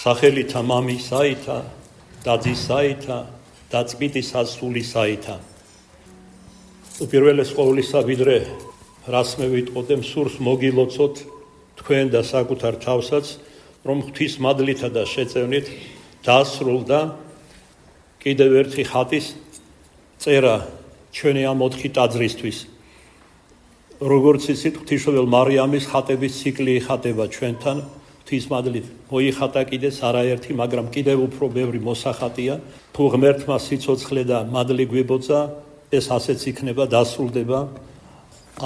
სახელითა მამისაითა, დაძისაითა და წმინდისასულისაითა. უპირველეს ყოვლისა, ვიდრე რას მე ვიტყოდე, მსურს მოგილოცოთ თქვენ და საკუთარ თავსაც, რომ ღვთის მადლითა და შეწევნით დასრულდა კიდევ ერთი ხატის წერა ჩვენი ამ 4 ტაძრისთვის. როგორც იცით, ღვთისმშობელ მარიამის ხატების ციკლი იხატება ჩვენთან. ღვთის მადლით მოიხატა კიდეც არაერთი, მაგრამ კიდევ უფრო ბევრი მოსახატია. თუ ღმერთმა სიცოცხლე და მადლი გვიბოძა, ეს ასეც იქნება, დასრულდება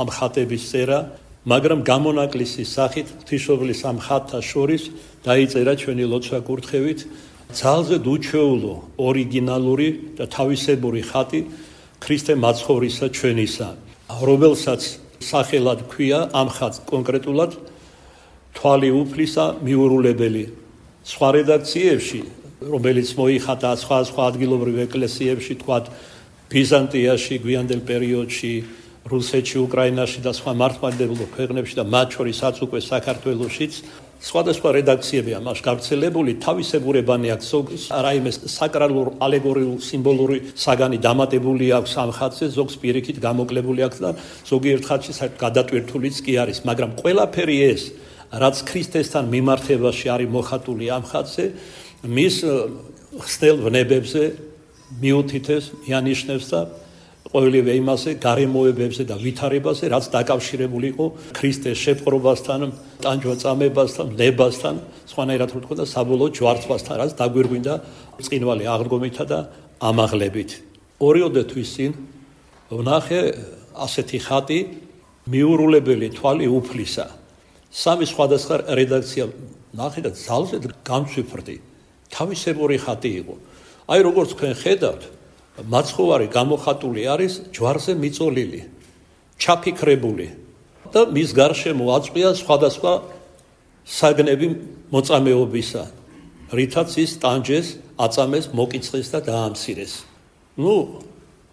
ამ ხატების წერა, მაგრამ გამონაკლისის სახით ღვთისმშობლის ამ ხატთა შორის დაიწერა ჩვენი ლოცვა კურთხევით ძალზედ უჩვეულო, ორიგინალური და თავისებური ხატი ქრისტე მაცხოვრისა ჩვენისა, რომელსაც სახელად ქვია ამ ხატს კონკრეტულად თვალი უფლისა მიურულებელი. სხვა რედაქციებში, რომელიც მოიხატა სხვა ადგილობრივ ეკლესიებში, თქვათ ბიზანტიაში, გვიანდელ პერიოდში, რუსეთში, უკრაინაში და სხვა მართლმადიდებლურ ქვეყნებში და მათ შორისაც უკვე საქართველოშიც სხვადასხვა რედაქციები ამას გავრცელებული, თავისებურებანი აქვს, რაიმე საკრალურ, ალეგორიულ, სიმბოლური საგანი დამატებული აქვს ამ ხატზე, ზოგს პირიქით გამოკლებული აქვს და ზოგიერთ ხატში გადატვირთულიც კი არის, მაგრამ ყველაფერი ეს, რაც ქრისტესთან მიმართებაში არის მოხატული ამ ხატზე, მის ხსნელ ვნებებზე მიუთითებს, მიანიშნებს და ყოველივე იმაზე, გარემოებებზე და ვითარებაზე, რაც დაკავშირებული იყო ქრისტეს შეპყრობასთან, ტანჯვა-წამებასთან, ვნებასთან, სხვანაირად რო თქვა და საბოლოო ჯვარცმასთან, რაც დაგვირგვინდა ბრწყინვალე აღდგომითა და ამაღლებით. 2 თვის წინ ვნახე ასეთი ხატი მიურულებელი თვალი უფლისა. 3 სხვადასხვა რედაქცია ნახე და ძალზედ გამცვიფრდი. თავისებური ხატი იყო. აი როგორც თქვენ ხედავთ, მაცხოვარი გამოხატული არის ჯვარზე მიწოლილი, ჩაფიქრებული და მის გარშემო აწყვია სხვადასხვა საგნები მოწამეობისა, რითაც ის ტანჯეს, აწამეს, მოკიწყეს და დაამცირეს.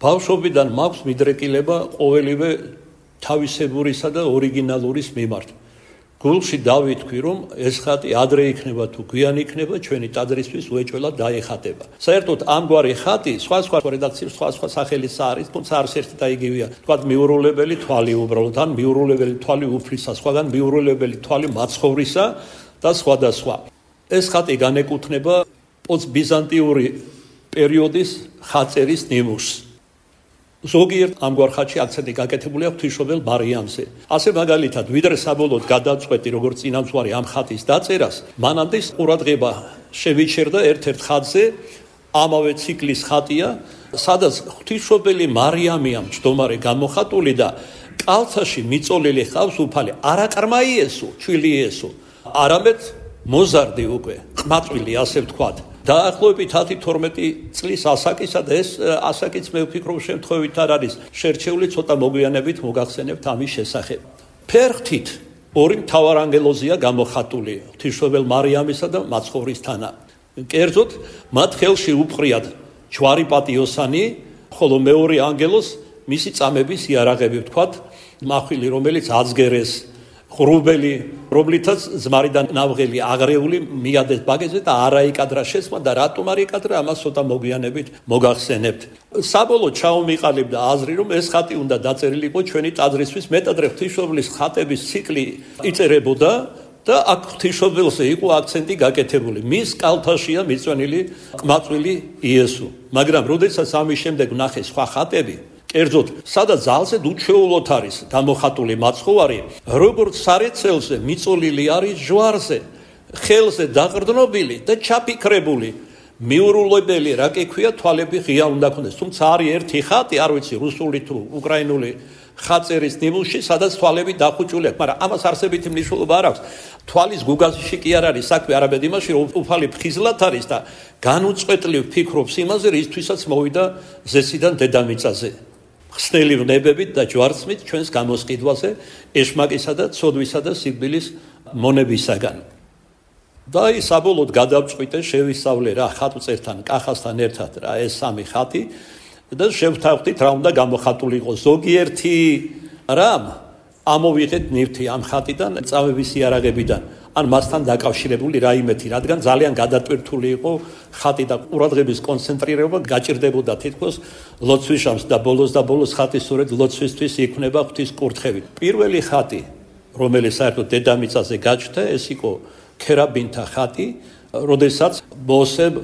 ბავშვობიდან მაქვს მიდრეკილება ყოველივე თავისებურისა და ორიგინალურის მიმართ. გულში დავითქვი, რომ ეს ხატი ადრე იქნება თუ გვიან იქნება, ჩვენი ტაძრისთვის უეჭველად დაიხატება. საერთოდ ამგვარი ხატი სხვა რედაქციებში სხვა სახელიც არის, თუმცა არც ერთი და იგივეა. თქვათ მიურულებელი თვალი უბრალოდ, ან მიურულებელი თვალი უფლისა, სხვაგან მიურულებელი თვალი მაცხოვრისა და სხვა. ეს ხატი განეკუთვნება პოსტბიზანტიური პერიოდის ხატწერის ნიმუშს. ზოგიერთ ამგვარ ხატში აქცენტი გაკეთებულია ღვთისმშობელ მარიამზე. ასე მაგალითად, ვიდრე საბოლოოდ გადავწყვეტი, როგორც წინამძღვარი ამ ხატის დაწერას, მანამდე ყურადღება შევიჩერდა ერთ-ერთ ხატზე, ამავე ციკლის ხატია, სადაც ღვთისმშობელი მარიამია მჯდომარე გამოხატული და კალთაში მიწოლილი ხავს უფალი, არა ყრმა იესო, ჩვილი იესო, არამედ მოზარდი უკვე, ყმაწვილი, ასე ვთქვათ. დაახლოებით 10-12 წლის ასაკისა და ეს ასაკიც მე ვფიქრობ შემთხვევით არ არის შერჩეული, ცოტა მოგვიანებით მოგახსენებთ ამის შესახებ. ფერხთით 2 მთავარანგელოზია გამოხატული, ღვთისმშობელ მარიამისა და მაცხოვრის თანა. კერძოდ, მათ ხელში უპყრიათ ჯვარი პატიოსანი, ხოლო მეორე ანგელოზს მისი წამების იარაღები, ვთქვათ, მახვილი, რომელიც აცგერეს, ღრუბელი, რომლითაც ზმარიდან ნავღელი აღრეული მიადეს ბაგეზე და არა იკადრა შესმა და რატომ არ იკადრა, ამას ცოტა მოგვიანებით მოგახსენებთ. საბოლოოდ ჩაუმიყალიბდა აზრი, რომ ეს ხატი უნდა დაწერილიყო ჩვენი ტაძრისთვის, მეტადრე ღვთისმშობლის ხატების ციკლი იწერებოდა და აქ ღვთისმშობელზე იყო აქცენტი გაკეთებული. მის კალთაშია მიწვენილი ყმაწვილი იესო. მაგრამ როდესაც ამის შემდეგ ვნახე სხვა ხატები, კერძოდ, სადაც ძალზედ უჩვეულოდ არის გამოხატული მაცხოვარი, როგორც სარეცელზე მიწოლილი არის ჯვარზე, ხელზე დაყრდნობილი და ჩაფიქრებული. მიურულებელი, რა კი ქვია, თვალები ღია უნდა ქონდეს. თუმცა არის ერთი ხატი, არ ვიცი, რუსული თუ უკრაინული ხატწერის ნიმუშში, სადაც თვალები დახუჭული აქვს, მაგრამ ამას არსებითი მნიშვნელობა არ აქვს. თვალის გუგაზში კი არ არის საქმე, არამედ იმაში, რომ უფალი ფხიზლად არის და განუწყვეტლივ ფიქრობს იმაზე, რისთვისაც მოვიდა ზესიდან დედამიწაზე. ხსნელი ვნებებით და ჯვარცმით ჩვენს გამოსყიდვაზე, ეშმაკისა და ცოდვისა და სიკვდილის მონებისაგან. და ის საბოლოოდ გადავწყვიტე, შევისწავლე რა ხატწერთან, კახასთან ერთად რა ეს 3 ხატი და შევთავხდით რა უნდა გამოხატულიყო. ზოგიერთი რამ ამოვიღეთ ნივთი ამ ხატიდან, წავების იარაღებიდან. ან მასთან დაკავშირებული რაიმეთი, რადგან ძალიან გადატვირთული იყო ხატი და ყურადღების კონცენტრირება გაჭირდებოდა თითქოს ლოცვის შამს და ბოლოს ხატი სწორედ ლოცვისთვის იქნება ღვთის კურთხევით. პირველი ხატი, რომელიც საერთოდ დედამიწაზე გაჩნდა, ეს იყო ქერაბინთა ხატი, როდესაც მოსემ,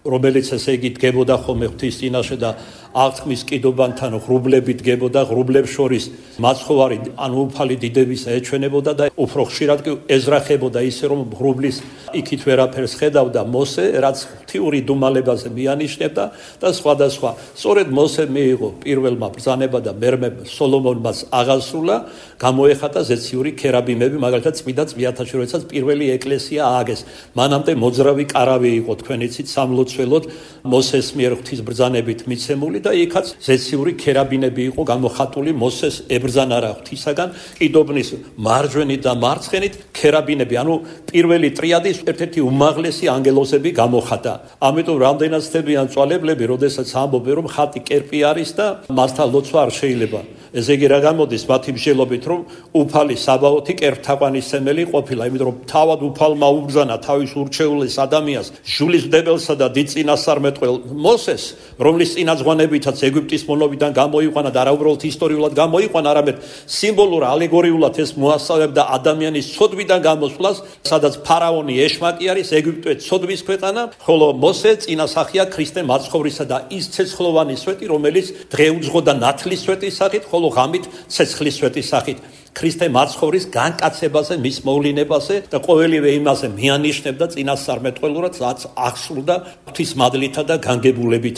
რომელიც ესე იგი დგებოდა ხოლმე ღვთის წინაშე და აღთქმის კიდობანთან ღრუბლებით დგებოდა, ღრუბლებს შორის მაცხოვარი ან უფალი დიდებისა ეჩვენებოდა და უფრო ხშირად კი ეზრახებოდა ისე რომ ღრუბლის იქით ვერაფერს ხედავდა მოსე, რაც ღვთიური დუმალებაზე მიანიშნებდა და სხვადასხვა. სწორედ მოსე მიიღო პირველმა ბრძანება და მერმე სოლომონმაც აღასრულა, გამოეხატა ზეციური ქერაბინები, მაგალითად წმინდა წვიათაში, როდესაც პირველი ეკლესია ააგეს. მანამდე მოძრავი კარავი იყო, თქვენ იცით, სამლოცველოდ მოსეს მიერ ღვთის ბრძანებით მიცემული და იქაც ზეციური ქერაბინები იყო გამოხატული მოსეს ებრძანა რა ღვთისაგან, კიდობნის მარჯვენით და მარცხენით ქერაბინები, ანუ პირველი ტრიადის ერთ-ერთი უმაღლესი ანგელოზები გამოხატა. ამიტომ რამდენად ცდებიან წვალებლები, როდესაც ამბობენ რომ ხატი კერპი არის და მასთან ლოცვა არ შეიძლება. ესე იგი რა გამოდის მათი მსჯელობით, რომ უფალი საბაოთი კერპთაყვანისმცემელი ყოფილა, იმიტომ რომ თავად უფალმა უბრძანა თავის ურჩეულეს ადამიანს, ჟულისმდებელსა და დიდ წინასწარმეტყველ მოსეს, რომლის წინაზღვანებითაც ეგვიპტის მონოვიდან გამოიყვანა და არა უბრალოდ ისტორიულად გამოიყვანა, არამედ სიმბოლურ ალეგორიულად ეს მოასწავებდა ადამიანის ცოდვიდან გამოსვლას, სადაც ფარაონი ეშმაკი არის, ეგვიპტე ცოდვის ქვეყანა, ხოლო მოსე წინასახია ქრისტე მაცხოვრისა და ის ცეცხლოვანი სვეტი, რომელიც დღეუძღოდა ნათლის სვეტის სახით, ხოლო ღამით ცეცხლის სვეტის სახით. ქრისტე მაცხოვრის განკაცებაზე, მის მოვლინებაზე და ყოველივე იმაზე მიანიშნებდა წინასწარმეტყველურად, რაც აღსრულდა ღვთის მადლითა და განგებულებით.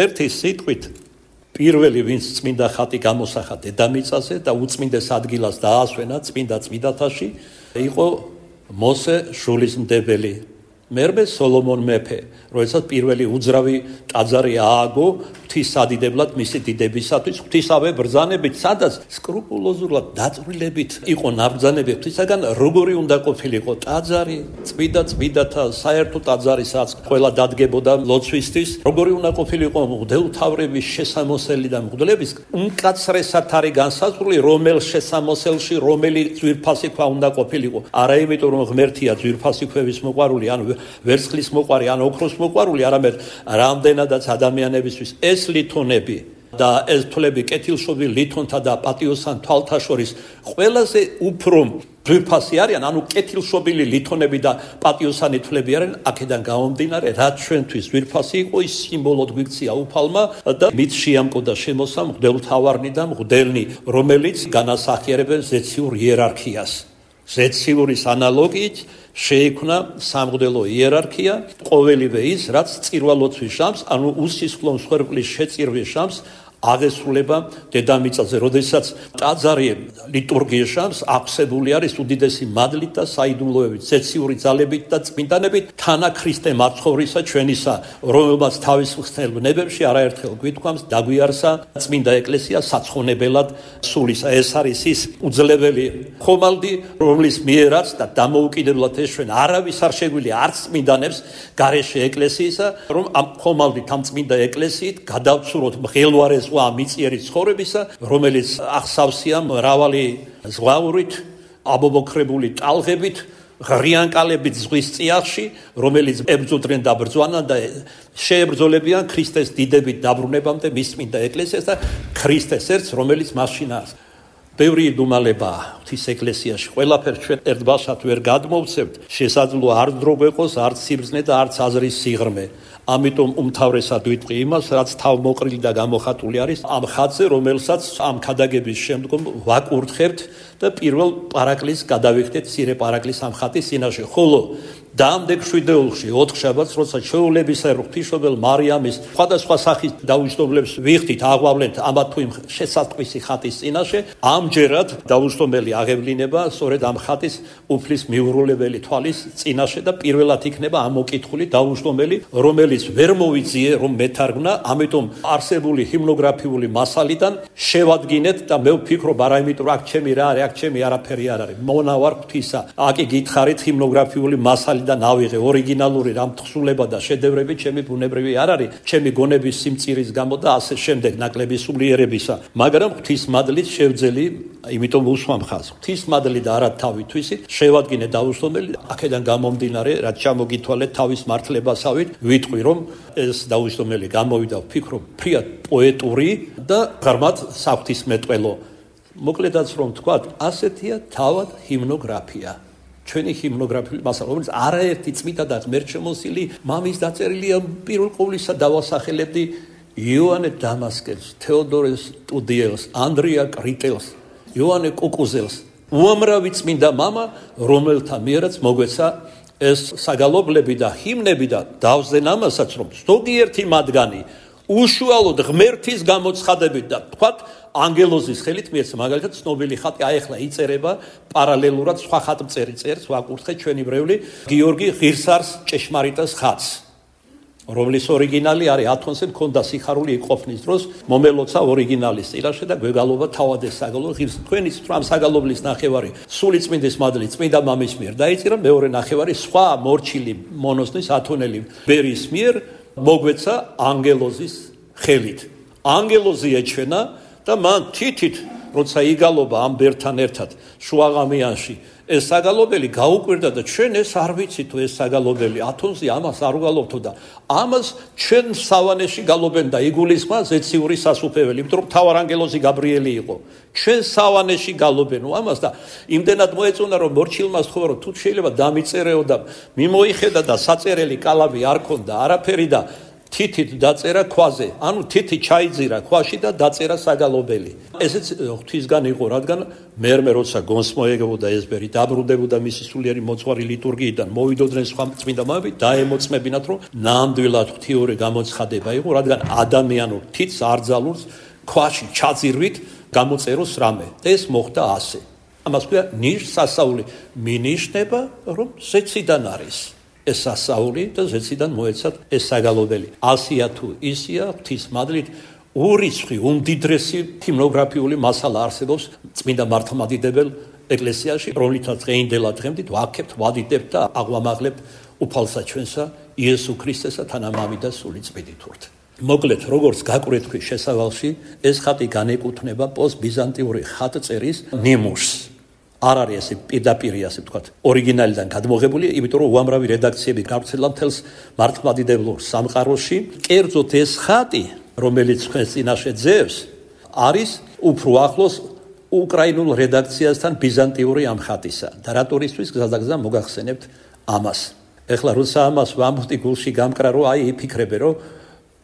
ერთი სიტყვით, პირველი ვინც წმინდა ხატი გამოსახა დედამიწაზე და უწმინდეს ადგილას დაასვენა წმინდა წმინდათაში, იყო მოსე შულისმდებელი. მერმე სოლომონ მეფე, როდესაც პირველი უძრავი ტაძარი ააგო ღვთისადიდებლად მისი დიდებისათვის, ღვთისავე ბრძანებით, სადაც სკრუპულოზურად დაწვრილებით იყო ნაბრძანები ღვთისაგან, როგორი უნდა ყოფილიყო ტაძარი, წმინდა წმინდათა საერთო ტაძარი, სადაც ყველა დადგებოდა ლოცვისთვის, როგორი უნდა ყოფილიყო მღვდელმთავრების შესამოსელი და მღვდლების უმკაცრესად არის განსაზღვრული, რომელ შესამოსელში რომელი ძვირფასი ქვა უნდა ყოფილიყო. არა იმიტომ რომ ღმერთია ძვირფასი ქვევის მოყვარული, ან ვერცხლის მოყვარი, ან ოქროს მოყვარული, არამედ რამდენადაც ადამიანებისთვის ეს ლითონები და ეს თვლები კეთილშობილ ლითონთა და პატიოსან თვალთა შორის ყველაზე უფრო ძვირფასი არიან, ანუ კეთილშობილი ლითონები და პატიოსანი თვლები არიან, აქედან გამომდინარე, რაც ჩვენთვის ძვირფასი იყო, ის სიმბოლოდ გვიქცია უფალმა და მით შეამკოდა შემოსა მღვდელმთავარნი და მღვდელნი, რომელიც განასახიერებენ ზეციურ იერარქიას. ზეციურის ანალოგიით შეიქმნა სამღვდელო იერარქია, ყოველივე ის, რაც წირვალოცვის შამს, ანუ უსისხლო მსხვერპლის შეწირვის შამს აღესრულება დედამიწაზე, როდესაც ტაძარი ლიტურგიის შამს აღსებული არის უდიდესი მადლით და საიდუმლოებით, ზეციური ძალებით და წმინდანებით, თანა ქრისტე მაცხოვრისა ჩვენისა, რომელმაც თავის ხსნელ ბნებებში არაერთხელ გვითქვამს, დაგვიარსა წმინდა ეკლესია საცხონებელად სულისა. ეს არის ის უძლებელი ხომალდი, რომლის მიერაც და დამოუკიდებლად ეშვენ არავის არ შეგვიძლია არც წმინდანებს გარეშე ეკლესიისა, რომ ამ ხომალდით, ამ წმინდა ეკლესიით გადავცუროთ მღელვარეს მიწიერი ცხოვრებისა, რომელიც ახსავსია მრავალი ზღვაურით, აბობოქრებული ტალღებით, ღრიანკალებით ზღვის წიაღში, რომელიც ებრძოდნენ და ბრძვანან და შეებრძოლებიან ქრისტეს დიდებით დაბრუნებამდე მის წმინდა ეკლესიას და ქრისტეს ერთს, რომელიც მასშინაა. ბევრი დუმალებაა ღვთის ეკლესიაში, ყველაფერს ჩვენ ერთბაშად ვერ გადმოვცემთ, შესაძლოა არ დრო გვეყოს, არც სიბრძნე და არც აზრის სიღრმე. ამიტომ უმთავრესად ვიტყვი იმას, რაც თავმოყრილი და გამოხატული არის ამ ხატზე, რომელსაც ამ ქადაგების შემდგომ ვაკურთხებთ და პირველ პარაკლის გადავიხდეთ მცირე პარაკლის ამ ხატის წინაშე. ხოლო დაამდეგ შვიდეულში 4 შაბათს, როცა ჩვეულებისა ღვთისმშობელ მარიამის სხვადასხვა სახის დაუჯდომლებს ვიხდით, აღვავლენთ ამა თუ იმ შესატყვისი ხატის წინაშე, ამჯერად დაუჯდომელი აღევლინება სწორედ ამ ხატის უფლის მიურულებელი თვალის წინაშე და პირველად იქნება ამ მოკითხული დაუჯდომელი, რომელიც ვერ მოვიძიე რომ მეთარგმნა, ამიტომ არსებული ჰიმნოგრაფიული მასალიდან შევადგინეთ და მე ვფიქრობ, არა იმიტომ რომ აქ ჩემი რა არის, აქ ჩემი არაფერი არ არის, მონავარ ღვთისა. აკი გითხარით ჰიმნოგრაფიული მასალი მასალიდან ავიღე ორიგინალური რამ თხზულება და შედევრები ჩემი ბუნებრივი არ არის ჩემი გონების სიმწირის გამო და ასე შემდეგ ნაკლები სულიერებისა მაგრამ ღვთისმადლით შევძელი იმიტომ უსვამ ხაზს ღვთისმადლით და არა თავითვისით შევადგინე დაუსვენელი აქედან გამომდინარე რაც ჩამოგითვალეთ თავის მართლებასავით ვიტყვი რომ ეს დაუსვენელი გამოვიდა ვფიქრობ ფრიად პოეტური და ღრმად საღვთისმეტყველო მოკლედაც რომ თქვათ ასეთია თავად ჰიმნოგრაფია ჩვენი ჰიმნოგრაფიული მასალა რომელიც არაერთი წმინდა და ღმერთშემოსილი მამის დაწერილია პირველ ყოვლისა დავასახელებდი იოანე დამასკელს თეოდორეს ტუდიელს ანდრია კრიტელს იოანე კუკუზელს უამრავი წმინდა მამა რომელთა მიერაც მოგვეცა ეს საგალობლები და ჰიმნები და დავზენ ამასაც რომ ზოგიერთი მათგანი უშუალოდ ღმერთის გამოცხადებით და თქვათ ანგელოზის ხელით მიეცა მაგალითად ცნობილი ხატი აეხლა იწერება პარალელურად სხვა ხატმწერი წერს ვაკურთხეთ ჩვენი ბრეული გიორგი ღირსარს ჭეშმარიტას ხატს რომლის ორიგინალი არის ათონზე მქონდა სიხარული იყოფნის დროს მომელოცა ორიგინალის წილაში და გვეგალობა თავად ეს საგალობლი ღირს თქვენი ამ საგალობლის ნახევარი სული წმინდის მადლით წმინდა მამის მიერ დაიწერა მეორე ნახევარი სხვა მორჩილი მონოსნის ათონელი ბერის მიერ მოგვეცა ანგელოზის ხელით ანგელოზი ეჩვენა და მან თითით როცა იგალობა ამ ბერთან ერთად შუაღამიანში ეს საგალობელი გაუკვირდა და ჩვენ ეს არ ვიცით თუ ეს საგალობელი ათონზე ამას არ უგალობთო და ამას ჩვენ სავანეში გალობენ და იგულისხმა ზეციური სასუფეველი იმიტომ რომ მთავარანგელოზი გაბრიელი იყო ჩვენ სავანეში გალობენ ამას და იმდენად მოეწონა რომ მორჩილმა თქვა რომ თუ შეიძლება დამიწერეო და მიმოიხედა და საწერელი კალამი არ ქონდა არაფერი და თითით დაწერა ქვაზე, ანუ თითი ჩაიძირა ქვაში და დაწერა საგალობელი. ესეც ღვთისგან იყო, რადგან მერმე როცა გონს მოეგებოდა ეს ბერი, დაბრუნდებოდა მისი სულიერი მოძღვარი ლიტურგიიდან, მოვიდოდნენ სხვა წმინდა მამები, დაემოწმებინათ, რომ ნამდვილად ღვთიური გამოცხადება იყო, რადგან ადამიანურ თითს არძალულს ქვაში ჩაძირვით გამოწეროს რამე. ეს მოხდა ასე. ამას ქვია ნიშ-სასაული, მინიშნება, რომ ზეციდან არის. ეს სასაული და ზეციდან მოეცათ ეს საგალობელი. ასია თუ ისია ღვთისმადლით ურიცხვი უმდიდრესი ჰიმნოგრაფიული მასალა არსებობს წმინდა მართლმადიდებელ ეკლესიაში, რომლითაც დღეინდელად დღემდე ვაქებთ, ვადიდებთ და აღვამაღლებთ უფალსა ჩვენსა იესო ქრისტესა თანამამი და სული წმინდითურთ. მოკლედ, როგორც გაკვირვეთ თქვი შესავალში, ეს ხატი განეკუთვნება პოსტბიზანტიური ხატწერის ნიმუშს. არ არის ესე პირდაპირი ასე ვთქვათ ორიგინალიდან გადმოღებული, იმიტომ რომ უამრავი რედაქციები გავრცელა მთელს მართლმადიდებლურ სამყაროში. კერძოდ ეს ხატი, რომელიც თქვენს წინაშე ძევს, არის უფრო ახლოს უკრაინულ რედაქციასთან ბიზანტიური ამ ხატისა. და რატორისთვის გზადაგზა მოგახსენებთ ამას. ეხლა როცა ამას ვამბობთ გულში გამკრა, რომ აი იფიქრებე, რომ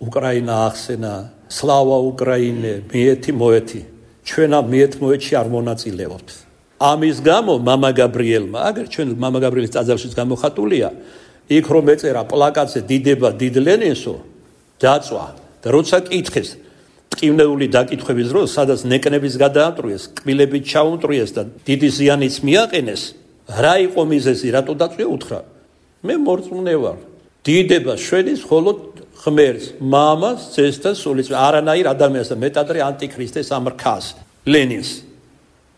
უკრაინა ახსენა, სლავა უკრაინე, მიეთი მოეთი. ჩვენ ამ მიეთ მოეთში არ მონაწილეობთ. ამის გამო მამა გაბრიელმა, აგერ ჩვენ მამა გაბრიელის ტაძარშიც გამოხატულია, იქ რომ ეწერა პლაკატზე დიდება დიდ ლენინსო, დაწვა და როცა კითხეს ტკივნეული დაკითხვების დროს, სადაც ნეკნების გადაამტრიეს, კბილებით ჩაუნტრიეს და დიდი ზიანიც მიაყენეს, რა იყო მიზეზი, რატო დაწვია, უთხრა. მე მორწმუნე ვარ. დიდება შვენის მხოლოდ ღმერთს, მამას, ძეს და სულიც, არანაირ ადამიანს და მეტადრე ანტიქრისტეს ამრქას, ლენინს.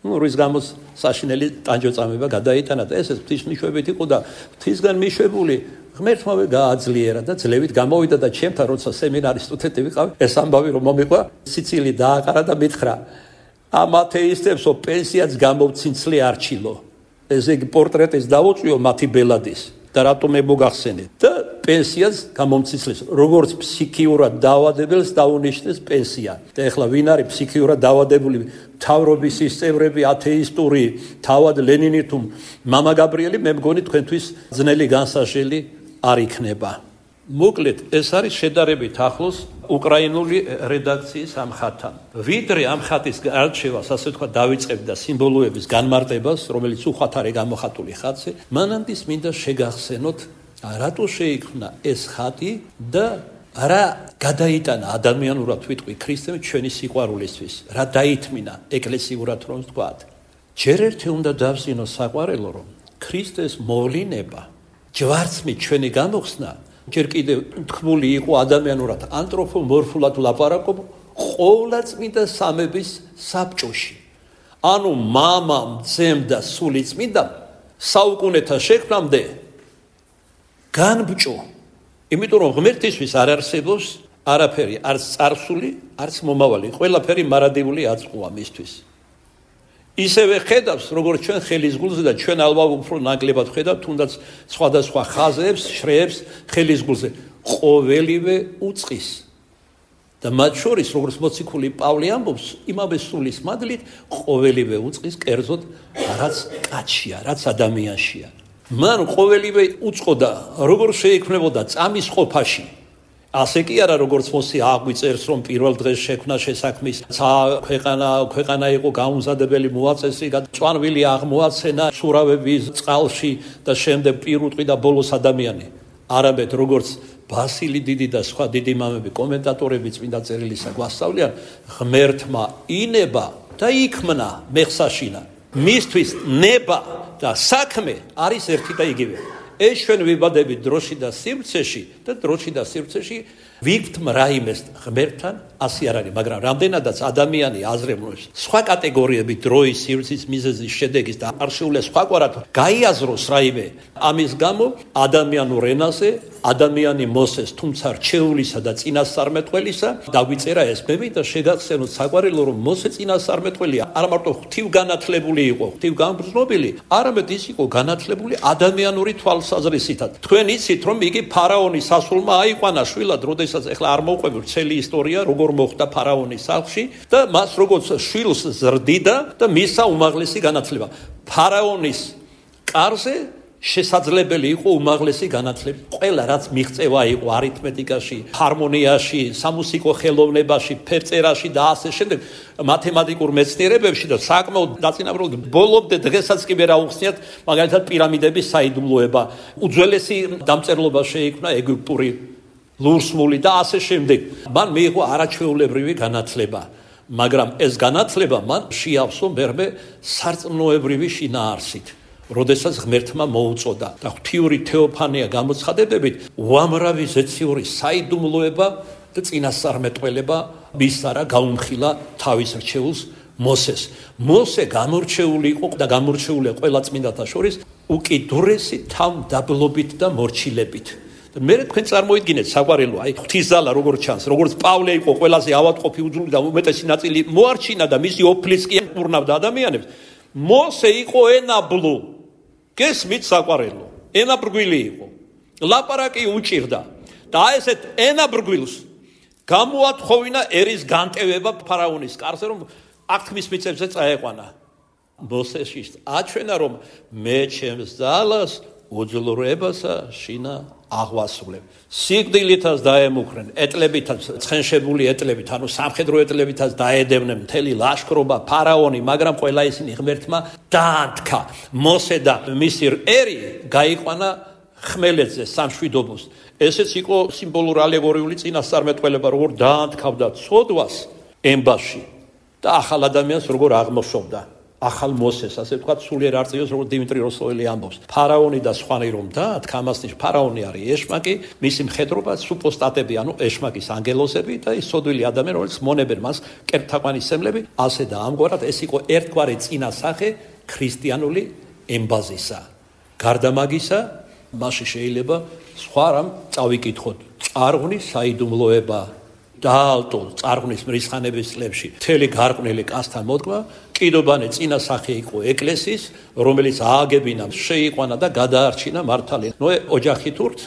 რის გამოც საშინელი ტანჯოწამება გადაიტანა და ესეც ღვთისმიშვებით იყო და ღვთისგან მიშვებული ღმერთმავე გააძლიერა და ძლევით გამოვიდა და ჩემთან როცა სემინარის სტუდენტი ვიყავი, ეს ამბავი რომ მომიყვა, სიცილი დააყარა და მითხრა, ამ ათეისტებსო პენსიაც გამოვცინცლი არჩილო. ესე იგი პორტრეტის დაუწვიო მათი ბელადის და რატომ მოგახსენე და პენსიას გამომცინცლეს, როგორც ფსიქიურად დაავადებელს დაუნიშნეს პენსია. და ეხლა ვინ არის ფსიქიურად დაავადებული მთავრობის წევრები ათეისტური, თავად ლენინი თუ მამა გაბრიელი, მე მგონი თქვენთვის ძნელი განსაჟელი არ იქნება. მოკლედ, ეს არის შედარებით ახლოს უკრაინული რედაქციის ამ ხატთან. ვიდრე ამ ხატის არჩევას, ასე თქვა, დავიწყებ და სიმბოლოების განმარტებას, რომელიც უხვად არის გამოხატული ხატზე, მანამდე მინდა შეგახსენოთ, რატო შეიქმნა ეს ხატი და რა გადაიტანა ადამიანურად ვიტყვი ქრისტემ ჩვენი სიყვარულისთვის, რა დაითმინა ეკლესიურად რომ ვთქვათ. ჯერ ერთი უნდა დავზინო საყვარელო, რომ ქრისტეს მოვლინება, ჯვარცმით ჩვენი გამოხსნა, ჯერ კიდევ თქმული იყო ადამიანურად ანთროპომორფულად ლაპარაკობ ყოვლა წმინდა სამების საბჭოში. ანუ მამამ, ძემ და სული წმინდამ საუკუნეთა შექმნამდე განბჭო. იმიტომ რომ ღმერთისთვის არ არსებობს არაფერი, არც წარსული, არც მომავალი. ყველაფერი მარადიული აწყვოა მისთვის. ისევე ხედავს, როგორც ჩვენ ხელის გულზე და ჩვენ ალბათ უფრო ნაკლებად ხედავთ, თუნდაც სხვადასხვა ხაზებს, შრეებს ხელის გულზე. ყოველივე უწყის. და მათ შორის, როგორც მოციქული პავლე ამბობს, იმავე სულის მადლით, ყოველივე უწყის კერძოდ რაც კაცშია, რაც ადამიანშია. მან ყოველივე უწყო და როგორ შეიქმნებოდა წამის ყოფაში. ასე კი არა, როგორც მოსი აღვიწერს, რომ პირველ დღეს შექმნა შესაქმის ქვეყანა იყო გაუმზადებელი მოაწესი, წვანვილი აღმოაცენა სურავების წყალში და შემდეგ პირუტყვი და ბოლოს ადამიანი. არამედ როგორც ბასილი დიდი და სხვა დიდი მამები კომენტატორები წმინდა წერილისა გვასწავლიან, ღმერთმა ინება და იქმნა მეხსაშინა. მისთვის ნება და საქმე არის ერთი და იგივე. ეს ჩვენ ვიბადებით დროში და სივრცეში და დროში და სივრცეში ვიქვთ რაიმეს ღმერთთან ასე არ არის, მაგრამ რამდენადაც ადამიანი აზროვნებს სხვა კატეგორიები დროის სივრცის მიზეზის შედეგის და არ შეუძლია სხვაგვარად გაიაზროს რაიმე, ამის გამო ადამიანურ ენაზე ადამიანი მოსეს, თუმცა რჩეულისა და წინასწარმეტყველისა დაგვიწერა ეს ბები და შეგახსენოთ საყვარელო, რომ მოსე წინასწარმეტყველი არ მარტო ღვთივგანათლებული იყო, ღვთივგანგრძნობილი, არამედ ის იყო განათლებული ადამიანური თვალსაზრისითაც. თქვენ იცით, რომ იგი ფარაონის სასულმა აიყვანა შვილად, როდესაც ეხლა არ მოვყვები ვრცელი ისტორია, როგორ მოხდა ფარაონის სახლში და მას როგორც შვილს ზრდიდა და მისცა უმაღლესი განათლება. ფარაონის კარზე შესაძლებელი იყო უმაღლესი განათლება. ყველა რაც მიღწევა იყო არითმეტიკაში, ჰარმონიაში, სამუსიკო ხელოვნებაში, ფერწერაში და ასე შემდეგ, მათემატიკურ მეცნიერებებში და საკმაოდ დაწინაურდა. ბოლომდე დღესაც კი ვერ აუხსნიათ, მაგალითად პირამიდების საიდუმლოება, უძველესი დამწერლობა შეიქმნა ეგვიპტური, ლურსმული და ასე შემდეგ. მან მიიღო არაჩვეულებრივი განათლება, მაგრამ ეს განათლება მან შეავსო მერმე სარწმუნოებრივი შინაარსით. როდესაც ღმერთმა მოუწოდა და ღვთიური თეოფანია გამოცხადებებით უამრავი ზეციური საიდუმლოება და წინასწარმეტყველება მისარა გაუმხილა თავის რჩეულს მოსეს. მოსე გამორჩეული იყო და გამორჩეულია ყველა წმინდათა შორის უკიდურესი თავმდაბლობით და მორჩილებით. მე თქვენ წარმოიდგინეთ საყვარელო, აი ღვთისძალა როგორც ჩანს, როგორც პავლე იყო ყველაზე ავადმყოფი უძული და უმეტესი ნაწილი მოარჩინა და მისი ოფლიც კი ურნავდა ადამიანებს. მოსე იყო ენაბლო. გესმით საყვარელო, ენაბრგვილი იყო. ლაპარაკი უჭირდა და ესეთ ენაბრგვილს გამოათხოვინა ერის განტევება ფარაონის კარზე, რომ აღთქმის მიწებზე წაეყვანა. მოსეში აჩვენა, რომ მე ჩემს ძალას უძლურებასა შინა აღვასრულებ. სიკვდილითაც დაემუქრენ, ეტლებითაც, ცხენშებული ეტლებით, ანუ სამხედრო ეტლებითაც დაედევნენ მთელი ლაშქრობა, ფარაონი, მაგრამ ყველა ისინი ღმერთმა დაანთქა. მოსე და მისი ერი გაიყვანა ხმელეთზე სამშვიდობოს. ესეც იყო სიმბოლური ალეგორიული წინასწარმეტყველება, როგორ დაანთქავდა ცოდვას ემბაში და ახალ ადამიანს როგორ აღმოშობდა. ახალ მოსეს, ასე ვთქვათ, სულიერ არწივს, როგორც დიმიტრი როსტოველი ამბობს. ფარაონი და სხვანი რომ დაანთქა, ამასნიშ ფარაონი არის ეშმაკი, მისი მხედრობა სუპოსტატები, ანუ ეშმაკის ანგელოზები და ის სოდვილი ადამიანი, რომელიც მონებენ მას კერპთაყვანის სემლები, ასე და ამგვარად ეს იყო ერთგვარი წინასახე ქრისტიანული ემბაზისა. გარდა მაგისა, მასში შეიძლება სხვა რამ წავიკითხოთ. წარღვნის საიდუმლოება დაალტო წარღვნის მრისხანების წლებში მთელი გარყვნილი კაცთან მოდგმა, კიდობანი წინასახე იყო ეკლესიის, რომელიც ააგებინა, შეიყვანა და გადაარჩინა მართალი ნოე ოჯახით ურთ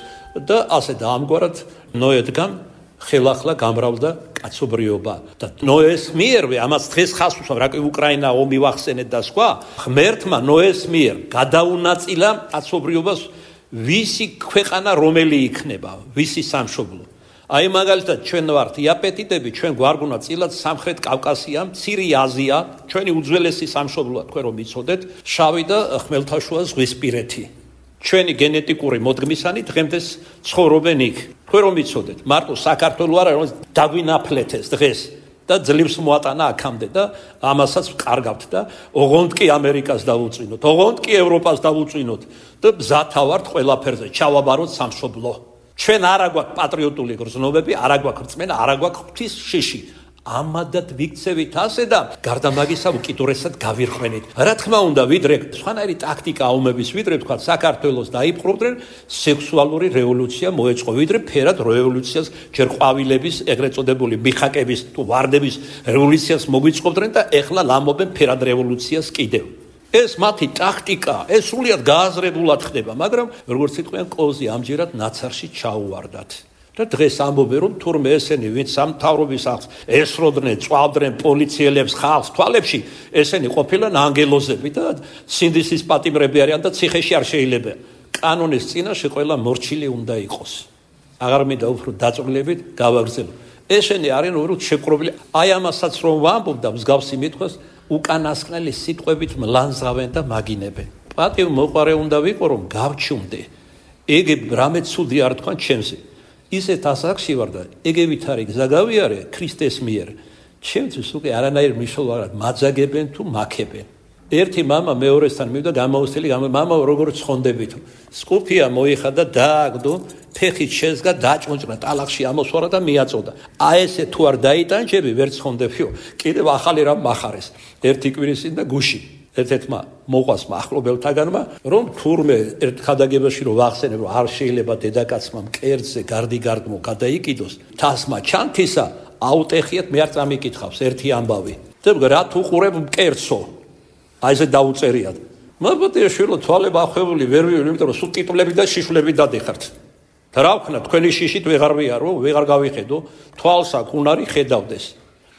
და ასე და ამგვარად ნოედგან ხელახლა გამრავლდა კაცობრიობა და ნოეს მიერვე ამას დღეს ხას უსვამ, რა კი უკრაინა ომი ვახსენეთ და სხვა, ღმერთმა ნოეს მიერ გადაუნაწილა კაცობრიობას, ვისი ქვეყანა რომელი იქნება, ვისი სამშობლო. აი მაგალითად ჩვენ ვართ იაპეტიტები, ჩვენ გვარგუნა წილად სამხრეთ კავკასია, მცირე აზია, ჩვენი უძველესი სამშობლოა, თქვენ რომ იცოდეთ, შავი და ხმელთაშუა ზღვისპირეთი. ჩვენი გენეტიკური მოდგმისანი დღემდე ცხოვრობენ იქ. თქვენ რომ იცოდეთ, მარტო საქართველო არა, რომ დაგვინაფლეთ ეს დღეს და ძლივს მოატანა აქამდე და ამასაც ვკარგავთ და ოღონდ კი ამერიკას დავუწინოთ, ოღონდ კი ევროპას დავუწინოთ და მზათა ვართ ყველაფერზე, ჩავაბაროთ სამშობლო. ჩვენ არა გვაქვს პატრიოტული გრძნობები, არა გვაქვს რწმენა, არა გვაქვს ღვთის შიში. ამადად ვიქცევით ასე და გარდა მაგისა უკიდურესად გავირხვენით. რა თქმა უნდა, ვიდრე სხვანაირი ტაქტიკა ომების, ვიდრე თქვა საქართველოს დაიპყრობდნენ, სექსუალური რევოლუცია მოეწყო, ვიდრე ფერად რევოლუციას ჯერ ყვავილების, ეგრეთ წოდებული მიხაკების თუ ვარდების რევოლუციას მოგვიწყობდნენ და ეხლა ლამობენ ფერად რევოლუციას კიდევ. ეს მათი ტაქტიკა, ეს სრულიად გააზრებულად ხდება, მაგრამ როგორც იტყვიან, კოზი ამჯერად ნაცარში ჩაუვარდათ. და დღეს ამბობენ, რომ თურმე ესენი, ვინც სამთავრობის ახს ესროდნენ, წვავდნენ პოლიციელებს ხალხს თვალებში, ესენი ყოფილან ანგელოზები და სინდისის პატიმრები არიან და ციხეში არ შეიძლება. კანონის წინაშე ყველა მორჩილი უნდა იყოს. აღარ მინდა უფრო დაწვრილებით გავაგრძელო. ესენი არიან უბრალოდ შეკრობილი. აი ამასაც რომ ვამბობ და მსგავსი მithwas უკანასკნელი სიტყვებით მლანძღავენ და მაგინებენ. პატივ მოყარე უნდა ვიყო, რომ გავჩუმდე. ეგ რამე ცუდი არ თქვან ჩემზე. ისეთ ასაკში ვარ და ეგევით არის გზა გავიარე ქრისტეს მიერ. ჩემთვის უკვე არანაირ მნიშვნელობა არ მაძაგებენ თუ მაქებენ. ერთი მამა მეორესთან მივიდა გამოუსწელი, მამა როგორ ცხონდებით. სკუფია მოიხადა, დააგდო, ფეხით შეზგა, დაჭონჭნა, ტალახში ამოსვარა და მიაწოდა. აი ესე თუ არ დაიტანჯები, ვერ ცხონდებიო. კიდევ ახალი რამ מחარეს. ერთი კვირის წინ და გუში. ერთ-ერთმა მოყვას ახლობელთაგანმა, რომ თურმე ერთ ხადაგებაში რომ ვახსენებ, რომ არ შეიძლება დედაკაცმა მკერდზე გარდიგარდმო გადაიკიდოს, თასმა ჩანთისა აუტეხიათ, მე არ წამიკითხავს ერთი ამბავი. და რა თუ ყურებ მკერდსო? აი ესე დაუწერიათ. მაბატია შვილო, თვალები ახვეული ვერ ვივლი, იმიტომ რომ სულ ტიტულები და შიშვლები დადიხართ. და რა ვქნა, თქვენი შიშით ვეღარ ვიარო, ვეღარ გავიხედო, თვალს აქ უნარი ხედავდეს.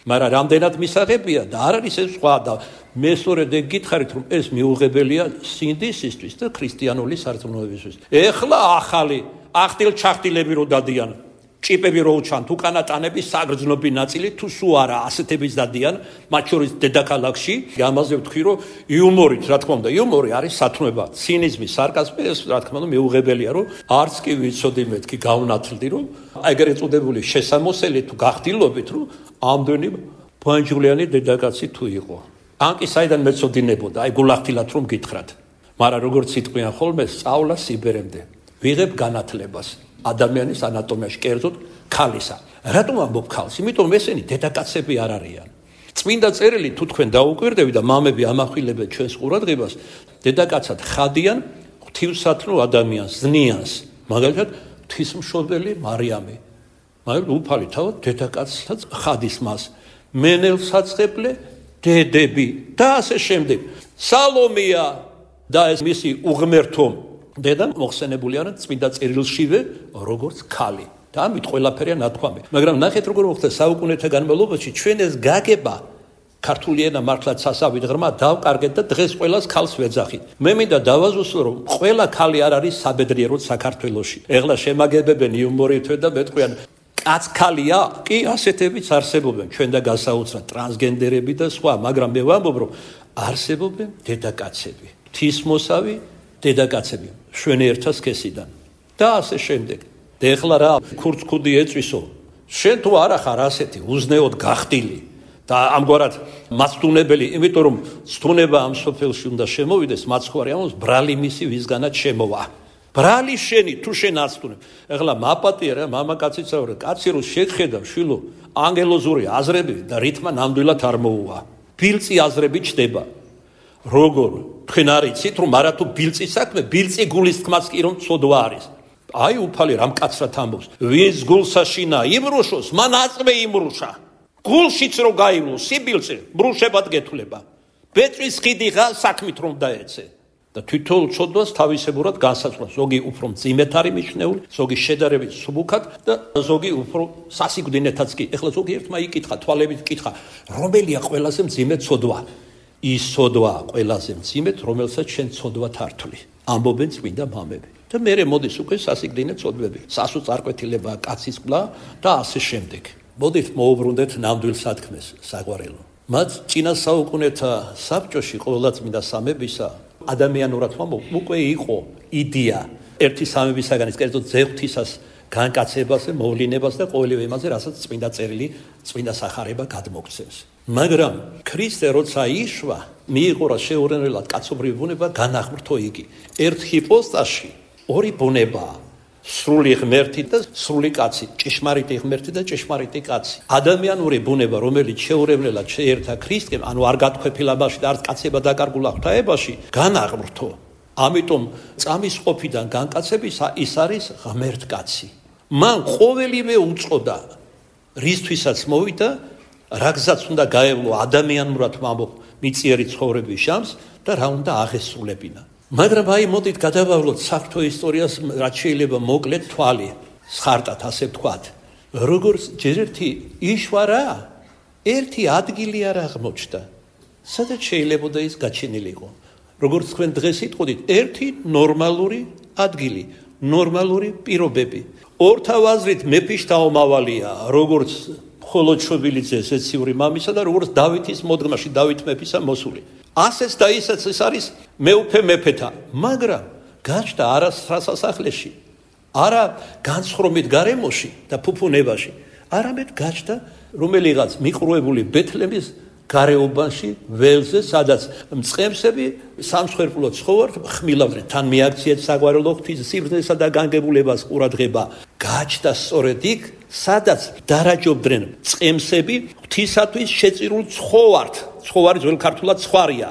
მაგრამ რამდენად მისაღებია და არ არის ეს სხვა და მე სწორედ ეგ გითხარით, რომ ეს მიუღებელია სინდისისთვის და ქრისტიანული სარწმუნოებისთვის. ეხლა ახალი ახტილ-ჩახტილები რო დადიან, ჭიპები რო უჩანთ, უკანატანების საგრძნობი ნაწილი თუ სუ არა ასეთების დადიან, მათ შორის დედაქალაქში. ამაზე ვთქვი, რომ იუმორით, რა თქმა უნდა, იუმორი არის სათნოება, ცინიზმი, სარკაზმი, ეს რა თქმა უნდა მიუღებელია, რომ არც კი ვიცოდი მეთქი გავნათლდი, რომ ეგრეთ წოდებული შესამოსელი თუ გახდილობით, რომ ამდენი ბანჯულიანი დედაკაცი თუ იყო. ან კი საიდან მეწოდინებოდა, აი გულახდილად რომ გითხრათ. მაგრამ როგორც იტყვიან ხოლმე, სწავლა სიბერემდე. ვიღებ განათლებას ადამიანის ანატომიაში, კერძოდ ქალისა. რატომ ამბობ ქალს? იმიტომ რომ ესენი დედაკაცები არ არიან. წმინდა წერილი თუ თქვენ დაუკვირდებით და მამები ამახვილებენ ჩვენს ყურადღებას, დედაკაცად ხადიან ღვთივსათნო ადამიანს, ზნიანს. მაგალითად, ღვთისმშობელი მარიამი. მაგრამ უფალი თავად დედაკაცსაც ხადის მას. მენელსაცხებლე დედები და ასე შემდეგ. სალომეა და ეს მისი უღმერთო დედა მოხსენებული არიან წმინდა წერილშივე როგორც ქალი. და ამით ყველაფერია ნათქვამი. მაგრამ ნახეთ როგორ მოხდა საუკუნეთა განმავლობაში ჩვენ ეს გაგება ქართული ენა მართლაც სასავით ღრმა დავკარგეთ და დღეს ყველას ქალს ვეძახით. მე მინდა დავაზუსტო, რომ ყველა ქალი არ არის საბედნიეროდ საქართველოში. ეხლა შემაგებებენ იუმორითვე და მეტყვიან კაც ქალია? კი, ასეთებიც არსებობენ, ჩვენ და გასაოცრად ტრანსგენდერები და სხვა, მაგრამ მე ვამბობ, რომ არსებობენ დედაკაცები, ღვთისმოსავი დედაკაცები, შვენიერთა სქესიდან და ასე შემდეგ. და ეხლა რა ქურცქუდი ეწვისო? შენ თუ არა ხარ ასეთი უზნეოდ გახდილი და ამგვარად მაცდუნებელი, იმიტომ რომ ცდუნება ამ სოფელში უნდა შემოვიდეს, მაცხვარი ამოს ბრალი მისი ვისგანაც შემოვა. ბრალი შენი თუ შენ აცდუნებ. ეხლა მაპატია რა, მამაკაციც არა, კაცი რო შეგხედავ, შვილო, ანგელოზური აზრები და რითმა ნამდვილად არ მოუვა. ბილწი აზრები ჩდება. როგორ? თქვენ არიცით, რომ არა თუ ბილწი საქმე, ბილწი გულის თქმაც კი რომ ცოდვა არის. აი უფალი რამ კაცრად ამბობს. ვინც გულსა შინა იმრუშოს, მან აწმე იმრუშა. გულშიც რო გაიმლო სიბილწე, ბრუშებად გეთვლება. ბეწვის ხიდი ღა საქმით რომ დაეცე. და თვითონ ცოდვას თავისებურად განსაზღვრავს. ზოგი უფრო მძიმედ არის მიჩნეული, ზოგი შედარებით სუბუქად და ზოგი უფრო სასიკვდინეთაც კი. ეხლა ზოგი ერთმა იკითხა, თვალებით კითხა, რომელია ყველაზე მძიმე ცოდვა? ის ცოდვა ყველაზე მძიმედ, რომელსაც შენ ცოდვა თართვი. ამბობენ წმინდა მამები. და მერე მოდის უკვე სასიკვდინე ცოდვები. სასოწარკვეთილება, კაცის ყლა და ასე შემდეგ. მოდით მოუბრუნდეთ ნამდვილ სათქმეს, საყვარელო. მათ წინა საუკუნეთა საბჭოში ყოველა წმინდა სამებისა ადამიანურად ვამბობ, უკვე იყო იდეა ერთი სამებისაგანის, კერძოდ ზეღვთისას განკაცებაზე, მოვლინებას და ყოველივე იმაზე, რასაც წმინდა წერილი, წმინდა სახარება გადმოგცემს. მაგრამ ქრისტე როცა იშვა, მიიღო რა შეურენელად კაცობრივი ბუნება, განახმრთო იგი. ერთ ჰიპოსტაში ორი ბუნებაა. სრული ღმერთი და სრული კაცი, ჭეშმარიტი ღმერთი და ჭეშმარიტი კაცი. ადამიანური ბუნება, რომელიც შეურევლელად შეერთა ქრისტემ, ანუ არ გათქვეფილებაში და არც კაცება დაკარგულა ღვთაებაში, განაღმრთო. ამიტომ წამის ყოფიდან განკაცებისა ის არის ღმერთკაცი. მან ყოველივე უწყოდა, რისთვისაც მოვიდა, რაგზაც უნდა გაევლო ადამიანურად მიწიერი ცხოვრების ჟამს და რა უნდა აღესრულებინა. მაგრამ აი მოდით გადავავლოთ საფრთხო ისტორიას, რაც შეიძლება მოკლედ თვალი, სხარტად ასე ვთქვათ. როგორც ჯერერთი იშვარა, ერთი ადგილი არ აღმოჩნდა. სადაც შეიძლებოდა ის გაჩენილიყო. როგორც თქვენ დღეს იტყოდით, ერთი ნორმალური ადგილი, ნორმალური პირობები. ორთავ აზრით მეფის დაომავალია, როგორც მხოლოდ შობილიძეს ეციური მამისა და როგორც დავითის მოდგმაში, დავით მეფისა მოსული. ასეც და ისეც ეს არის მეუფე მეფეთა, მაგრამ გაჩნდა არა სასახლეში, არა განსხრომით გარემოში და ფუფუნებაში, არამედ გაჩნდა რომელიღაც მიყრუებული ბეთლემის გარეუბანში, ველზე, სადაც მწყემსები სამსხვერპლო ცხოვართ ხმილავდნენ. თან მიაქციეთ საგვარეულო ღვთის სიბრძნესა და განგებულებას ყურადღება. გაჩნდა სწორედ იქ, სადაც დარაჯობდნენ მწყემსები ღვთისათვის შეწირულ ცხოვართ. ცხოვარი ძველ ქართულად ცხვარია.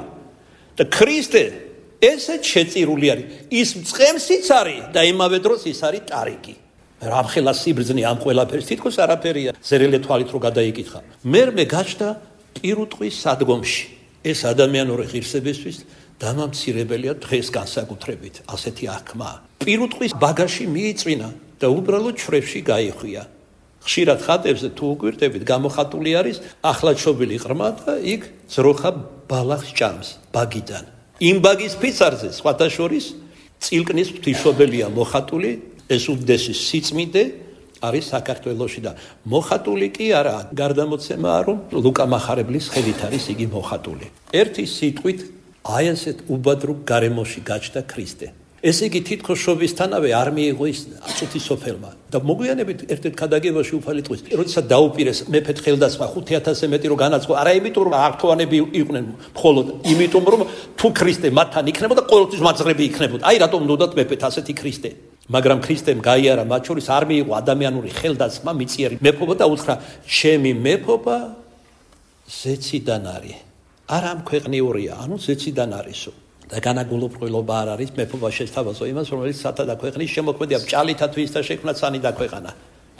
და ქრისტე ესეც შეწირული არის. ის მწყემსიც არის და იმავე დროს ის არის ტარიკი. რამხელა სიბრძნე ამ ყველაფერს თითქოს არაფერია ზერელე თვალით რო გადაიკითხა. მერმე გაჩნდა პირუტყვის სადგომში. ეს ადამიანური ღირსებისთვის დამამცირებელია დღეს განსაკუთრებით, ასეთი აღქმა. პირუტყვის ბაგაჟში მიიწვინა და უბრალოდ ჩრებში გაიხვია. ხშირად ხატებზე თუ უგვირდებით, გამოხატული არის ახლადშობილი ყრმა და იქ ძროხა ბალახს ჭამს ბაგიდან. იმ ბაგის ფიცარზე სხვათა შორის წილკნის ღვთისმშობელია მოხატული, ეს უდიდესი სიწმინდე არის საქართველოში და მოხატული კი არა, გარდამოცემაა რომ ლუკა მახარებლის ხელით არის იგი მოხატული. ერთი სიტყვით აი ესეთ უბადრუგ გარემოში გაჩნდა ქრისტე. ესე იგი თითქოს შობისთანავე არ მიიღო ის აწუთისოფელმა და მოგვიანებით ერთ-ერთ ქადაგებაში უფალი ტყვის, როდესაც დაუპირეს მეფეთ ხელდასხმა 5000-ზე მეტი რო განაცხო, არა იმიტომ რომ ართოვანები იყვნენ, მხოლოდ იმიტომ რომ თუ ქრისტე მათთან იქნებოდა, ყოველთვის მაძღრები იქნებოდა. აი რატომ უნდათ მეფეთ ასეთი ქრისტე. მაგრამ ქრისტემ გაიარა მათ შორის არ მიიღო ადამიანური ხელდასხმა, მიწიერი მეფობა და უთხრა, ჩემი მეფობა ზეციდან არის. არ ამ ქვეყნიურია, ანუ ზეციდან არისო. და განაგულუბრყვილობა არ არის მეფობა შეესთავაზო იმას, რომელიც სათადა ქვეყნის შემოქმედია ჭალითათვის და შექმნა ცანი დაქვეყანა.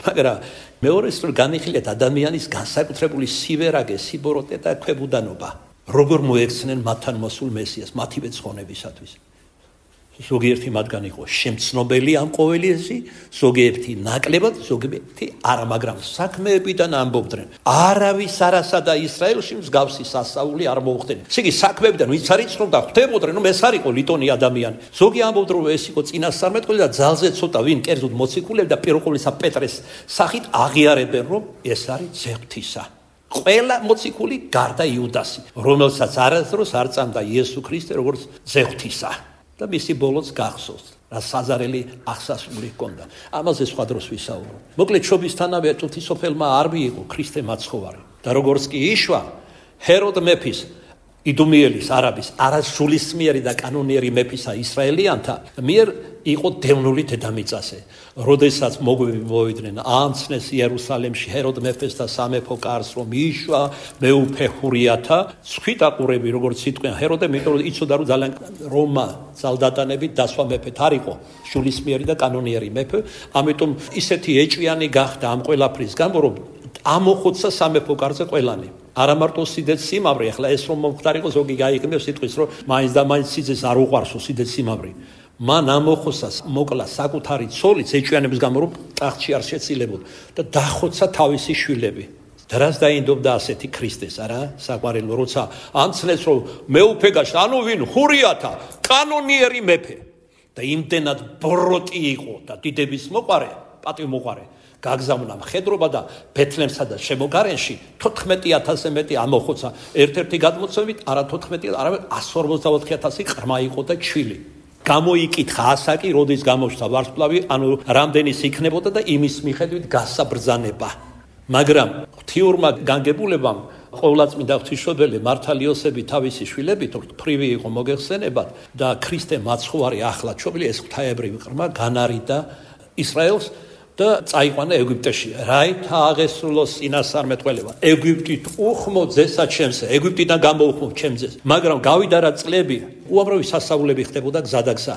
მაგრამ მეორეს რომ განიხილეთ ადამიანის განსაკუთრებული სივერაგე, სიბოროტე და ქვებუდანობა, როგორ მოექცნენ მათთან მოსულ მესიას, მათივე ცხონებისათვის. ზოგიერთი მათგან იყო შემცნობელი ამ ყოველიესი, ზოგიერთი ნაკლებად, ზოგიერთი არა, მაგრამ საქმეებიდან ამბობდნენ. არავის არასა და ისრაელში მსგავსი სასწაული არ მოუხდენია. ესე იგი საქმეებიდან ვინც არ იცნობდა, ხვდებოდნენ, რომ ეს არ იყო ლიტონი ადამიანი. ზოგი ამბობდნენ, რომ ეს იყო წინასწარმეტყველი და ძალზე ცოტა ვინ კერძოდ მოციქულები და პირველყოლისა პეტრეს სახით აღიარებენ, რომ ეს არის ძეღვთისა. ყველა მოციქული გარდა იუდასი, რომელსაც არასდროს არ წამდა იესო ქრისტე როგორც ძეღვთისა. და მისი ბოლოს გახსოვს, რა საზარელი აღსასრული ჰქონდა. ამაზე სხვა დროს ვისაუბრობ. მოკლედ შობისთანავე ღვთისმშობელმა არ მიიღო ქრისტე მაცხოვარი. და როგორც კი იშვა ჰეროდ მეფის, იდუმიელის, არაბის, არასულისმიერი და კანონიერი მეფისა ისრაელიანთა მიერ იყო დევნული დედამიწაზე. როდესაც მოგვები მოვიდნენ, ამცნეს იერუსალემში ჰეროდ მეფეს და სამეფო კარს, რომ იშვა მეუფე ჰურიათა, ცხვიტაყურები, როგორც სიტყვიან ჰეროდე, იმიტომ რომ იცოდა რომ ძალიან რომა ძალდატანებით დასვა მეფეთ არ იყო, სულისმიერი და კანონიერი მეფე, ამიტომ ისეთი ეჭვიანი გახდა ამ ყველაფრის გამო, რომ ამოხოცა სამეფო კარზე ყველანი. არა მარტო სიდეთ სიმავრი, ახლა ეს რომ მომხდარიყო, ზოგი გაიგნებს სიტყვის, რომ მაინც და მაინც სიძეს არ უყვარსო სიდეთ სიმავრი. მან ამოხოცა მოკლა საკუთარი ცოლიც ეჭვიანების გამო, რომ ტახტში არ შეცილებოდა და დახოცა თავისი შვილები. დრას დაინდობდა ასეთი ქრისტეს, არა? საყვარელო, როცა ამცნეს რომ მეუფე გაშ, ანუ ვინ ჰურიათა, კანონიერი მეფე და იმდენად ბროტი იყო და დიდების მოყარე, პატივმოყარე. გაგზავნა მხედრობა და ბეთლემსა და შემოგარენში 14000-ზე მეტი ამოხოცა. ერთ-ერთი გადმოცემით არა 14, არამედ 154,000 ყრმა იყო და ჩილი. გამოიკითხა ასაკი, როდის გამოჩნდა ვარსკვლავი, ანუ რამდენის იქნებოდა და იმის მიხედვით გასცა ბრძანება. მაგრამ ღვთიურმა განგებულებამ ყოვლადწმინდა ღვთისმშობელი მართალი იოსები თავისი შვილებით ფრივი იყო მოგეხსენებათ და ქრისტე მაცხოვარი ახლად შობილი ეს ღვთაებრივი ყრმა განარიდა ისრაელს და წაიყვანა ეგვიპტეში. რაით აღესრულოს წინასწარმეტყველება. ეგვიპტით უხმო ძესა ჩემზე, ეგვიპტიდან გამოუხმო ჩემზე. მაგრამ გავიდა რა წლები, უამრავი სასწაულები ხდებოდა გზადაგზა.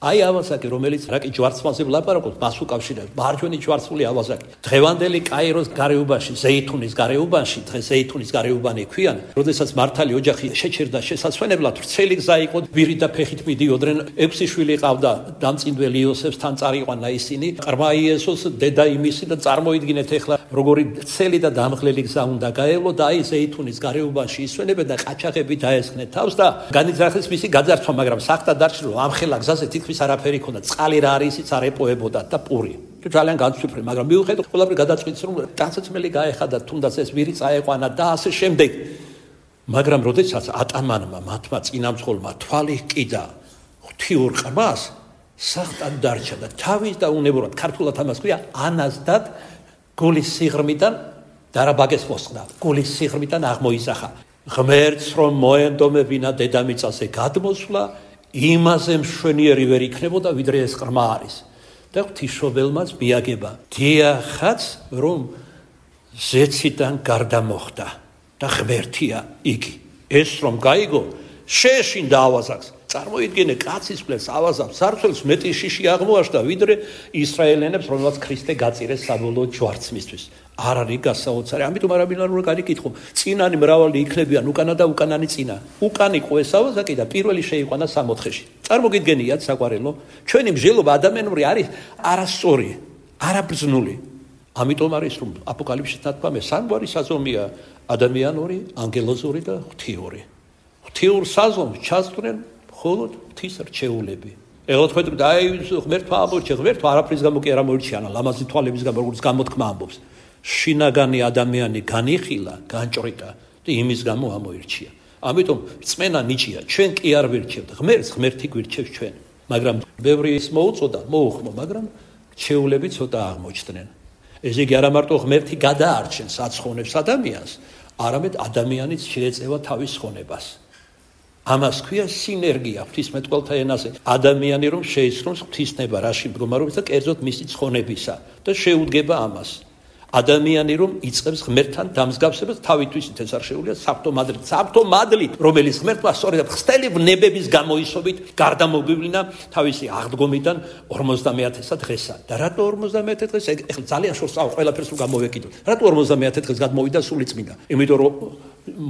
აი ავაზაკი, რომელიც რაკი ჯვარცმაზე ვლაპარაკობთ, მას უკავშირებს მარჯვენი ჯვარცმული ავაზაკი. დღევანდელი კაიროს გარეუბანში, ზეითუნის გარეუბანში, დღეს ზეითუნის გარეუბანი ქვიან, როდესაც მართალი ოჯახი შეჩერდა შესაძვენებლად, ვრცელი გზა იყო, ვირით და ფეხით მიდიოდნენ, 6 შვილი ყავდა, დამწინდველი იოსებთან წარიყვანა ისინი, ყრმა იესოს დედა იმისი და წარმოიდგინეთ ახლა როგორი ცელი და დამღლელი გზა უნდა გაევლო და აი ზეითუნის გარეუბანში ისვენებენ და ყაჩაღები დაესხნენ თავს და განიძრახეს მისი გაძარცვა, მაგრამ სახთა დარჩა რომ ამხელა გზაზე თითქმის არაფერი ქონდა, წყალი რა არის იცით არ ეპოებოდა და პური. ძალიან განსვიფრე, მაგრამ მიუხედავად ყველაფერი გადაწყვეტს რომ ტანსაცმელი გაეხადა, თუნდაც ეს ვირი წაეყვანა და ასე შემდეგ. მაგრამ როდესაც ატამანმა მათმა წინამძღოლმა თვალი ჰკიდა ღვთიურ ყრმას, სახტად დარჩა და თავის და უნებურად ქართულად ამას ქვია ანაზდად გულის სიღრმიდან დარაბაგეს მოსხდა, გულის სიღრმიდან აღმოიზახა. ღმერთს რომ მოენდომებინა დედამიწაზე გადმოსვლა, იმაზე მშვენიერი ვერ იქნებოდა ვიდრე ეს ყრმა არის და ღვთისმშობელმაც მიაგება დიახაც რომ ზეციდან გარდა მოხდა და ღმერთია იგი ეს რომ გაიგო შეეშინდა ავაზაკს წარმოიდგინე კაცის ფლეს ავაზაკს სარცელს მეტი შიში აღმოაჩნდა ვიდრე ისრაელენებს რომელსაც ქრისტე გაწირეს საბოლოო ჯვარცმისთვის არ არის გასაოცარი ამიტომ არაბინარ რო გარიკითხო წინანი მრავალი იქნებიან უკანა და უკანანი წინა უკანი ყო ეს ავაზაკი და პირველი შეიყვანა 64-ში წარმოგიდგენიათ საყვარელო ჩვენი მსჯელობა ადამიანური არის არასწორი არაბრძნული ამიტომ არის რომ აპოკალიფსში თათქვამე სამგვარი საზომია ადამიანური ანგელოზური და ღვთიური ღვთიურ საზომს ჩასწრენ მხოლოდ ღვთის რჩეულები ეხლა თქვენ აი ღმერთმა ამორჩა ღმერთმა არაფრის გამო კი არ ამორჩიანა ლამაზი თვალების გამო როგორც გამოთქმა ამბობს შინაგანი ადამიანი განიხილა განჭრიტა და იმის გამო ამოირჩია ამიტომ რწმენა ნიჭია ჩვენ კი არ ვირჩევთ ღმერთს ღმერთი გვირჩევს ჩვენ მაგრამ ბევრი ის მოუწოდა მოუხმო მაგრამ რჩეულები ცოტა აღმოჩნდნენ ეს იგი არა მარტო ღმერთი გადაარჩენს აცხონებს ადამიანს არამედ ადამიანიც შეეწევა თავის ხონებას ამას ქვია სინერგია ღვთისმეტყველთა ენაზე ადამიანი რომ შეიცნობს ღვთისნება რაში მდგომარეობს და კერძოდ მისი ცხონებისა და შეუდგება ამას ადამიანი რომ იწყებს ღმერთთან დამსგავსებას თავისთვის ეს არ შეუძლია საფრთხო მადლით რომელიც ღმერთმა სწორედ ხსტელი ვნებების გამოისობით გარდამოგვივლინა თავისი აღდგომიდან 50-ე დღესა და რატო 50-ე დღეს ეხლა ძალიან შორს ყველაფერს რომ გამოვეკიდოთ რატო 50-ე დღეს გადმოვიდა სულიწმინდა იმიტომ რომ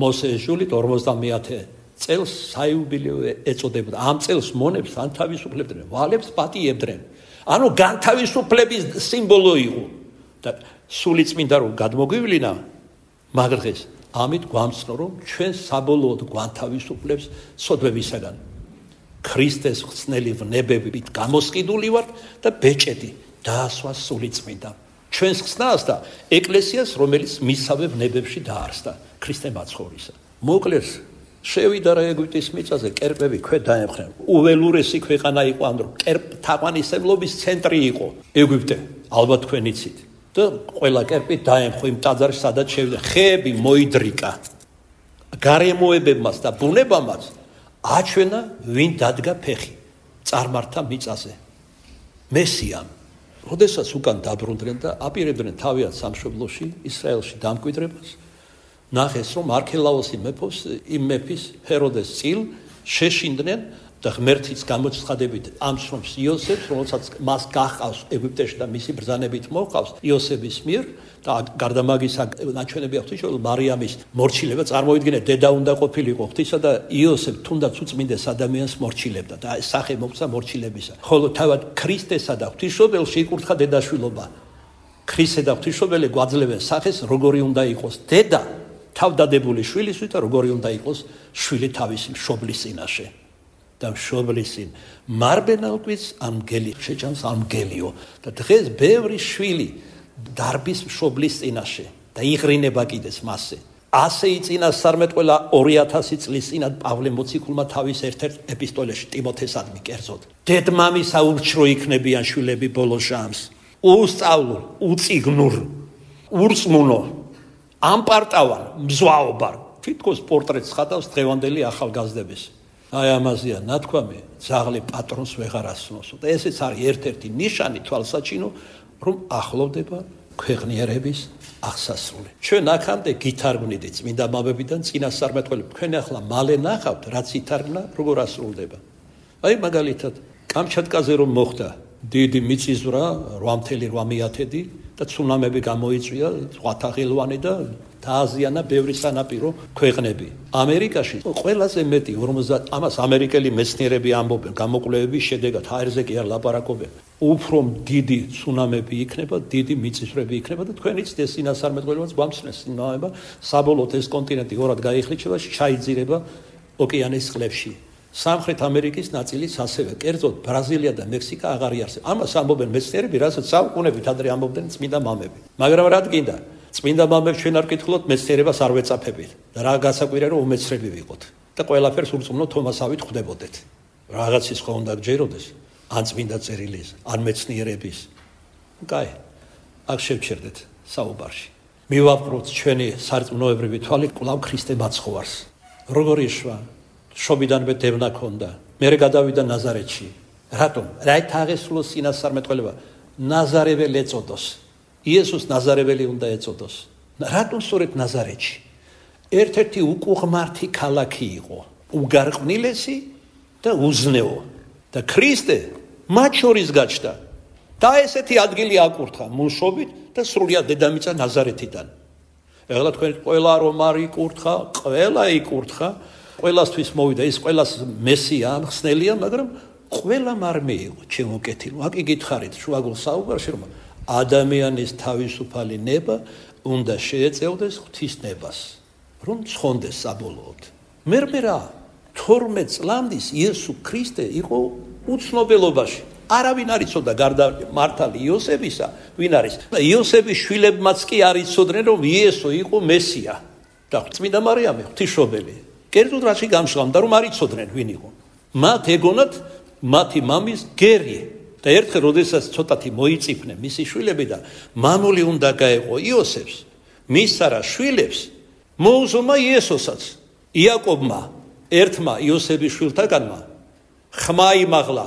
მოსეს ჟულით 50-ე წელს საიუბილეო ეწოდებოდა ამ წელს მონებს ან თავისუფლებდნენ ვალებს პატიებდნენ ანუ განთავისუფლების სიმბოლო იყო და სულიწმინდა რომ გადმოგვივლინა მაგრღეს ამით გვამცნო რომ ჩვენ საბოლოოდ განთავისუფლებს სოდვებისაგან ქრისტეს ხსნელი ვნებებით გამოსყიდული ვართ და ბეჭედი დაასვა სულიწმინდა ჩვენს ხსნას და ეკლესიას რომელიც მისავე ვნებებში დაარსდა ქრისტე მაცხოვრისა მოკლეს შევიდა რა ეგვიპტის მიწაზე კერპები ქვე დაემხრნენ უველურესი ქვეყანა იყო ამ დრო თაყვანისმლობის ცენტრი იყო ეგვიპტე ალბათ თქვენ იცით და ყველა კერპი დაემხო იმ ტაძარში სადაც შევიდა ხეები მოიდრიკა გარემოებებმაც და ბუნებამაც აჩვენა ვინ დადგა ფეხი წარმართა მიწაზე მესიამ როდესაც უკან დაბრუნდნენ და აპირებდნენ თავიანთ სამშობლოში ისრაელში დამკვიდრებას ნახეს რომ არქელაოსი მეფის ჰეროდეს წილ შეშინდნენ და ღმერთის გამოცხადებით ამსრომს იოსებს რომელსაც მას გაჰყავს ეგვიპტეში და მისი ბრძანებით მოჰყავს იოსების მიერ და გარდა მაგისა ნაჩვენები აქვს რომ მარიამის მორჩილება წარმოიდგინეთ დედა უნდა ყოფილიყო ღვთისა და იოსებ თუნდაც უწმინდეს ადამიანს მორჩილებდა და სახე მოხდა მორჩილებისა ხოლო თავად ქრისტესა და ღვთისმშობელში იკურთხა დედაშვილობა ქრისტე და ღვთისმშობელი გვაძლევენ სახეს როგორი უნდა იყოს დედა თავდადებული შვილისთვის და როგორი უნდა იყოს შვილი თავისი მშობლის წინაშე და მშობლისინ მარბენალკვის ამგელი შეჭამს ამგელიო და დღეს ბევრი შვილი დარბის მშობლის წინაშე და იღრინება კიდეს მასზე ასე იწინასწარმეტყველა 2000 წლის წინათ პავლე მოციქულმა თავის ერთ-ერთ ეპისტოლეში ტიმოთესადმი კერძოდ დედმამისა ურჩრო იქნებიან შვილები ბოლო ჟამს უსწავლო უწიგნურ ურწმუნო ამპარტავარ მზვაობარ თითქოს პორტრეტს ხატავს დღევანდელი ახალგაზრდების აი ამაზეა ნათქვამი, ძაღლი პატრონს ვეღარ ასვნოსო. და ესეც არის ერთ-ერთი ნიშანი თვალსაჩინო, რომ ახლოვდება ქვეყნიერების აღსასრული. ჩვენ აქამდე გითარგმნით წმინდა მამებიდან წინასწარმეტყველები. თქვენ ახლა მალე ნახავთ, რაც ითარგმნა, როგორ ასრულდება. აი მაგალითად, კამჩატკაზე რომ მოხდა დიდი მიწისძვრა 8.8 და ცუნამები გამოიწვია, ზღვათაღილვანი და დააზიანა ბევრი სანაპირო ქვეყნები. ამერიკაში ყველაზე მეტი 50 ამას ამერიკელი მეცნიერები ამბობენ, გამოკვლევების შედეგად ჰაერზე კი არ ლაპარაკობენ. უფრო დიდი ცუნამები იქნება, დიდი მიწისძვრები იქნება და თქვენიც ეს წინასწარმეტყველებაც გვამცნეს იმავება, საბოლოოდ ეს კონტინენტი ორად გაიხლიჩება, ჩაიძირება ოკეანის წყლებში. სამხრეთ ამერიკის ნაწილიც ასევე, კერძოდ ბრაზილია და მექსიკა აღარ იარსებენ. ამას ამბობენ მეცნიერები, რასაც საუკუნეებით ადრე ამბობდნენ წმინდა მამები. მაგრამ რა გინდა? წმინდა მამებს ჩვენ არ კითხულობთ, მეცნიერებას არ ვეწაფებით. და რა გასაკვირია რომ უმეცრები ვიყოთ და ყველაფერს ურწმუნო თომასავით ხვდებოდეთ. რაღაცის ხო უნდა გჯეროდეს, ან წმინდა წერილის, ან მეცნიერების. კაი, აქ შევჩერდეთ საუბარში. მივაპყროთ ჩვენი სარწმუნოებრივი თვალი კვლავ ქრისტე მაცხოვარს. როგორ იშვა? შობიდანვე დევნა ქონდა. მერე გადავიდა ნაზარეთში. რატომ? რაით აღესრულოს წინასწარმეტყველება? ნაზარეველი ეწოდოს. იესოს ნაზარეველი უნდა ეწოდოს. რატომ სწორედ ნაზარეთში? ერთ-ერთი უკუღმართი ქალაქი იყო, უგარყვნილესი და უზნეო. და ქრისტე მათ შორის გაჩნდა. და ესეთი ადგილი აკურთხა მუშობით და სრულიად დედამიწა ნაზარეთიდან. ეხლა თქვენ ყველა რომ არ იკურთხა, ყველა იკურთხა, ყველასთვის მოვიდა, ის ყველას მესია, ხსნელია, მაგრამ ყველამ არ მიიღო ჩემო კეთილო. აქ იგითხარით შუაგულ საუბარში, რომ ადამიანის თავისუფალი ნება უნდა შეეწევდეს ღვთის ნებას, რომ ცხონდეს საბოლოოდ. მე რა 12 წლამდის იესო ქრისტე იყო უცნობელობაში. არავინ არ იცოდა გარდა მართალი იოსებისა, ვინ არის. და იოსების შვილებმაც კი არ იცოდნენ, რომ იესო იყო მესია და წმინდა მარიამი ღვთისმშობელი. კერძოდ რაში გამჟღავნდა, რომ არ იცოდნენ ვინ იყო. მათ ეგონათ მათი მამის გერი. და ერთხელ როდესაც ცოტათი მოიწიფნენ მისი შვილები და მამული უნდა გაეყო იოსებს, მისცა რა შვილებს, მოუზომა იესოსაც. იაკობმა, ერთმა იოსების შვილთაგანმა ხმა იმაღლა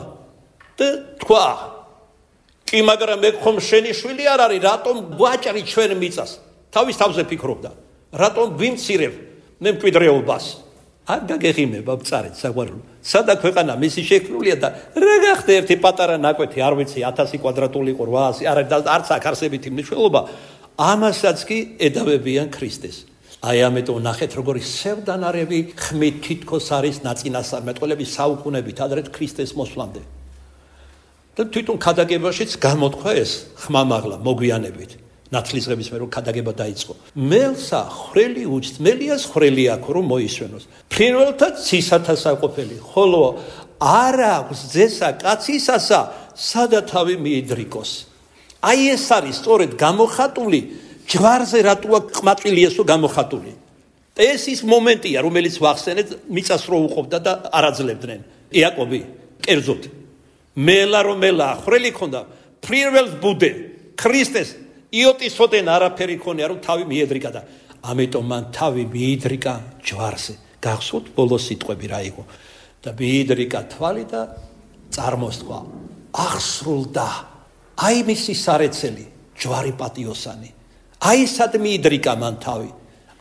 და თქვა: კი, მაგრამ მე ხომ შენი შვილი არ არის, რატომ გვაჭრი ჩვენ მიწას? თავის თავზე ფიქრობდა, რატომ ვიმცირებ მე მკვიდრეობას? არ გაგეღიმება ბწარით საყვარელო. სადა ქვეყანა მისი შექმნილია და რა გახდა ერთი პატარა ნაკვეთი, არ ვიცი 1000 კვადრატული იყო 800, არც აქ არსებითი მნიშვნელობა, ამასაც კი ედავებიან ქრისტეს. აი ამიტომ ნახეთ როგორი სევდანარევი ხმით თითქოს არის ნაწინასწარმეტყველები საუკუნეებით ადრე ქრისტეს მოსვლამდე. და თვითონ ქადაგებაშიც გამოთქვა ეს ხმამაღლა მოგვიანებით. ნათლისღების მე რომ ქადაგება დაიწყო. მელსა ხრელი უჩწმელიას ხრელი აქვს რომ მოისვენოს. ფრინველთა ცისათა საყოფელი, ხოლო არ აქვს ძესა კაცისასა, სადა თავი მიიდრიკოს. აი ეს არის სწორედ გამოხატული ჯვარზე რატოა ყმაწვილი ესო გამოხატული. ეს ის მომენტია, რომელიც ვახსენეთ, მიწას რო უყოფდა და არაძლებდნენ. იაკობი, კერძოდ მელა რომ მელა ხრელი ქონდა, ფრინველს ბუდე, ქრისტეს იოტისოდენ არაფერი ქონია რომ თავი მიედრიკა და ამიტომ მან თავი მიიდრიკა ჯვარზე. გახსოვთ ბოლოს სიტყვები რა იყო? და მიიდრიკა თვალი და წარმოსთქვა. აღსრულდა. აი მისი სარეცელი, ჯვარი პატიოსანი. აი სად მიიდრიკა მან თავი.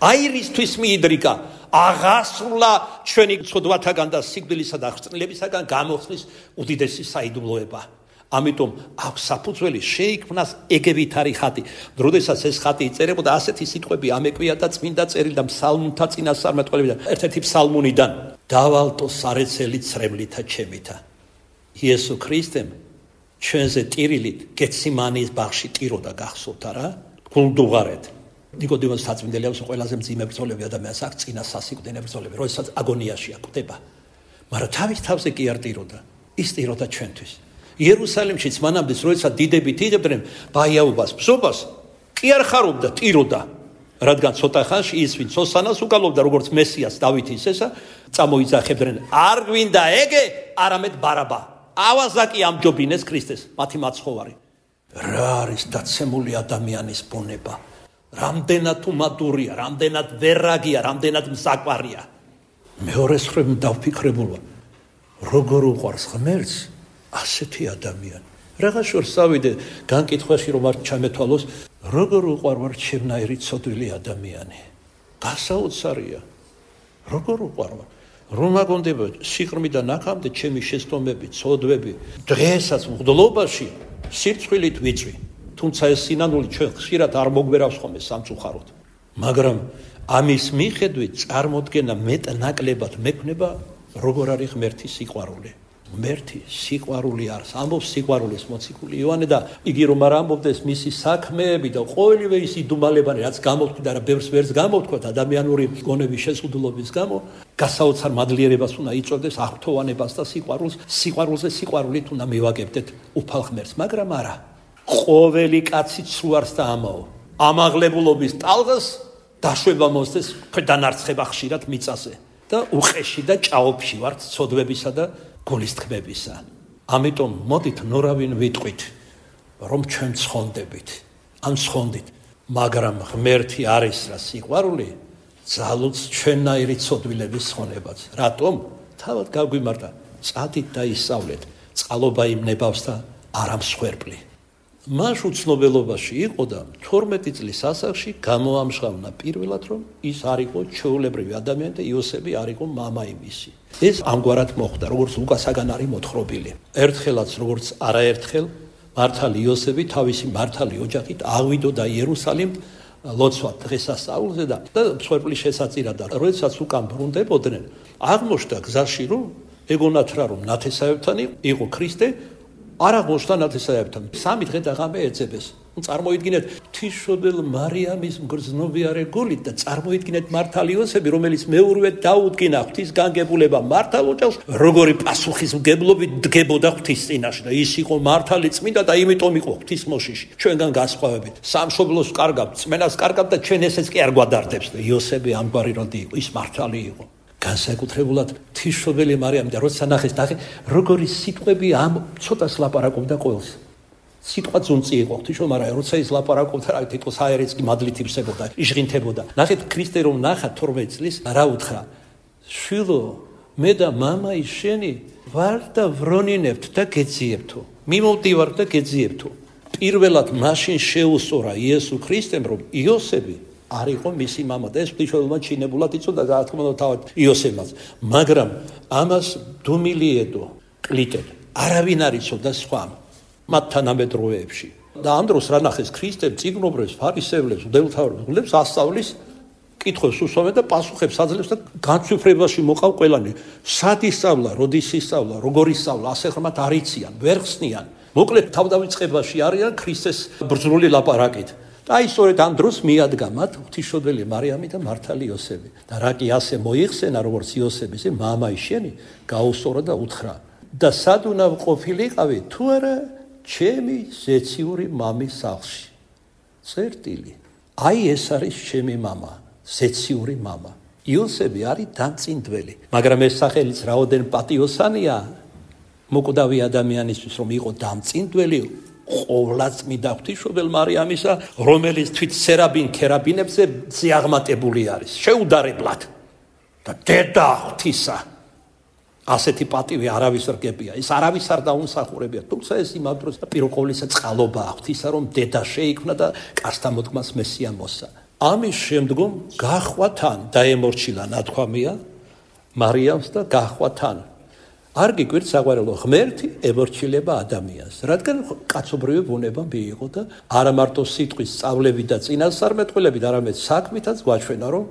აი რისთვის მიიდრიკა? აღასრულა ჩვენი ცოდვათაგან და სიკვდილისა და ხრწნილებისაგან გამოხსნის უდიდესი საიდუმლოება. ამიტომ აქვს საფუძველი შეიქმნას ეგევითარი ხატი. როდესაც ეს ხატი იწერებოდა, ასეთი სიტყვები ამეკვია და წმინდა წერილი და ფსალმუნთა წინასწარმეტყველებიდან, ერთ-ერთი ფსალმუნიდან: დავალტო სარეცელი ცრემლითა ჩემითა. იესო ქრისტემ ჩვენზე ტირილით გეციმანის ბაღში ტიროდა, გახსოვთ არა? გულდუღარეთ. ნიკოდიმოს საწმინდელი აქვს ყველაზე მძიმე ბრძოლები ადამიანს აქვს წინა სასიკვდინე ბრძოლები, როდესაც აგონიაში აკდება. მაგრამ თავის თავზე კი არ ტიროდა, ის ტიროდა ჩვენთვის. იერუსალიმშიც მანამდე როდესაც დიდები ტირებდნენ ბაიაობას, ბზობას, კი არ ხარობდა, ტიროდა. რადგან ცოტა ხანში ის ვინც ოსანას უკალობდა როგორც მესიას დავითის ესა, წამოიძახებდნენ: არ გვინდა ეგე, არამედ ბარაბა. ავაზაკი ამჯობინეს ქრისტეს, მათი მაცხოვარი. რა არის დაცემული ადამიანის ბუნება? რამდენად უმადურია, რამდენად ვერაგია, რამდენად მზაკვარია. მეორე მხრივ დავფიქრებულა, როგორ უყვარს ღმერთს ასეთი ადამიანი. Რაღაც შორს ავიდე განკითხვაში რომ არ ჩამეთვალოს, როგორ უყვარვარ ჩემნაირი ცოდვილი ადამიანი. გასაოცარია. როგორ უყვარვარ. რომ აგონდება სიყრმიდან აქამდე ჩემი შეცდომები, ცოდვები, დღესაც მღვდლობაში სირცხვილით ვიწვი. თუმცა ეს სინანული ჩვენ ხშირად არ მოგვერავს ხოლმე სამწუხაროდ. მაგრამ ამის მიხედვით წარმოდგენა მეტნაკლებად მექნება როგორ არის ღმერთის სიყვარული. ღმერთი სიყვარული არის. ამბობს სიყვარულის მოციქული იოანე და იგი რომ არ ამბობდეს მისი საქმეები და ყოველივე ის იდუმალებანი რაც გამოთქვით და ბევრს ვერც გამოთქვათ ადამიანური გონების შეზღუდულობის გამო, გასაოცარ მადლიერებას უნდა იწვევდეს აღფრთოვანებას და სიყვარულს. სიყვარულზე სიყვარულით უნდა მივაგებდეთ უფალ ღმერთს, მაგრამ არა. ყოველი კაცი ცუარს და ამაო. ამაღლებულობის ტალღას დაშვება მოსდეს ქვედანარცხება ხშირად მიწაზე და უყეში და ჭაობში ვართ ცოდვებისა და გულისთქმებისა. ამიტომ მოდით ნორავინ ვიტყვით, რომ ჩვენ ცხონდებით, ან ცხონდით, მაგრამ ღმერთი არის რა სიყვარული, ძალუც ჩვენნაირი ცოდვილების ცხონებაც. რატომ? თავად გაგვიმართა, წადით და ისწავლეთ, წყალობა იმნებავს და არა მსხვერპლი. მას უცნობელობაში იყო და 12 წლის ასაკში გამოამჟღავნა პირველად, რომ ის არ იყო ჩვეულებრივი ადამიანი და იოსები არ იყო მამა იმისი. ეს ამგვარად მოხდა, როგორც ლუკასაგან არის მოთხრობილი. ერთხელაც, როგორც არაერთხელ, მართალი იოსები თავისი მართალი ოჯახით აღვიდოდა იერუსალიმ ლოცვად დღესასწაულზე და მსხვერპლის შესაწირად. როდესაც უკან ბრუნდებოდნენ, აღმოჩნდა გზაში, რომ ეგონათ რა რომ ნათესავებთან იყო ქრისტე, არ აღმოჩნდა ნათესავებთან. 3 დღე და ღამე ეძებეს. წარმოიდგინეთ ღვთისმშობელ მარიამის მგრძნობიარე გულით და წარმოიდგინეთ მართალი იოსები, რომელიც მეურვედ დაუდგინა ღვთის განგებულება მართალ ოჯახს, როგორი პასუხისმგებლობით დგებოდა ღვთის წინაშე და ის იყო მართალი წმინდა და იმიტომ იყო ღვთის მოშიში. ჩვენგან განსხვავებით, სამშობლოს კარგავთ, წმენას კარგავთ და ჩვენ ესეც კი არ გვადარდებს და იოსები ამგვარი როდი იყო, ის მართალი იყო. განსაკუთრებულად ღვთისმშობელი მარიამი და როცა ნახეს, როგორი სიტყვები ამ ცოტას ლაპარაკობდა ყოველს. სიტყვა ძუნწი იყო ღვთისმშობელი მარიამი, როცა ის ლაპარაკობდა, რა თითქოს აერეც კი მადლით ივსებოდა, იშღინთებოდა. ნახეთ ქრისტე რომ ნახა 12 წლის, რა უთხრა? შვილო, მე და მამაი შენი ვარ და ვრონინებთ და გეძიებთო. მიმოვდივარ და გეძიებთო. პირველად მაშინ შეუსწორა იესო ქრისტემ, რომ იოსები არ იყო მისი მამა და ეს ღვთისმშობელმა ჩინებულად იწოდა და რა თქმა უნდა თავად იოსებმაც. მაგრამ ამას დუმილიედო კლიტენ არავინ არ იცოდა სხვა მათ თანამედროვეებში. და ამ დროს რა ნახეს ქრისტემ წიგნობრებს, ფარისევლებს, მღვდელმთავრებს ასწავლის, კითხვებს უსვამენ და პასუხებს აძლევს და განცვიფრებაში მოყავ ყველანი. სად ისწავლა, როდის ისწავლა, როგორ ისწავლა, ასე ხმათ არ იციან, ვერ ხსნიან. მოკლედ თავდავიწყებაში არიან ქრისტეს ბრძნული ლაპარაკით. და აი სწორედ ამ დროს მიადგა მათ ღვთისმშობელი მარიამი და მართალი იოსები. და რა კი ასე მოიხსენა, როგორც იოსების მამაი შენი, გაუსწორა და უთხრა: და სად უნდა ყოფილიყავი, თუ არა ჩემი ზეციური მამის სახლში. წერტილი. აი ეს არის ჩემი მამა, ზეციური მამა. იოსები არის დამწინდველი, მაგრამ ეს სახელიც რაოდენ პატიოსანია მოკვდავი ადამიანისთვის, რომ იყო დამწინდველი ყოვლადწმიდა ღვთისმშობელ მარიამისა, რომელიც თვით სერაბინ ქერაბინებზე ზიაღმატებული არის, შეუდარებლად და დედა ღვთისა. ასეთი პატივი არავის რგებია, ის არავის არ დაუმსახურებია, თუმცა ეს იმავ დროს პირველ ყოვლისა წყალობაა ღვთისა, რომ დედა შეიქმნა და კაცთა მოდგმას მესია მოსცა. ამის შემდგომ გაჰყვა თან, დაემორჩილა ნათქვამია მარიამს და გაჰყვა თან. არ გიკვირთ საყვარელო, ღმერთი ემორჩილება ადამიანს, რადგან კაცობრიობი ბუნება მიიღო და არა მარტო სიტყვის სწავლებით და წინასწარმეტყველებით, არამედ საქმითაც გვაჩვენა, რომ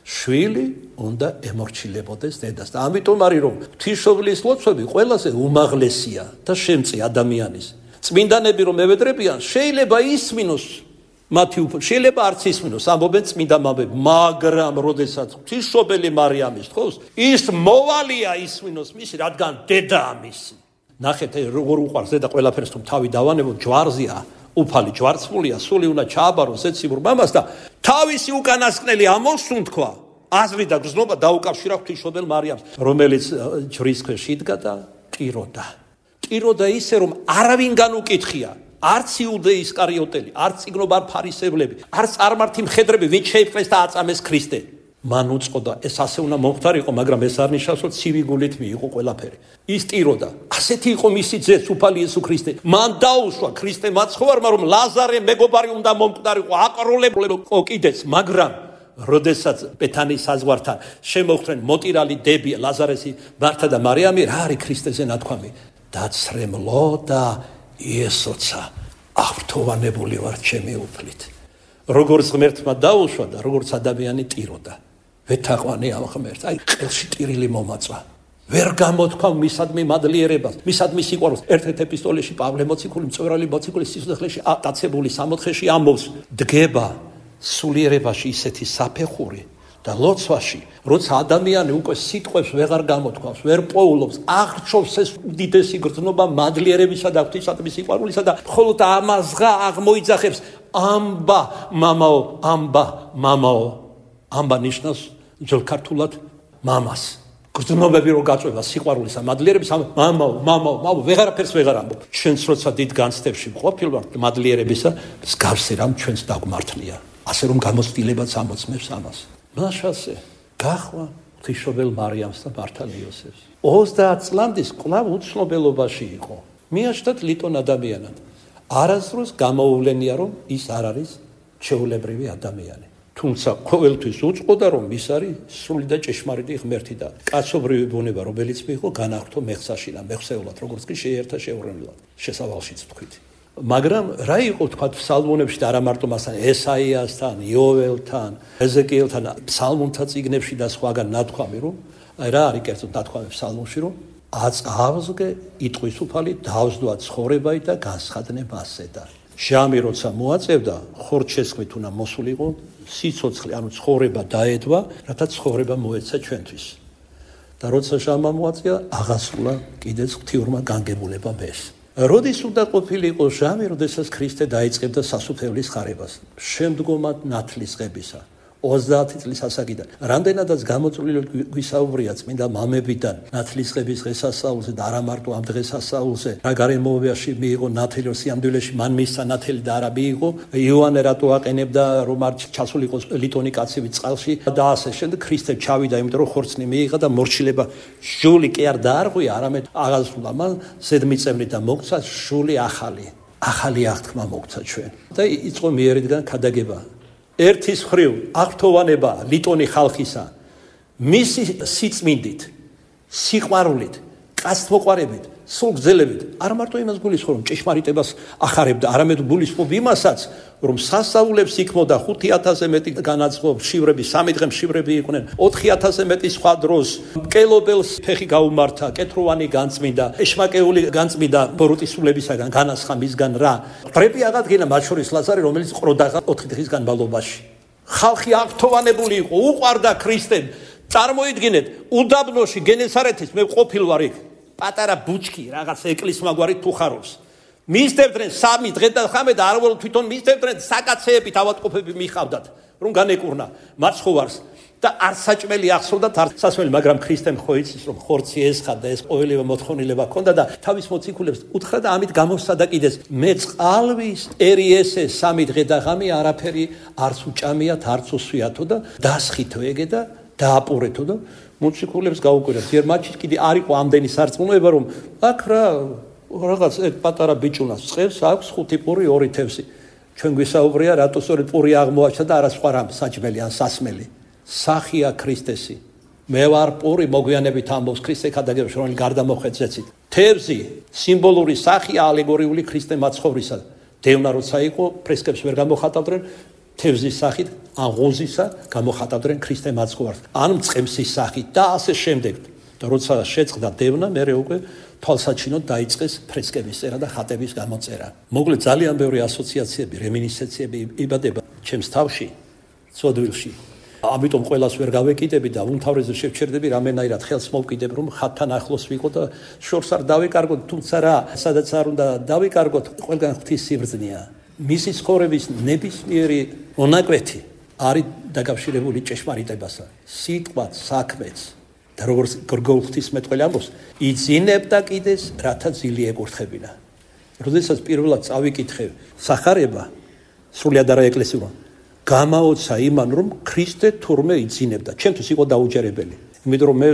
შვილი უნდა ემორჩილებოდეს დედას. და ამიტომ არის, რომ ღვთისმშობლის ლოცვები ყველაზე უმაღლესია და შემწი ადამიანის. წმინდანები რომ ევედრებიან, შეიძლება ისმინოს მათი შეიძლება არც ისმინოს, ამბობენ წმინდა მამები, მაგრამ როდესაც ღვთისმშობელი მარიამის თხოვს, ის მოვალია ისმინოს მისი, რადგან დედაა მისი. ნახეთ, როგორ უყვარს დედა ყველაფერს, თუ თავი დავანებო, ჯვარზია, უფალი ჯვარცმულია, სული უნდა ჩააბაროს ზეციური მამას და თავისი უკანასკნელი ამოსუნთქვა, აზრი და გრძნობა დაუკავშირა ღვთისმშობელ მარიამს, რომელიც ჯვრის ქვეშ იდგა და ტიროდა. ტიროდა ისე, რომ არავინ განუკითხია. არც იუდე ისკარიოტელი, არც წიგნობარ ფარისევლები, არც წარმართი მხედრები, ვინც შეიპყრეს და აწამეს ქრისტე. მან უწყოდა ეს ასე უნდა მომხდარიყო, მაგრამ ეს არ ნიშნავს, რომ ცივი გულით მიიღო ყველაფერი. ის ტიროდა. ასეთი იყო მისი ძე, სუფალი იესო ქრისტე. მან დაუშვა ქრისტე მაცხოვარმა, რომ ლაზარე მეგობარი უნდა მომკვდარიყო, აკროლებულიყო კიდეც, მაგრამ როდესაც ბეთანის საზღვართან შემოხვდნენ მოტირალი დებია, ლაზარესი, მართა და მარიამი, რა არის ქრისტეზე ნათქვამი? დაცრემლო და იესოცა, აღფრთოვანებული ვარ ჩემი უფლით. როგორც ღმერთმა დაუშვა და როგორც ადამიანი ტიროდა. ვეთაყვანი ამ ღმერთს, აი ყელში ტირილი მომაწვა. ვერ გამოთქვა მისადმი მადლიერებას, მისადმი სიყვარულს. ერთ-ერთ ეპისტოლეში პავლე მოციქული, მწვერვალი მოციქული სიცოცხლეში დაცებული 60-ში ამბობს, დგება სულიერებაში ისეთი საფეხური და ლოცვაში, როცა ადამიანი უკვე სიტყვებს ვეღარ გამოთქვავს, ვერ პოულობს, აღრჩობს ეს უდიდესი გრძნობა მადლიერებისა და ღვთისადმი სიყვარულისა და მხოლოდ ამაზღა აღმოიძახებს ამბა მამაო, ამბა მამაო. ამბა ნიშნავს ძველ ქართულად მამას. გრძნობები რო გაწვევა სიყვარულისა, მადლიერების მამაო, მამაო, ვეღარაფერს ვეღარ ამბობ. ჩვენც როცა დიდ განცდებში ვყოფილვართ მადლიერებისა, მსგავსი რამ ჩვენც დაგმართლია. ასე რომ გამოცდილებაც ამოწმებს ამას. მაშასე გახვა ღვთისმშობელ მარიამს და მართან იოსებს. 30 წლამდის კვლავ უცნობელობაში იყო. მიაჩნდათ ლიტონ ადამიანად. არასდროს გამოუვლენია, რომ ის არ არის ჩვეულებრივი ადამიანი. თუმცა ყოველთვის უწყოდა, რომ ის არის სრული და ჭეშმარიტი ღმერთი და კაცობრივი ბუნება, რომელიც მიიღო განახტო მეხსაში და მეხსეულად, როგორც კი შეერთა შეურენილად. შესავალშიც ვთქვით. მაგრამ რა იყო თქვა ფსალმუნებში და არა მარტო მასთან, ესაიასთან, იოველთან, ეზეკიელთან, ფსალმუნთა წიგნებში და სხვაგან ნათქვამი, რომ აი რა არის კერძოდ ნათქვამი ფსალმუნში, რომ აწავსგე იტყვის უფალი დავსდვა ცხოვრებაი და განსხადნე მასზე და ჟამი როცა მოაწევდა ხორჩესხმით უნდა მოსულიყო სიცოცხლე, ანუ ცხოვრება დაედვა, რათა ცხოვრება მოეცა ჩვენთვის. და როცა ჟამმა მოაწია, აღასრულა კიდეც ღვთიურმა განგებულებამ ეს. როდის უნდა ყოფილიყო ჟამი, როდესაც ქრისტე დაიწყებდა სასუფეველის ხარებას, შემდგომად ნათლისღებისა. 30 წლის ასაკიდან. რამდენადაც გამოწვლილი გვისაუბრია წმინდა მამებიდან ნათლისღების დღესასწაულზე და არა მარტო ამ დღესასწაულზე, რა გარემოებაში მიიღო ნათელი, სიამდვილეში მან მისცა ნათელი და არა მიიღო. იოანე რატო აყენებდა, რომ არ ჩასულიყო ლიტონი კაცივი წყალში და ასე შემდეგ. ქრისტე ჩავიდა, იმიტომ რომ ხორცნი მიიღა და მორჩილება ჟული კი არ დაარღვია, არამედ აღასრულა მან ზედმიწევნი და მოგცა ჟული ახალი აღთქმა მოგცა ჩვენ. და იწყო მიერიდან ქადაგება. ერთის მხრივ აღფრთოვანება ლიტონი ხალხისა მისი სიწმინდით, სიყვარულით, კაცთმოყვარებით, სულ გრძელებით არ მარტო იმას გულისხმობ, რომ ჭეშმარიტებას ახარებდა, არამედ გულისხმობ იმასაც, რომ სასწაულებს იქმოდა 5000-ზე მეტი განაცხო შივრები, 3 დღე შივრები იყვნენ, 4000-ზე მეტი სხვა დროს, მკელობელს ფეხი გაუმართა, კეთროვანი განწმინდა, ეშმაკეული განწმინდა ბოროტისულებისაგან განასხა მისგან რა. ტრები აღადგინა მათ შორის ლაზარე, რომელიც ყროდა 4 დღის განმავლობაში. ხალხი აღფრთოვანებული იყო, უყვარდა ქრისტემ. წარმოიდგინეთ, უდაბნოში გენესარეთის მე ყოფილვარ იქ. პატარა ბუჩქი რაღაც ეკლესმაგვარი თუ ხარობს. მისდევდნენ 3 დღე და ხამე და არ თვითონ მისდევდნენ საკაცეებით ავადმყოფები მიხავდათ, რომ განეკურნა მაცხოვარს და არ საჭმელი ახსოვდათ არ სასმელი, მაგრამ ქრისტემ ხო იცის, რომ ხორცი ესხა და ეს ყოველივე მოთხოვნილება ჰქონდა და თავის მოციქულებს უთხრა და ამით გამოსცადა კიდეც მე წყალვის ერიესე 3 დღე და ღამე არაფერი არც უჭამიათ, არც უსვიათო და დასხითო ეგე და დააპურეთო და მოციქულებს გაუკვირდა. ძერ მათში კიდე არ იყო ამდენი სარწმუნოება, რომ აქ რა რაღაც პატარა ბიჭუნას წევს, აქვს 5 პური 2 თევზი. ჩვენ გვისაუბრია, რატო სწორედ პური აღმოაჩნდა და არა სხვა რამ საჭმელი ან სასმელი. სახია ქრისტესი. მე ვარ პური მოგვიანებით ამბობს ქრისტე ქადაგებაში, რომელიც გარდამოხვეცეცით. თევზი სიმბოლური სახია ალეგორიული ქრისტე მაცხოვრისა. დევნა როცა იყო, ფრესკებს ვერ გამოხატავდნენ. თევზის სახით, ან ღოზისა გამოხატავდნენ ქრისტე მაცხოვარს, ან მწყემსის სახით და ასე შემდეგ. და როცა შეწყდა დევნა, მერე უკვე თვალსაჩინოდ დაიწყეს ფრესკების წერა და ხატების გამოწერა. მოკლედ ძალიან ბევრი ასოციაციები, რემინისცენციები იბადება ჩემს თავში, ცოდვილში. ამიტომ ყველას ვერ გავეკიდები და უმთავრესად შევჩერდები რამენაირად ხელს მოვკიდებ, რომ ხატთან ახლოს ვიყო და შორს არ დავიკარგოთ, თუმცა რა, სადაც არ უნდა დავიკარგოთ, ყველგან ღვთის სიბრძნეა. მისი ცხოვრების ნებისმიერი მონაკვეთი არის დაკავშირებული ჭეშმარიტებასა, სიტყვაც, საქმეც და როგორც გრგოლ ღვთისმეტყველი ამბობს, იძინებდა კიდეს, რათა ძილი ეკურთხებინა. როდესაც პირველად წავიკითხე სახარება, სრულიად არა ეკლესიურად, გამაოცა იმან, რომ ქრისტე თურმე იძინებდა. ჩემთვის იყო დაუჯერებელი. იმიტომ რომ მე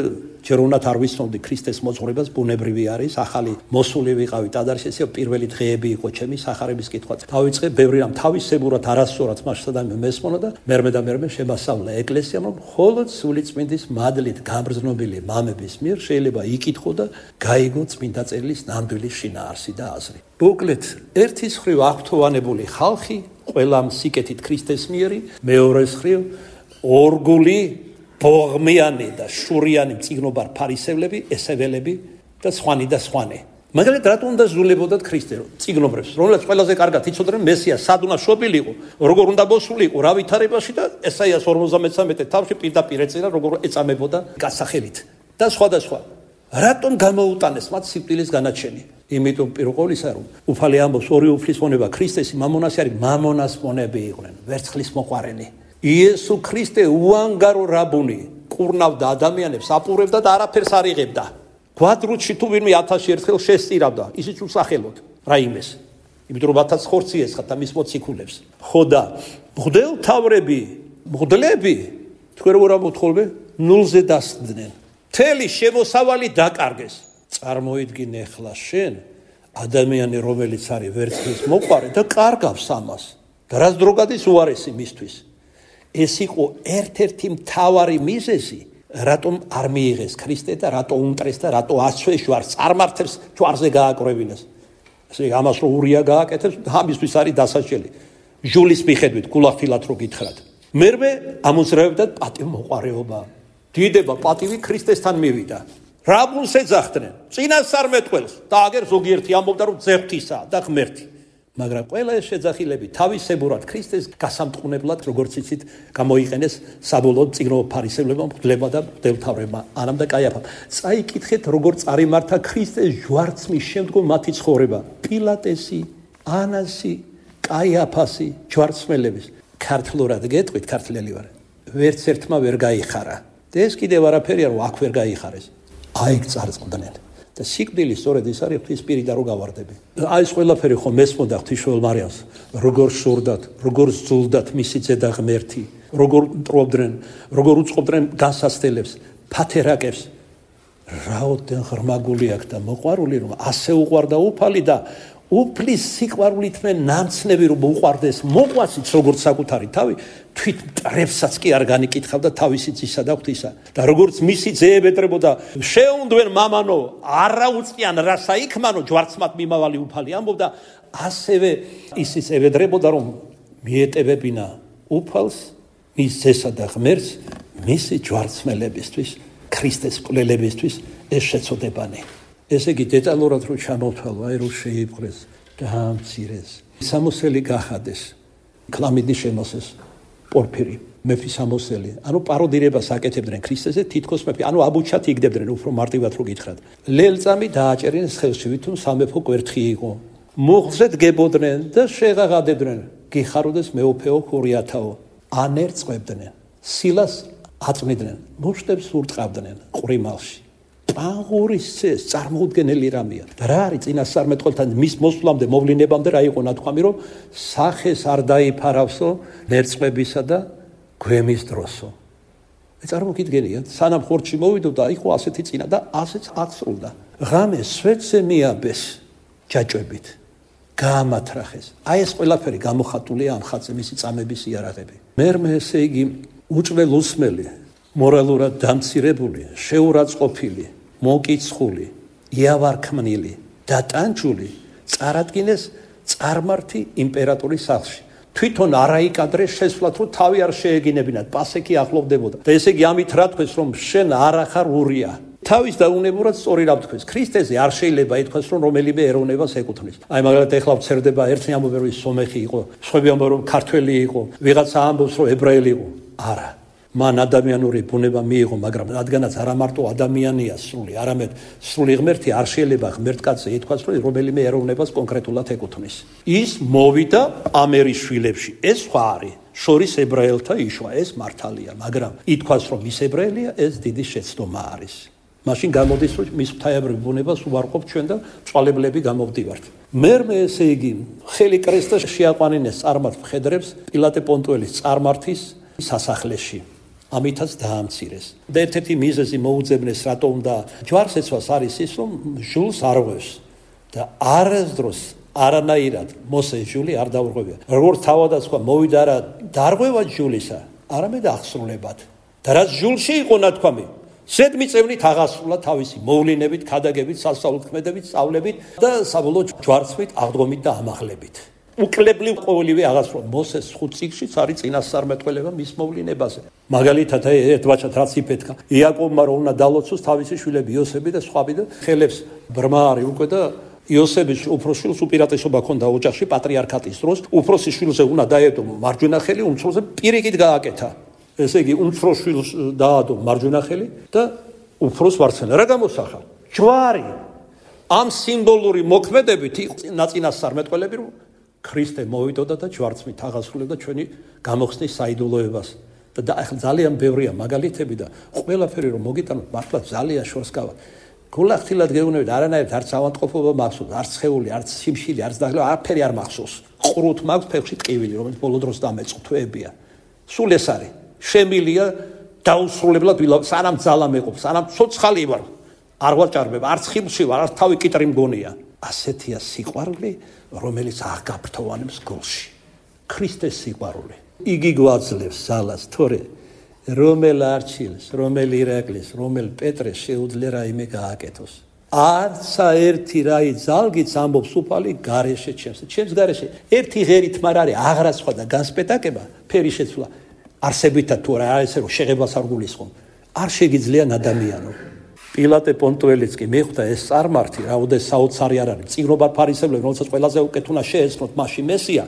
ჯერ უნდათ არ ვიცნობდი ქრისტეს მოძღვრებას, ბუნებრივი არის, ახალი მოსული ვიყავი ტაძარში, ესე პირველი დღეები იყო ჩემი სახარების კითხვა. დავიწყე ბევრი რამ თავისებურად არასწორად მასშტაბი მესმონა და მერმე შემასწავლა ეკლესიამ, რომ მხოლოდ სულიწმინდის მადლით გამგრძნობილი მამების მიერ შეიძლება იკითხო და გაიგო წმინდა წერილის ნამდვილი შინაარსი და აზრი. მოკლედ, ერთის მხრივ აღფრთოვანებული ხალხი, ყველამ სიკეთით ქრისტეს მიერი, მეორეს მხრივ ორგული ბოღმიანი და შურიანი მწიგნობარ ფარისევლები, ესეველები და სხვანი. მაგალითად, რატომ უნდა ზულებოდათ ქრისტე მწიგნობრებს, რომლებიც ყველაზე კარგად იცოდნენ მესიას სად უნდა შობილიყო, როგორ უნდა მოსულიყო, რა ვითარებაში და ესაიას 53 თავში პირდაპირ ეწერა, როგორ ეწამებოდა გასახელით და სხვა. რატომ გამოუტანეს მათ სიკვდილის განაჩენი? იმიტომ პირველ ყოვლისა, რომ უფალი ამბობს, ორი უფლის მონება ქრისტესი მამონასი არის, მამონას მონები იყვნენ, ვერცხლის მოყვარენი. იესო ქრისტე უანგარო რაბუნი კურნავდა ადამიანებს, აპურებდა და არაფერს არ იღებდა. კვადრუტში თუ ვინმე 1000 ერთხელ შესწირავდა, ისიც უსახელოდ რაიმეს. იმიტომ რომ 1000 ხორცი ესხათ და მის მოციქულებს. ხო და მღვდლები თქვენ როგორ ამოთხოვლე ნულზე დასხდნენ. მთელი შემოსავალი დაკარგეს. წარმოიდგინე ახლა შენ ადამიანი რომელიც არის ვერცხლის მოყვარე და კარგავს ამას. და რას დრო გადის უარესი მისთვის. ეს იყო ერთ-ერთი მთავარი მიზეზი, რატომ არ მიიღეს ქრისტე და რატო უმტრეს და რატო აცვეს ჯვარს, წარმართებს ჯვარზე გააკრევინეს. ესე ამას რო ურია გააკეთებს, ამისთვის არის დასაჭრელი. ჟულის მიხედვით გულახდილად რო გითხრათ. მერმე ამოძრავებდათ პატივმოყვარეობა. დიდება პატივი ქრისტესთან მივიდა. რაბუნს ეძახდნენ, წინასწარმეტყველს და აგერ ზოგიერთი ამბობდა რომ ძეღთისა და ღმერთი. მაგრამ ყველა ეს შეძახილები თავისებურად ქრისტეს გასამტყუნებლად, როგორც იცით, გამოიყენეს საბოლოოდ წიგნოვ ფარისევლებმა, მღვდლებმა და მღვდელმთავრებმა, ანამ და კაიაფამ. წაიკითხეთ, როგორ წარიმართა ქრისტეს ჯვარცმის შემდგომ მათი ცხოვრება. პილატესი, ანასი, კაიაფასი, ჯვარცმელების. ქართლურად გეტყვით, ქართლელი ვარ. ვერც ერთმა ვერ გაიხარა. და ეს კიდევ არაფერია, რომ აქ ვერ გაიხარეს. აიქ წარწყდნენ. და სიკვდილი სწორედ ის არის ღვთის პირი და რო გავარდები. აი ეს ყველაფერი ხომ მესმოდა ღვთისმშობელ მარიამს, როგორ შურდათ, როგორ ზულდათ მისი ძედა ღმერთი, როგორ მტრობდნენ, როგორ უწყობდნენ განსასწელებს, ფათერაკებს. რაოდენ ღრმაგული აქ და მოყვარული, რომ ასე უყვარდა უფალი და უფლის სიყვარულით მე ნამცნები რომ უყვარდეს მოყვასიც როგორც საკუთარი თავი, თვით მტრებსაც კი არ განიკითხავდა თავისი ძისა და ღვთისა. და როგორც მისი ძეები ეტრებოდა, შეუნდვენ მამანო, არა უწყიან რასა იქმანო, ჯვარცმად მიმავალი უფალი ამბობდა, ასევე ისიც ევედრებოდა, რომ მიეტევებინა უფალს, მის ძესა და ღმერთს, მისი ჯვარცმელებისთვის, ქრისტეს მკვლელებისთვის ეს შეწოდებანი. ესე იგი დეტალურად რო ჩამოვთვალო, აი რო შეიპყრეს, დაამცირეს, სამოსელი გახადეს, ქლამიდი შემოსეს, პორფირი, მეფის სამოსელი. ანუ პაროდირებას აკეთებდნენ ქრისტეზე, თითქოს მეფი, ანუ აბუჩათ იგდებდნენ, უფრო მარტივად რო გითხრათ. ლელწამი დააჭერინეს ხელში, ვითომ სამეფო კვერთხი იყო. მუხლზე დგებოდნენ და შეღაღადებდნენ, გიხაროდეს მეუფეო ხურიათაო. ანერწყვებდნენ, სილას აწმიდნენ, მუშტებს ურტყავდნენ ყვრიმალში. პაღურის წეს წარმოუდგენელი რამეა. და რა არის წინასწარმეტყველთან მის მოსვლამდე, მოვლინებამდე რა იყო ნათქვამი, რომ სახეს არ დაიფარავსო ნერწყვებისა და გვემის დროსო. წარმოგიდგენიათ, სანამ ხორცში მოვიდოდა, იყო ასეთი წინა და ასეც აღსრულდა. ღამე სვეტზე მიაბეს ჯაჭვებით. გაამათრახეს. აი ეს ყველაფერი გამოხატულია ამ ხატზე, მისი წამების იარაღები. მერმე ესე იგი უჭველ უსმელი, მორალურად დამცირებული, შეურაცხყოფილი, მოკიცხული, იავარქმნილი და ტანჯული წარადგინეს წარმართი იმპერატორის სახლში. თვითონ არაიკადრეს შესვლათ, რომ თავი არ შეეგინებინათ, პასექი ახლოვდებოდა. და ესე იგი ამით რა თქვეს, რომ შენ არ ახარ ურია. თავის დაუნებურად სწორი რა თქვეს. ქრისტეზე არ შეიძლება ითქვას, რომ რომელიმე ეროვნებას ეკუთვნის. აი მაგალითად ეხლა ვცერდება ერთი ამბობენ, რომ სომეხი იყო, სხვები ამბობენ, რომ ქართველი იყო, ვიღაცა ამბობს, რომ ებრაელი იყო. არა. მან ადამიანური ბუნება მიიღო, მაგრამ რადგანაც არა მარტო ადამიანია სრული, არამედ სრული ღმერთი არ შეიძლება ღმერთკაცზე ითქვას, რომ რომელიმე ეროვნებას კონკრეტულად ეკუთვნის. ის მოვიდა ამერის შვილებში. ეს სხვა არის. შორის ებრაელთა იშვა, ეს მართალია, მაგრამ ითქვას, რომ ის ებრაელია, ეს დიდი შეცდომა არის. მაშინ გამოდის რომ მის ღვთაებრივ ბუნებას უარყოფთ ჩვენ და წვალებლები გამოვდივართ. მერმე ესე იგი ხელი კრესტა შეაყვანინეს წარმართ მხედრებს პილატე პონტუელის წარმართის სასახლეში. ამითაც დაამცირეს. და ერთ-ერთი მიზეზი მოუძებნეს რატო უნდა ჯვარს ეცვას არის ის რომ ჟულს არ ღვევს და არასდროს არანაირად მოსე ჟული არ დაურღვევია. როგორც თავადასხმა მოვიდა რა დარღვევა ჟულისა, არამედ აღსრულებად. და რაც ჟულში იყო ნათქვამი, ზედმიწევნით აღასრულა თავისი მოვლენებით, ქადაგებით, სასწაულთქმედებით, სწავლებით და საბოლოოდ ჯვარცმით, აღდგომით და ამაღლებით. უკლებლივ ყოველივე აღასრულა. მოსეს 5 წიგნშიც არის წინასწარმეტყველება მის მოვლენებაზე. მაგალითად ერთ ბაჭად რაც იფეთქა, იაკობმა რომ უნდა დალოცოს თავისი შვილები იოსები და სხვები და ხელებს ბრმა არის უკვე და იოსების უფროს შვილს უპირატესობა ჰქონდა ოჯახში პატრიარქატის დროს, უფროსი შვილზე უნდა დაედო მარჯვენა ხელი, უმცროსზე პირიქით გააკეთა. ესე იგი უმცროს შვილს დაადო მარჯვენა ხელი და უფროს ვარცხენა. რა გამოსახა? ჯვარი. ამ სიმბოლური მოქმედებით ნაწინასწარმეტყველები რომ ქრისტე მოვიდოდა და ჯვარცმით აღასრულებდა ჩვენი გამოხსნის საიდუმლოებას. და ახლა ძალიან ბევრია მაგალითები და ყველაფერი რომ მოგიტანოთ მართლა ძალიან შორს გავა. გულახდილად გეუბნებით არანაირად არც ავადმყოფობა მახსოვს, არც სხეული, არც სიმშილი, არც დაღლება, არაფერი არ მახსოვს. ყრუთ მაქვს ფეხში ტყივილი, რომელიც ბოლო დროს დამეწყო თვეებია. სულ ეს არის. შემილია დაუსრულებლად სანამ ძალა მეყოფ, სანამ ცოცხალი ვარ. არ ვაჭარბებ, არც ხილში ვარ, არც თავი კიტრი მგონია. ასეთია სიყვარული, რომელიც აღგაფრთოვანებს გულში. ქრისტეს სიყვარული. იგი გვაძლევს ძალას, თორე რომელ არჩილს, რომელ ირაკლის, რომელ პეტრეს შეუძლია რაიმე გააკეთოს. არცა ერთი რაი ძალგიც ამბობს უფალი გარეშე ჩემს გარეშე. ერთი ღერით მარ არის აღრაცხვა და განსპეტაკება, ფერი შეცვლა. არსებითად თუ არა ესე რომ შეღებას არ გულისხმობ. არ შეგიძლია ადამიანო. პილატე პონტუელიც კი მიხვდა ეს წარმართი, რაუდეს საოცარი არ არის. წიგნობარ ფარისევლები, რომელსაც ყველაზე უკეთ უნდა შეეცნოთ მასში მესია.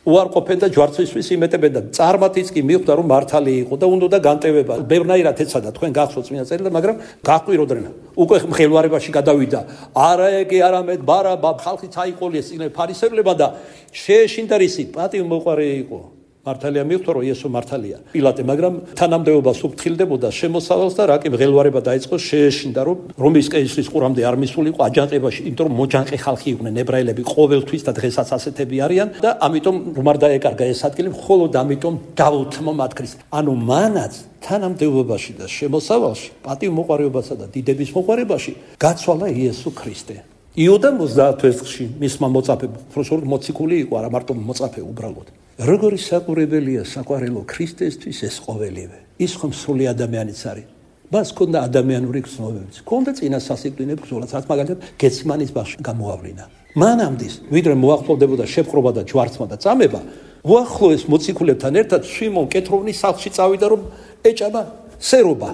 უარყოფენ და ჯვარცმისთვის იმეტებენ და წარმართიც კი მიხვდა რომ მართალი იყო და უნდა განტევება. ბევრნაირად ეცადა თქვენ გახსოვთ წმინდა წერილი, მაგრამ გაყვიროდნენ. უკვე მხელვარებაში გადავიდა. არა ეგე არამედ ბარაბა ხალხი წაიყოლიეს წიგნ ფარისევლებმა და შეეშინდა რისი პატივმოყვარე იყო. მართალია მიხვდა რომ იესო მართალია. პილატე, მაგრამ თანამდებობას უფრთხილდებოდა შემოსავალს და რაკი მღელვარება დაიწყო შეეშინდა რომ რომის კეისრის ყურამდე არ მისულიყო აჯანყებაში, იმიტომ რომ მოჯანყე ხალხი იყვნენ ებრაელები ყოველთვის და დღესაც ასეთები არიან და ამიტომ რომ არ დაეკარგა ეს ადგილი, მხოლოდ ამიტომ დავუთმო მათ ქრისტეს. ანუ მანაც თანამდებობაში და შემოსავალში, პატივმოყვარეობასა და დიდების მოყვარებაში გაცვალა იესო ქრისტე. იუდა 30 ვერცხლში მისმა მოწაფე, უბრალოდ მოციქული იყო, არა მარტო მოწაფე უბრალოდ. როგორი საყურებელია საყვარელო ქრისტესთვის ეს ყოველივე. ის ხომ სრული ადამიანიც არის. მას ჰქონდა ადამიანური გრძნობებიც. ჰქონდა წინა სასიკვდინე ბრძოლაც, რაც მაგალითად გეციმანის ბაღში გამოავლინა. მანამდის, ვიდრე მოახლოვდებოდა შეპყრობა და ჯვარცმა და წამება, უახლოეს მოციქულებთან ერთად სვიმონ კეთროვნის სახლში წავიდა რომ ეჭამა სერობა.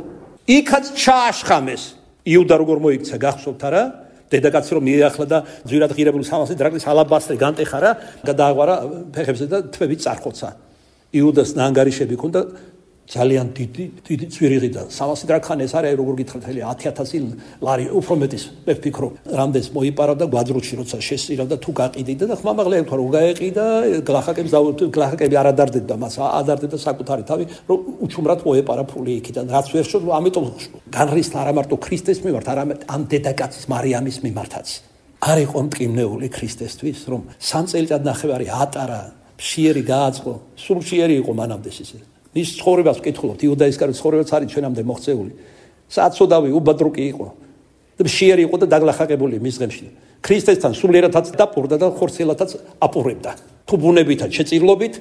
იქაც ჩააშხამეს. იუდა როგორ მოიქცა გახსოვთ არა? დედაკაცი რომ მიეახლა და ძვირად ღირებული 300 დრაქმის ალაბასტრი განტეხა რა, გადააღვარა ფეხებზე და თვები წარხოცა. იუდას ნანგარიშები ჰქონდა ძალიან დიდი ძვირიღი და 300 დრაქმი ეს არის როგორ გითხრათ 10,000 ლარი უფრო მეტის მე ვფიქრობ. რამდენს მოიპარა და გვაძრუჩი როცა შესწირა და თუ გაყიდიდა და ხმამაღლა ეთქვა რომ გაეყიდა გლახაკები არ ადარდებდა მას, ადარდებდა საკუთარი თავი რომ უჩუმრად მოეპარა ფული იქიდან. რაც ვერ შეძლო, ამიტომ განრისხა არა მარტო ქრისტეს მიმართ, არამედ ამ დედაკაცის მარიამის მიმართაც. არ იყო მტკივნეული ქრისტესთვის, რომ 3 წელიწად ნახევარი ატარა, მშიერი გააწყო, სულ მშიერი იყო მანამდე ისე. ის ცხოვრებას ვკითხულობთ, იუდა ისკარიოტის ცხოვრებაც არის ჩვენამდე მოღწეული. საწოდავი უბადრუკი იყო. და მშიერი იყო და დაგლახაკებული მის ღემში. ქრისტესთან სულიერადაც დაპურდა და ხორცელადაც აპურებდა. თუ ბუნებითად შეწირლობით,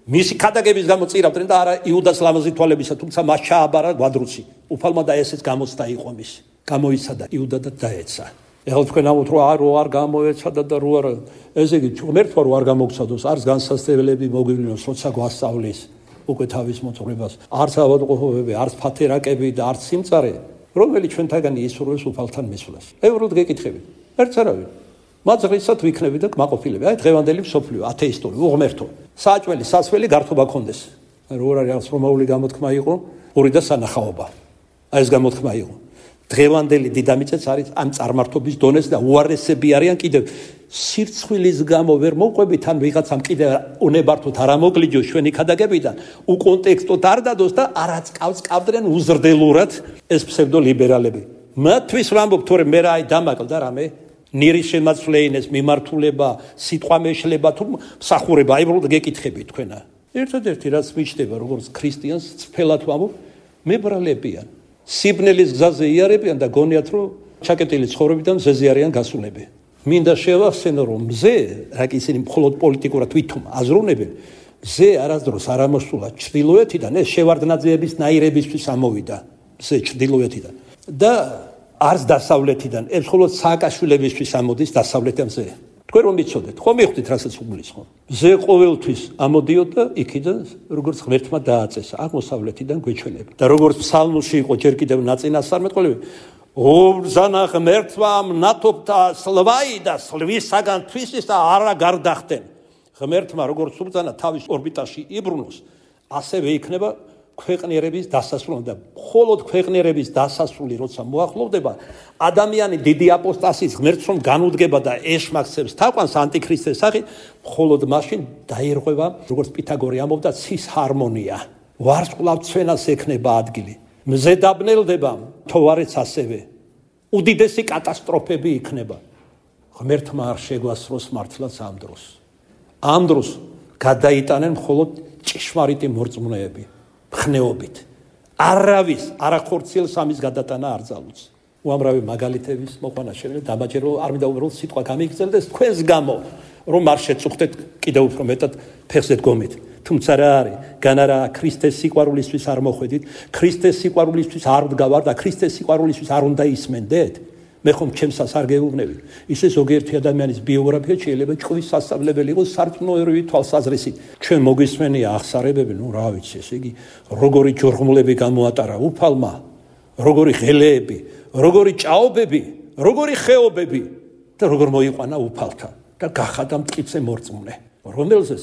მისი ქადაგების გამო წირავდნენ და არა იუდას ლამაზი თვალებისა, თუმცა მას ჩააბარა გვადრუცი. უფალმა და ესეც გამოცდა იყო მის. გამოიცა და იუდა და დაეცა. ეხლა თქვენ ამბობთ რომ არ გამოეცადა და რო არა, ესე იგი ღმერთმა რო არ გამოგცადოს, არც განსასწრებელი მოგვივლინოს, როცა გვასწავლის უკვე თავის მოწურებას, არც ავადმყოფობები, არც ფათერაკები და არც სიმწარე, რომელიც ჩვენთაგანი ისურვებს უფალთან მისვლას. ევროდ გეკითხებით. ერთს არავინ. მაძღრისად ვიქნები და კმაყოფილები. აი დღევანდელი მსოფლიო ათეისტური, უღმერთო. საჭველი, სასველი გართობა კონდეს. რო არის რომაული გამოთქმა იყო, ორი და სანახაობა. აი ეს გამოთქმა იყო. დღევანდელი დიდამიწაც არის ამ წარმართობის დონეს და უარესები არიან კიდევ სირცხვილის გამო ვერ მოყვებით ან ვიღაცამ კიდევ უნებართოთ არ ამოგლიჯოს ჩვენი ქადაგებიდან უკონტექსტოდ არ დადოს და არაც ყავდნენ უზრდელურად ეს ფსევდოლიბერალები. მათთვის ვამბობ, თორემ მე რა აი დამაკლდა რამე ნირის შემაცვლეინეს მიმართულება, სიტყვა მეშლება თუ მსახურება, აი უბრალოდ გეკითხები თქვენა. ერთადერთი რაც მიჩნდება როგორც ქრისტიანს, წფელად ვამბობ, მებრალებიან. სიბნელის გზაზე იარებიან და გონიათ რომ ჩაკეტილი ცხოვრებიდან მზეზე არიან გასულები. მინდა შევახსენო რომ მზე, რა კი ისინი მხოლოდ პოლიტიკურად ვითომ აზროვნებენ, მზე არასდროს არ ამოსულა ჩრდილოეთიდან, ეს შევარდნაძეების ნაირებისთვის ამოვიდა მზე ჩრდილოეთიდან და არც დასავლეთიდან, ეს მხოლოდ სააკაშვილებისთვის ამოდის დასავლეთიდან მზე. თქვენ რომ მიცოდეთ, ხო მიხვდით რასაც უგულისხმობ. მზე ყოველთვის ამოდიოდა იქიდან, როგორც ღმერთმა დააწესა, აღმოსავლეთიდან გვეჩვენებდა. და როგორც ფსალმში იყო ჯერ კიდევ ნაწინასწარმეტყველები, უბრძანა ღმერთმა მნათობთა სლვაი და სლვისაგან თვისის და არა გარდახტენ. ღმერთმა როგორც უბრძანა თავის ორბიტაში იბრუნოს, ასევე იქნება ქვეყნიერების დასასრული და მხოლოდ ქვეყნიერების დასასრული როცა მოახლოვდება, ადამიანი დიდი აპოსტასის ღმერთს რომ განუდგება და ეშმაკცებს თაყვანს ანტიქრისტეს სახით, მხოლოდ მაშინ დაირღვევა, როგორც პითაგორე ამბობდა, ცის ჰარმონია. ვარსკვლავ ცვენას ექნება ადგილი. მზე დაბნელდება, თოვარეც ასევე. უდიდესი კატასტროფები იქნება. ღმერთმა არ შეგვასწროს მართლაც ამ დროს. ამ დროს გადაიტანენ მხოლოდ ჭეშმარიტი მორწმუნეები. ხნეობით. არავის არახორციელს ამის გადატანა არ ძალუძს. უამრავი მაგალითების მოყვანა შეიძლება დამაჯერო არ მინდა უბრალოდ სიტყვა გამიგრძელდეს თქვენს გამო რომ არ შეწუხდეთ კიდევ უფრო მეტად ფეხზე დგომით. თუმცა რა არის? გან არა ქრისტეს სიყვარულისთვის არ მოხვედით, ქრისტეს სიყვარულისთვის არ ვდგავარ და ქრისტეს სიყვარულისთვის არ უნდა ისმენდეთ? მე ხომ ჩემსას არ გეუბნებით. ისე ზოგიერთი ადამიანის ბიოგრაფია შეიძლება ჭკვის სასწავლებელი იყოს სარწმუნოებრივი თვალსაზრისით. ჩვენ მოგვისმენია აღსარებები, ნუ რა ვიცი, ესე იგი, როგორი ჯორღმულები გამოატარა უფალმა, როგორი ღელეები, როგორი ჭაობები, როგორი ხეობები და როგორ მოიყვანა უფალთან და გახადა მტკიცე მორწმუნე, რომელზეც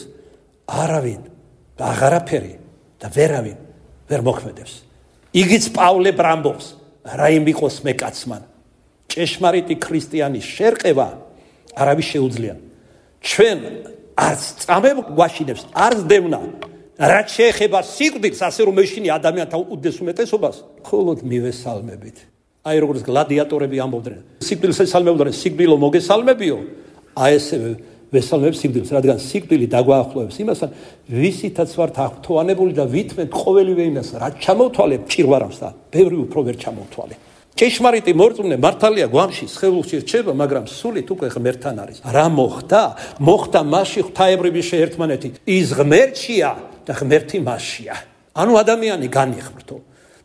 არავინ და აღარაფერი და ვერავინ ვერ მოქმედებს. იგიც პავლე ბრამბობს, რა იმ იყოს მე კაცმან. ჭეშმარიტი ქრისტიანის შერყევა არავის შეუძლია. ჩვენ არც წამებ გვაშინებს, არც დევნა. რაც შეეხება სიკვდილს, ასე რომ ეშინი ადამიანთა უდიდეს უმეტესობას, მხოლოდ მივესალმებით. აი როგორც გლადიატორები ამბობდნენ, სიკვდილს ესალმებოდნენ, სიკვდილო მოგესალმებიო. აი ესევე ვესალმებ სიკვდილს, რადგან სიკვდილი დაგვაახლოვებს იმასთან, ვისითაც ვართ აღფრთოვანებული და ვითმენთ ყოველივე იმას, რაც ჩამოვთვალე ჭირვარავს და ბევრი უფრო ვერ ჩამოვთვალე. ჭეშმარიტი მორწმუნე მართალია გვამში სხეულში რჩება, მაგრამ სულით უკვე ღმერთთან არის. რა მოხდა? მოხდა მასში ღვთაებრივი შეერთმანეთი. ის ღმერთშია და ღმერთი მასშია. ანუ ადამიანი განიხრთო.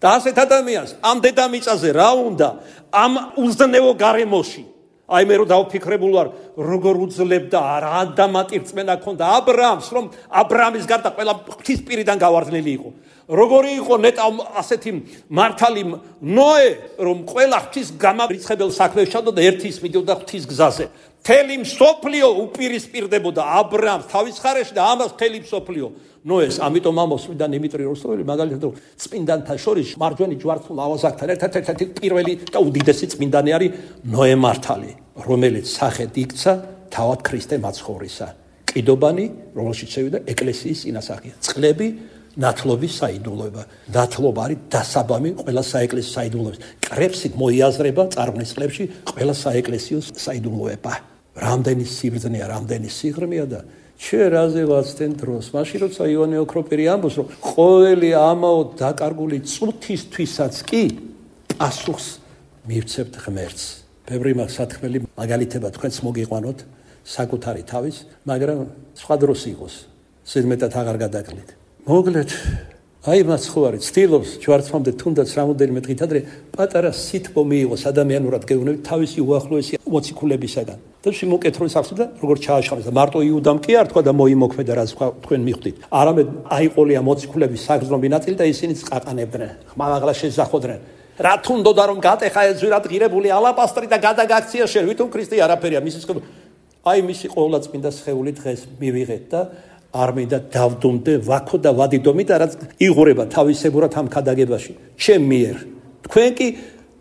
და ასეთ ადამიანს ამ დედამიწაზე რა უნდა? ამ უზნეო გარემოში. აი მე რო დავფიქრებულ ვარ, როგორ უძლებდა რა დამატირწმენა ქონდა აბრაამს, რომ აბრაამის გარდა ყველა ღვთისპირიდან გავარდნილი იყო. როგორი იყო ნეტა ასეთი მართალი ნოე, რომ ყველა ღვთის გამარიცხებელ საქმეს ჩადოდა ერთის მიდიოდა ღვთის გზაზე. მთელი მსოფლიო უპირისპირდებოდა აბრაამს თავის ხარეში და ამას მთელი მსოფლიო ნოეს. ამიტომ ამოსვიდა დიმიტრი როსტოველი მაგალითად წმინდანთა შორის მარჯვენა ჯვარცმულ ავაზაკთან ერთ-ერთი პირველი და უდიდესი წმინდანი არის ნოე მართალი, რომელიც სახედ იქცა თავად ქრისტე მაცხოვრისა. ყიდობანი, რომელშიც შევიდა ეკლესიის წინასახია. წყლები ნათლობის საიდუმლოება. ნათლობა არის დასაბამი ყველა საეკლესიო საიდუმლოების. კრებსით მოიაზრება წარღვნის წლებში ყველა საეკლესიო საიდუმლოება. რამდენი სიბრძნეა, რამდენი სიღრმეა და ჩვენ რაზე ვაცდენ დროს. მაშინ როცა ივანე ოქროპირი ამბობს, რომ ყოველი ამაო დაკარგული წუთისთვისაც კი პასუხს მივცემთ ღმერთს. ბევრი სათქმელი მაგალითება თქვენც მოგიყვანოთ საკუთარი თავის, მაგრამ სხვა დროს იყოს. ზედმეტად აღარ გადაკლით. მოგლეთ, აი მას ხო არის, ცდილობს ჯვარცმამდე თუნდაც რამოდენიმე დღით ადრე პატარა სითბო მიიღოს ადამიანურად გეუბნებით თავისი უახლოესი მოციქულებისაგან. და შემოკეთროს ახსნა და როგორ ჩააშხალეს და მარტო იუდამ კი არ თქვა და მოიმოქმედა რაც თქვენ მიხვდით. არამედ აიყოლია მოციქულების საგრძნობი ნაწილი და ისინიც ყაყანებდნენ, ხმალაღლა შეზახოდნენ. რა თუნდოდა რომ გატეხა ეს ზვირად ღირებული ალაბასტრი და გადაგაქცია შენ, ვითომ ქრისტე არაფერია მისი სხეული. აი მისი ყოვლადწმინდა სხეული დღეს მივიღეთ და არ მინდა დავდუმდე ვაქო და ვადიდომი და რაც იღურება თავისებურად ამ ქადაგებაში ჩემ მიერ. თქვენ კი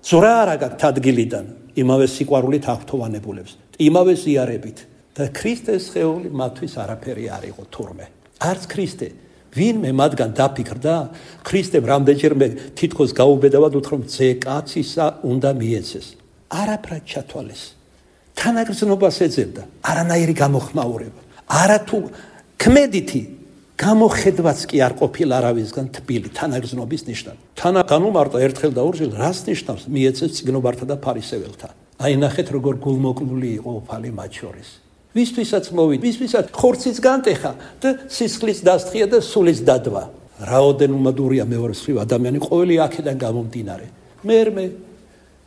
ზრა არ აგაქვთ ადგილიდან იმავე სიყვარულით აღფრთოვანებულებს, იმავე ზიარებით და ქრისტეს სხეული მათთვის არაფერი არ იყო თურმე. არც ქრისტე ვინმე მათგან დაფიქრდა, ქრისტემ რამდენჯერმე თითქოს გაუბედავად უთხრა, რომ ძე კაცისა უნდა მიეცეს. არაფრად ჩათვალეს. თანაგრძნობას ეძებდა, არანაირი გამოხმაურება. არათუ ქმედითი გამოხედვაც კი არ ყოფილა არავისგან თბილი თანაგრძნობის ნიშნად. თანა განუმარტა ერთხელ და ორჯერ, რას ნიშნავს მიეცეს წიგნობართა და ფარისეველთა. აი ნახეთ როგორ გულმოკლული იყო უფალი მათ შორის. ვისთვისაც მოვიდა, ვისთვისაც ხორციც განტეხა და სისხლის დასთხია და სულის დადვა. რაოდენ უმადურია მეორე მხრივ ადამიანი ყოველი აქედან გამომდინარე. მერმე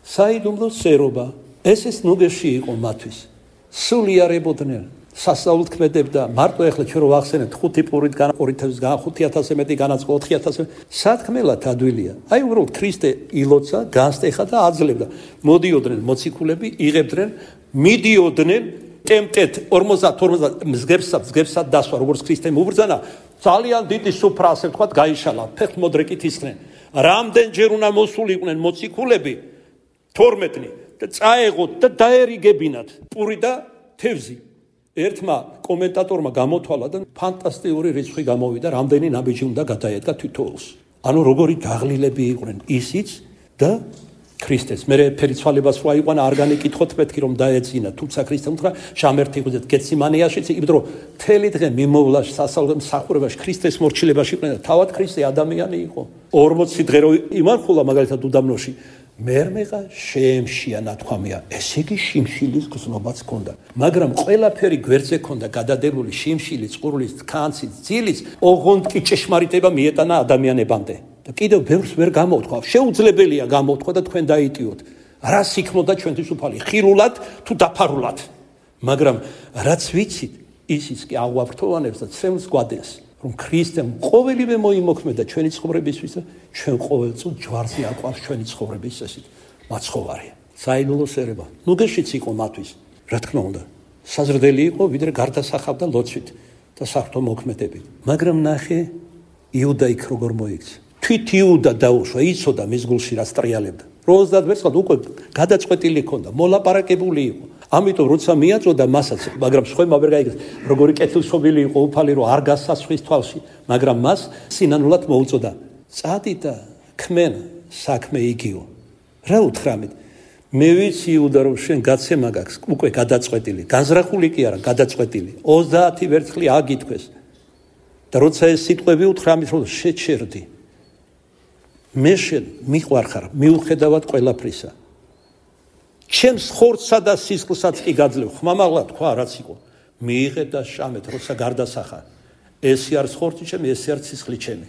საიდუმლო სერობა, ეს ნუგეში იყო მათთვის. სული არებოდნენ. სასწაულთ ქმედებდა, მარტო ეხლა ჩვენ რო ვახსენებთ 5 პურით განა 2000-გან 5000-ზე მეტი განაწყო 4000-ზე სათქმელად ადვილია. აი უბრალოდ ქრისტე ილოცა, განსტეხა და აძლევდა. მოდიოდნენ მოციქულები, იღებდნენ, მიდიოდნენ ტემპტეთ 50-50 მსგებსად დასვა, როგორც ქრისტემ უბრძანა, ძალიან დიდი სუფრა ასე ვთქვათ, გაიშალა, ფეხმოდრეკით ისხნენ. რამდენჯერ უნდა მოსულიყვნენ მოციქულები 12 და წაეღოთ და დაერიგებინათ პური და თევზი. ერთმა კომენტატორმა გამოთვალა და ფანტასტიკური რიცხვი გამოვიდა, რამდენი ნაბიჯი უნდა გადაედგა თითოეულს. ანუ როგორი დაღლილები იყვნენ ისიც და ქრისტეს. მე ფერიცვალებას რა იყვანა, არ განიკითხოთ მეთქი რომ დაეძინა, თუმცა ქრისტემ უთხრა, შამერთი ღვიძლეთ გეციმანიაშიც, იმიტომ რომ მთელი დღე მიმოვლა მსახურებაში, ქრისტეს მორჩილებაში იყვნენ და თავად ქრისტე ადამიანი იყო. 40 დღე რო იმარხულა მაგალითად უდაბნოში, მერმეღა შეემშია ნათქვამია, ესე იგი შიმშილის გზნობაც ჰქონდა. მაგრამ ყველაფერი გვერდზე ჰქონდა გადადებული შიმშილის, წყურვლის, ქანცის, ძილის, ოღონდ კი ჭეშმარიტება მიეტანა ადამიანებამდე. და კიდევ ბევრს ვერ გამოთქვა. შეუძლებელია გამოთქვა და თქვენ დაიტიოთ. რა სიქმნოდა ჩვენთვის უფალი, ხილულად თუ დაფარულად. მაგრამ რაც ვიცით, ისიც კი აღვაფრთოვანებს და ცემს გვადენს, რომ ქრისტემ ყოველივე მოიმოქმედა ჩვენი ცხოვრებისთვის და ჩვენ ყოველწილ ჯვარზე აყვავს ჩვენი ცხოვრების ესეთ მაცხოვარი. საიდუმლო სერება. ნუგეშიც იყო მათთვის, რა თქმა უნდა. საზრდელი იყო, ვიდრე გარდასახავდა ლოცვით და საღვთო მოქმედებით. მაგრამ ნახე, იუდა იქ როგორ მოიქცა. თვით იუდა დაუშვა, იცოდა მის გულში რა სტრიალებდა. 30 ვერცხლად უკვე გადაწყვეტილი ჰქონდა, მოლაპარაკებული იყო. ამიტომ როცა მიაწოდა მასაც, მაგრამ სხვებმა ვერ გაიგეს, როგორი კეთილშობილი იყო უფალი, რომ არ გასასხვის თვალში, მაგრამ მას სინანულად მოუწოდა. წადი და ქმენ საქმე იგიო. რა უთხრამით? მე ვიცი იუდა, რომ შენ გაცემა გაქვს, უკვე გადაწყვეტილი, განზრახული კი არა, გადაწყვეტილი. 30 ვერცხლი აგითქვეს. და როცა ეს სიტყვები უთხრამით, რომ შეჩერდი. მე შენ მიყვარხარ, მიუხედავად ყველაფრისა. ჩემს ხორცსა და სისხლსაც კი გაძლევ. ხმამაღლა თქვა, რაც იყო. მიიღე და შამეთ, როცა გარდასახა. ესი არის ხორცი ჩემი, ესი არის სისხლი ჩემი.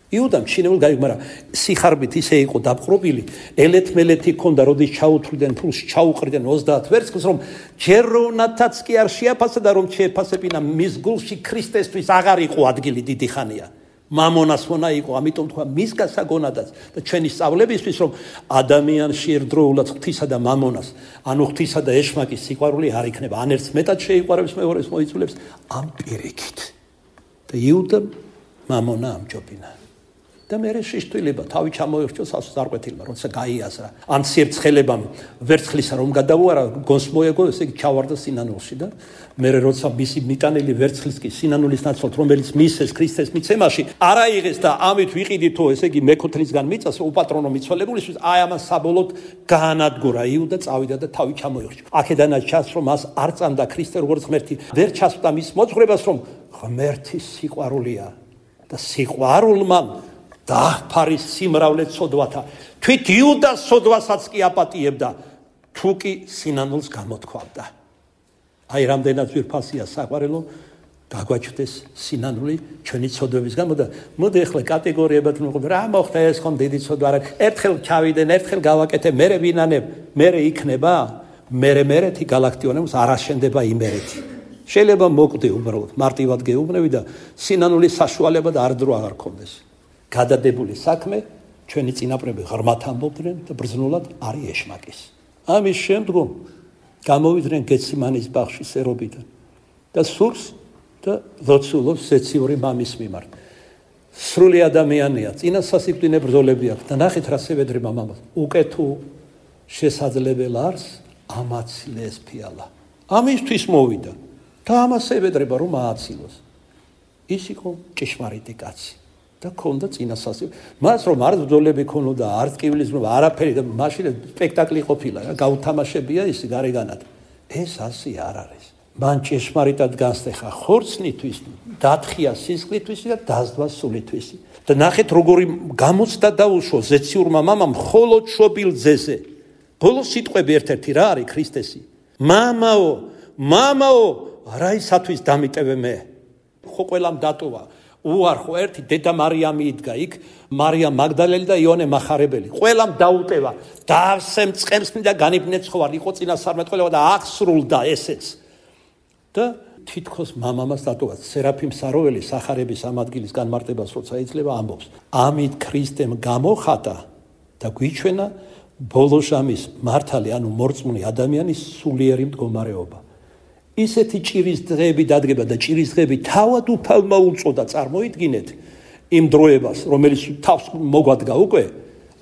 იუდამ ჩინეულ გაიგო, მაგრამ სიხარბით ისე იყო დაპყრობილი, ელეთ-მელეთი ჰქონდა, როდის ჩაუთვლიდან ფულს, ჩაუყრიდან 30 ვერცხლს, რომ ჯერ როვნათაც კი არ შეაფასა და რომ შეეფასებინა მის გულში ქრისტესთვის აღარ იყო ადგილი დიდი ხანია. მამონას მონა იყო, ამიტომ თქვა მის გასაგონადაც და ჩვენი სწავლებისთვის, რომ ადამიანში ერთდროულად ღვთისა და მამონას, ანუ ღვთისა და ეშმაკის სიყვარული არ იქნება, ან ერთს მეტად შეიყვარებს, მეორეს მოიწულებს ამ პირიქით. და იუდამ მამონა ამჯობინა. და მერე შეშტილება, თავი ჩამოერჩოს ასწარკვეთილმა, როცა გაიაზრა. ან სიერცხელებამ ვერცხლისა რომ გადავუარა, გონს მოეგო, ესე იგი ჩავარდა სინანულში და მერე როცა მისი მიტანილი ვერცხლის კი სინანულის ნაცვლად, რომელიც მისეს ქრისტეს მიცემაში, არ აიღეს და ამით ვიყიდითო, ესე იგი მეკოთლისგან მიწას უპატრონო მიცვალებულისთვის, აი ამას საბოლოოდ გაანადგურა იუდა, წავიდა და თავი ჩამოერჩა. აქედანაც ჩანს, რომ მას არ წამდა ქრისტე როგორც ღმერთი, ვერ ჩასვდა მის მოძღვრებას, რომ ღმერთის სიყვარულია და სიყვარულმა დააფარის სიმრავლე ცოდვათა. თვით იუდას ცოდვასაც კი აპატიებდა, თუ კი სინანულს გამოთქვამდა. აი რამდენად ძვირფასია საყვარელო, გაგვაჩნდეს სინანული ჩვენი ცოდვების გამო და მოდი ახლა კატეგორიებად ვიმყოფ, რა მოხდა ეს ხომ დიდი ცოდვა არა, ერთხელ ჩავიდენ, ერთხელ გავაკეთე, მერე ვინანებ, მერე იქნება, მერეთი galaktionemos არ აშენდება იმერეთი. შეიძლება მოკვდე უბრალოდ, მარტივად გეუბნები და სინანულის საშუალება და არ დრო აღარ გქონდეს. გადადებული საქმე ჩვენი წინაპრები ღრმად ამბობდნენ და ბრძნულად არის ეშმაკის. ამის შემდგომ გამოვიდნენ გეციმანის ბაღში სერობიდან და სურს და ლოცულობს ზეციური მამის მიმართ. სრული ადამიანია, წინა სასიკვდინე ბრძოლები აქვს და ნახეთ რა სევედრება მამას. უკეთო შესაძლებელ არს ამაცილეს ფიალა. ამისთვის მოვიდა და ამას ევედრება რომ ააცილოს. ის იყო ჭეშმარიტი კაცი და ქონდა წინასასწავლო. მას რომ არ ბრძოლები ქონოდა, არ ტკივილიზმობა, არაფერი და მაშინ სპექტაკლი ყოფილა, გაუთამაშებია ის გარეგანად. ეს ასე არ არის. მან ჭეშმარიტად განსახა ხორცნითვის, დათხია სისხლისთვის და დასდვა სულისთვის. და ნახეთ როგორი გამოცდა დაუშვა ზეციურმა მამამ მხოლოდ შობილ ძეზე. ბოლოს სიტყვები ერთ-ერთი რა არის ქრისტესი? მამაო, რა ისათვის დამიტევე მე? ხო ყველამ დატოვა. უარხო ერთი დედა მარიამი იდგა იქ, მარიამ მაგდალელი და იონე მახარებელი. ყველამ დაუტევა. დავსემ წყემს და განიბნეცხოვარ, იყო წინასწარმეტყველება და აღსრულდა ესეც. და თითქოს მამამას დატოვა. სერაფიმ საროველი სახარების ამ ადგილის განმარტებას როცა იძლევა ამბობს. ამით ქრისტემ გამოხატა და გვიჩვენა ბოლო ჟამის მართალი, ანუ მორწმუნე ადამიანის სულიერი მდგომარეობა. ისეთი ჭირის დღეები დადგება და ჭირის დღეები თავად უფალმა უწოდა, წარმოიდგინეთ იმ დროებას, რომელიც თავს მოგვადგა უკვე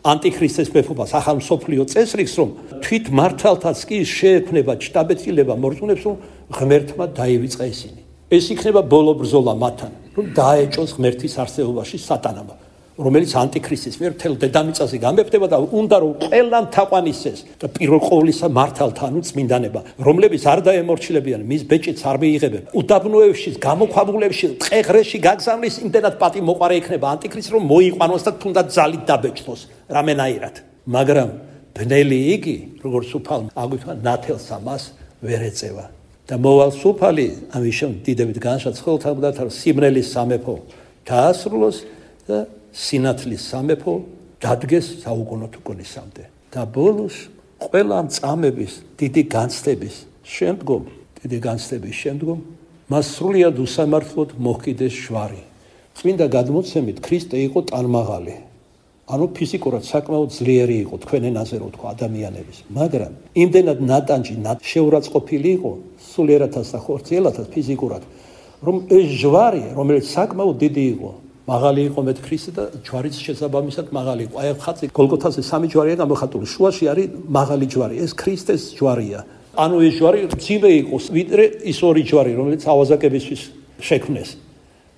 ანტიქრისტეს მეფობას, ახალ მსოფლიო წესრიგს, რომ თვით მართალთაც კი შეექმნება შტაბეცილება მორწმუნეებს, რომ ღმერთმა დაივიწყა ისინი. ეს იქნება ბოლო ბრძოლა მათთან, რომ დაეჭოს ღმერთის არსებობაში სატანამ, რომელიც ანტიქრისტის მიერ მთელ დედამიწაზე გამეფდება და უნდა რომ ყველამ თაყვანისცეს და პირველ ყოვლისა მართალთა, ანუ წმინდანება, რომლებიც არ დაემორჩილებიან, მის ბეჭედს არ მიიღებენ, უდაბნოებში, გამოქვაბულებში, ტყეღრეში გაგზავნის, იმდენად პატი მოყარე იქნება ანტიქრისტს, რომ მოიყვანოს და თუნდაც ძალით დაბეჭდოს რამენაირად. მაგრამ ბნელი იგი, როგორც უფალმა აგვიჩვენა, ნათელს ამას ვერ ეწევა. და მოვალ სუფალი ამის შემდეგ დიდებით განშაცხელთა რომ სიმრელის სამეფო დაასრულოს და სინათლის სამეფო დადგეს საუკუნო თუკუნისამდე. და ბოლოს ყველა ამ წამების დიდი განცდების შემდგომ მას სრულიად უსამართლოდ მოჰკიდეს შვარი. წმინდა გადმოცემით ქრისტე იყო ტანმაღალი. ანუ ფიზიკურად საკმაოდ ძლიერი იყო თქვენ ენაზე რო თქვა ადამიანების. მაგრამ იმდენად ნატანჯი შეურაცხყოფილი იყო სულიერათაც და ხორციელათაც ფიზიკურად, რომ ეს ჟვარი, რომელიც საკმაოდ დიდი იყო, მაღალი იყო მეტ ქრისტე და ჯვარიც შესაბამისად მაღალი იყო. აი ხაცი გოლგოთაზე სამი ჯვარია გამოხატული, შუაში არის მაღალი ჯვარი, ეს ქრისტეს ჯვარია. ანუ ეს ჯვარი მძიმე იყო, ვიდრე ის ორი ჯვარი, რომელიც ავაზაკებისთვის შექმნეს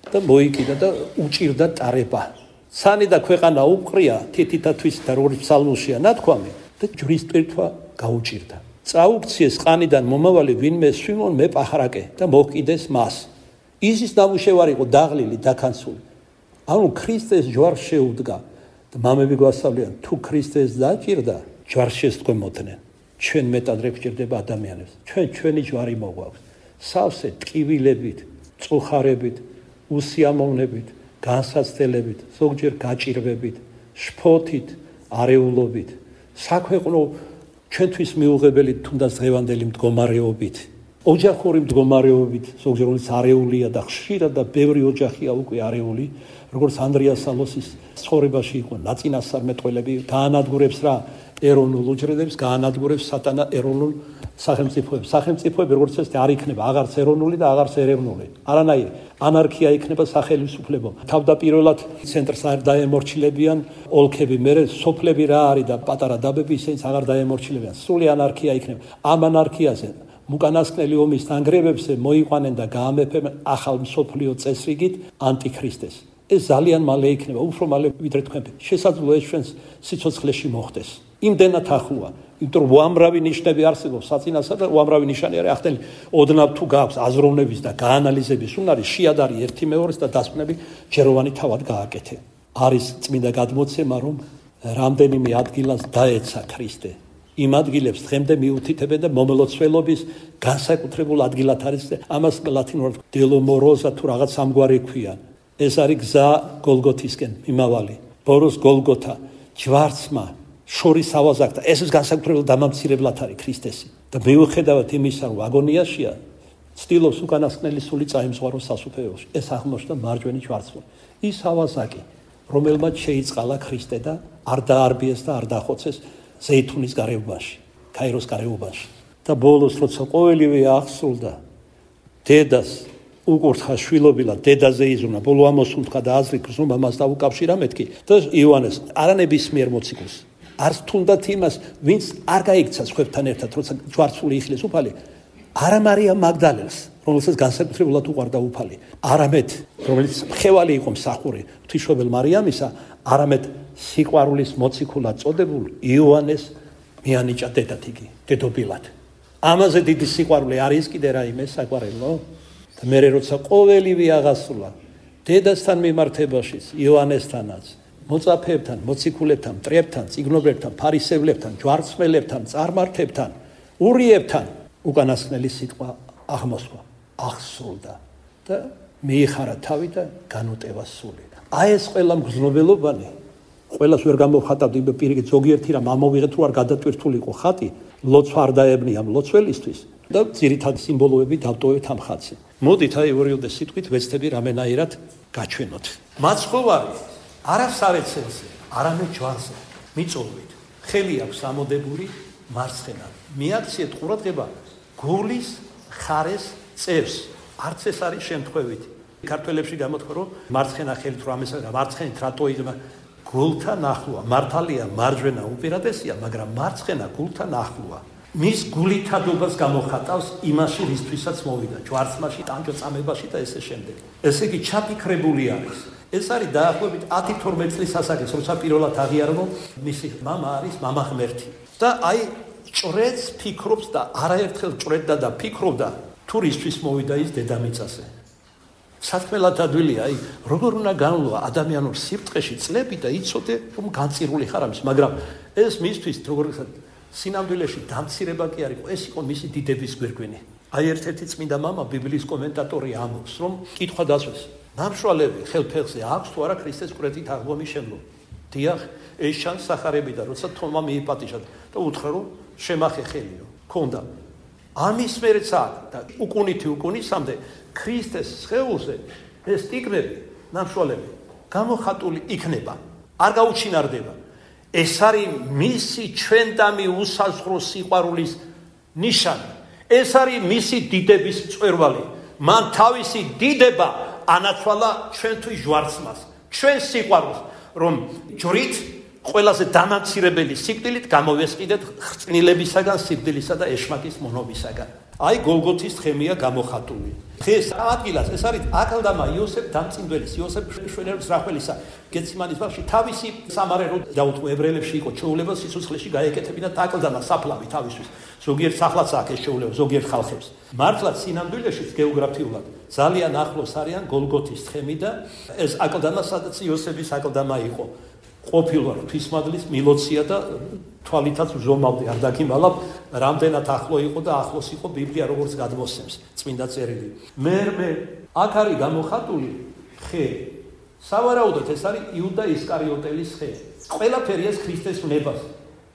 და მოიკიდა და უჭირდა ტარება. სანი და ქვეყანა უყრია, თითითათვის და რორის ფსალმუშია ნათქვამი და ჯვრის ტვირთვა გაუჭირდა. წაუქციეს ყანიდან მომავალი ვინმე სვიმონ მეპახრაკე და მოჰკიდეს მას. ისის ნამუშევარი იყო დაღლილი, დაქანცული. ანუ ქრისტეს ჯვარს შეუდგა და მამები გვასწავლიან, თუ ქრისტეს დაჭირდა, ჯვარს შესდგომოდნენ. ჩვენ მეტად რე გვჭირდება ადამიანებს. ჩვენი ჯვარი მოგვაქვს. სავსე ტკივილებით, წუხარებით, უსიამოვნებით, განსაცდელებით, ზოგჯერ გაჭირვებით, შფოთით, არეულობით, საქვეყნო ჩვენთვის მიუღებელი თუნდაც დღევანდელი მდგომარეობით, ოჯახური მდგომარეობით, ზოგჯერ რომელიც არეულია და ხშირად და ბევრი ოჯახია უკვე არეული, როგორც ანდრია სალოსის ცხოვრებაში იყო ნაწინასწარმეტყველები, გაანადგურებს რა ეროვნულ უჯრედებს, გაანადგურებს სატანა ეროვნულ სახელმწიფოებს. სახელმწიფოები როგორც ეს არ იქნება აღარც ეროვნული და აღარც ეროვნული. არანაირი ანარქია იქნება სახელმწიფოებო. თავდაპირველად ცენტრს არ დაემორჩილებიან ოლქები, მერე სოფლები რა არის და პატარა დაბები ისინიც აღარ დაემორჩილებიან. სრული ანარქია იქნება. ამ ანარქიაზე უკანასკნელი ომის დანგრევებზე მოიყვანენ და გაამეფებენ ახალ მსოფლიო წესრიგით ანტიქრისტეს. ეს ძალიან მალე იქნება, უფრო მალე ვიდრე თქვენ. შესაძლოა ეს ჩვენს სიცოცხლეში მოხდეს. იმდენად ახლოა, იმიტომ რომ უამრავი ნიშნები არსებობს საწინასა და უამრავი ნიშანი არის ახდენი. ოდნავ თუ გაქვს აზროვნების და გაანალიზების უნარი, შეადარი ერთი მეორეს და დასკვნები ჯეროვანი თავად გააკეთე. არის წმინდა გადმოცემა, რომ რამდენიმე ადგილას დაეცა ქრისტე. იმ ადგილებს დღემდე მიუთითებენ და მომლოცველობის განსაკუთრებულ ადგილად არის. ამას ლათინურად დელომოროზა თუ რაღაც ამგვარი ქვია. ეს არის გზა გოლგოთისკენ მიმავალი. ბოროს გოლგოთა ჯვარცმა შორის ავაზაკდა. ეს განსაკუთრებულ დამამცირებლად არის ქრისტესი. და მიუხედავად იმისა, რომ აგონიაშია, ცდილობს უკანასკნელი სული წაემზღაროს სასუფეველში. ეს აღმოჩნდა მარჯვენი ჯვარცმა. ის ავაზაკი, რომელმაც შეიწყალა ქრისტე და არ დაარბიეს და არ დახოცეს ზეითუნის გარეუბანში, ქაიროს გარეუბანში. და ბოლოს როცა ყოველივე აღსრულდა, დედას უკურთხა შვილობილად, დედაზე იზრუნა, ბოლო ამოსუნთქა და აზრი გრძნობა მას დაუკავშირა მეთქი და იოანეს არანებისმიერ მოციქულს, არც თუნდაც იმას, ვინც არ გაიქცა სხვებთან ერთად, როცა ჯვარცული იხილეს უფალი, არა მარიამ მაგდალელს, რომელსაც განსაკუთრებულად უყვარდა უფალი. არამედ, რომელიც მხევალი იყო მსახური ღვთისმშობელ მარიამისა, არამედ სიყვარულის მოციქულად წოდებულ იოანეს მიანიჭა დედად იგი, დედობილად. ამაზე დიდი სიყვარული არის კიდე რაიმე საყვარელო? და მე როცა ყოველივე აღასრულა დედასთან მიმართებაშიც, იოანესთანაც, მოწაფეებთან, მოციქულებთან, მტრებთან, წიგნობრებთან, ფარისევლებთან, ჯვარცმელებთან, წარმართებთან, ურიებთან უკანასკნელი სიტყვა აღმოსვა, აღსრულდა და მიიხარა თავი და განუტევა სული. აი ეს ყველა მგრძნობელობანი, ყველას ვერ გამოვხატავდი პირიქით ზოგიერთი რამ ამოვიღეთ რომ არ გადატვირთულიყო ხატი, ლოცვა არ დაებნია მლოცველისთვის და ძირითადი სიმბოლოები დავტოვეთ ამ ხატზე. მოდით აი ორიოდე სიტყვით ვეცდები რამენაირად გაჩვენოთ. მაცხოვარი არას არეცელზე, არამედ ჯვარზე მიწოვით. ხელი აქვს ამოდებული მარცხენა. მიაქციეთ ყურადღება გულის ხარეს წევს. არც ეს არის შემთხვევით. ქართველებში გამოთქვა რომ მარცხენა ხელით რომ ამესა მარცხენით რატო იღება გულთან ახლოა. მართალია მარჯვენა უპირატესია, მაგრამ მარცხენა გულთან ახლოა. მის გულითადობას გამოხატავს იმაში რისთვისაც მოვიდა ჯვარცმაში, ტანჯოწამებაში და ესე შემდეგ. ესე იგი ჩაფიქრებული არის. ეს არის დაახლოებით 10-12 წლის ასაკის, როცა პირველად აღიარა რომ მისი მამა არის მამა ღმერთი. და აი ჭრედს ფიქრობს და არაერთხელ ჭრედდა და ფიქრობდა თუ რისთვის მოვიდა ის დედამიწაზე. სათქმელად ადვილია, აი როგორ უნდა განვლო ადამიანურ სიბრტყეში წლები და იცოდე რომ განწირული ხარ ამის, მაგრამ ეს მისთვის როგორცად სინამდვილეში დამცირება კი არ იყო, ეს იყო მისი დიდების გვირგვინი. აი ერთ-ერთი წმინდა მამა ბიბლიის კომენტატორი ამბობს, რომ კითხვა დასვეს, ნამშრალები ხელფეხზე აქვს თუ არა ქრისტეს მკვრეთით აღდგომის შემდგომ. დიახ, ეს ჩანს სახარებიდან, როცა თომა მიიპატიჟა და უთხრა რომ შემახე ხელიო, ქონდა. ამის მერეც აქვს და უკუნისამდე ქრისტეს სხეულზე ეს ტიგნები, ნამშრალები გამოხატული იქნება, არ გაუჩინარდება. ეს არის მისი ჩვენდამი უსაზღვრო სიყვარულის ნიშანი. ეს არის მისი დიდების მწვერვალი. მან თავისი დიდება ანაცვალა ჩვენთვის ჯვარცმას, ჩვენ სიყვარულს, რომ ჯვრით ყველაზე დამამცირებელი სიკვდილით გამოვესყიდეთ ხრწნილებისაგან, სიკვდილისა და ეშმაკის მონობისაგან. აი გოლგოთის თხემია გამოხატული. დღეს ადგილას ეს არის აკლდამა იოსებ დამწინდველის, იოსებ შვენერის რახველისა გეციმანის ბაღში თავისი სამარერო დაუთმო ებრაელებში იყო ჩეულება სიცოცხლეში გაეკეთებინა აკლდამა საფლავი თავისთვის. ზოგიერთ სახლაც აქვს ეს ჩეულება, ზოგიერთ ხალხებს. მართლაც სინამდვილეში გეოგრაფიულად ძალიან ახლოს არიან გოლგოთის თხემი და ეს აკლდამა სადაც იოსების აკლდამა იყო. ყოფილა ღვთისმადლის მილოცია და თვალითაც ზომავდი არ დაგიმალავ რამდენად ახლო იყო და ახლოს იყო ბიბლია როგორც გადმოსცემს წმინდა წერილი. მერმე აქ არის გამოხატული ხე. სავარაუდოდ ეს არის იუდა ისკარიოტელის ხე. ყველაფერი ეს ქრისტეს ვნებას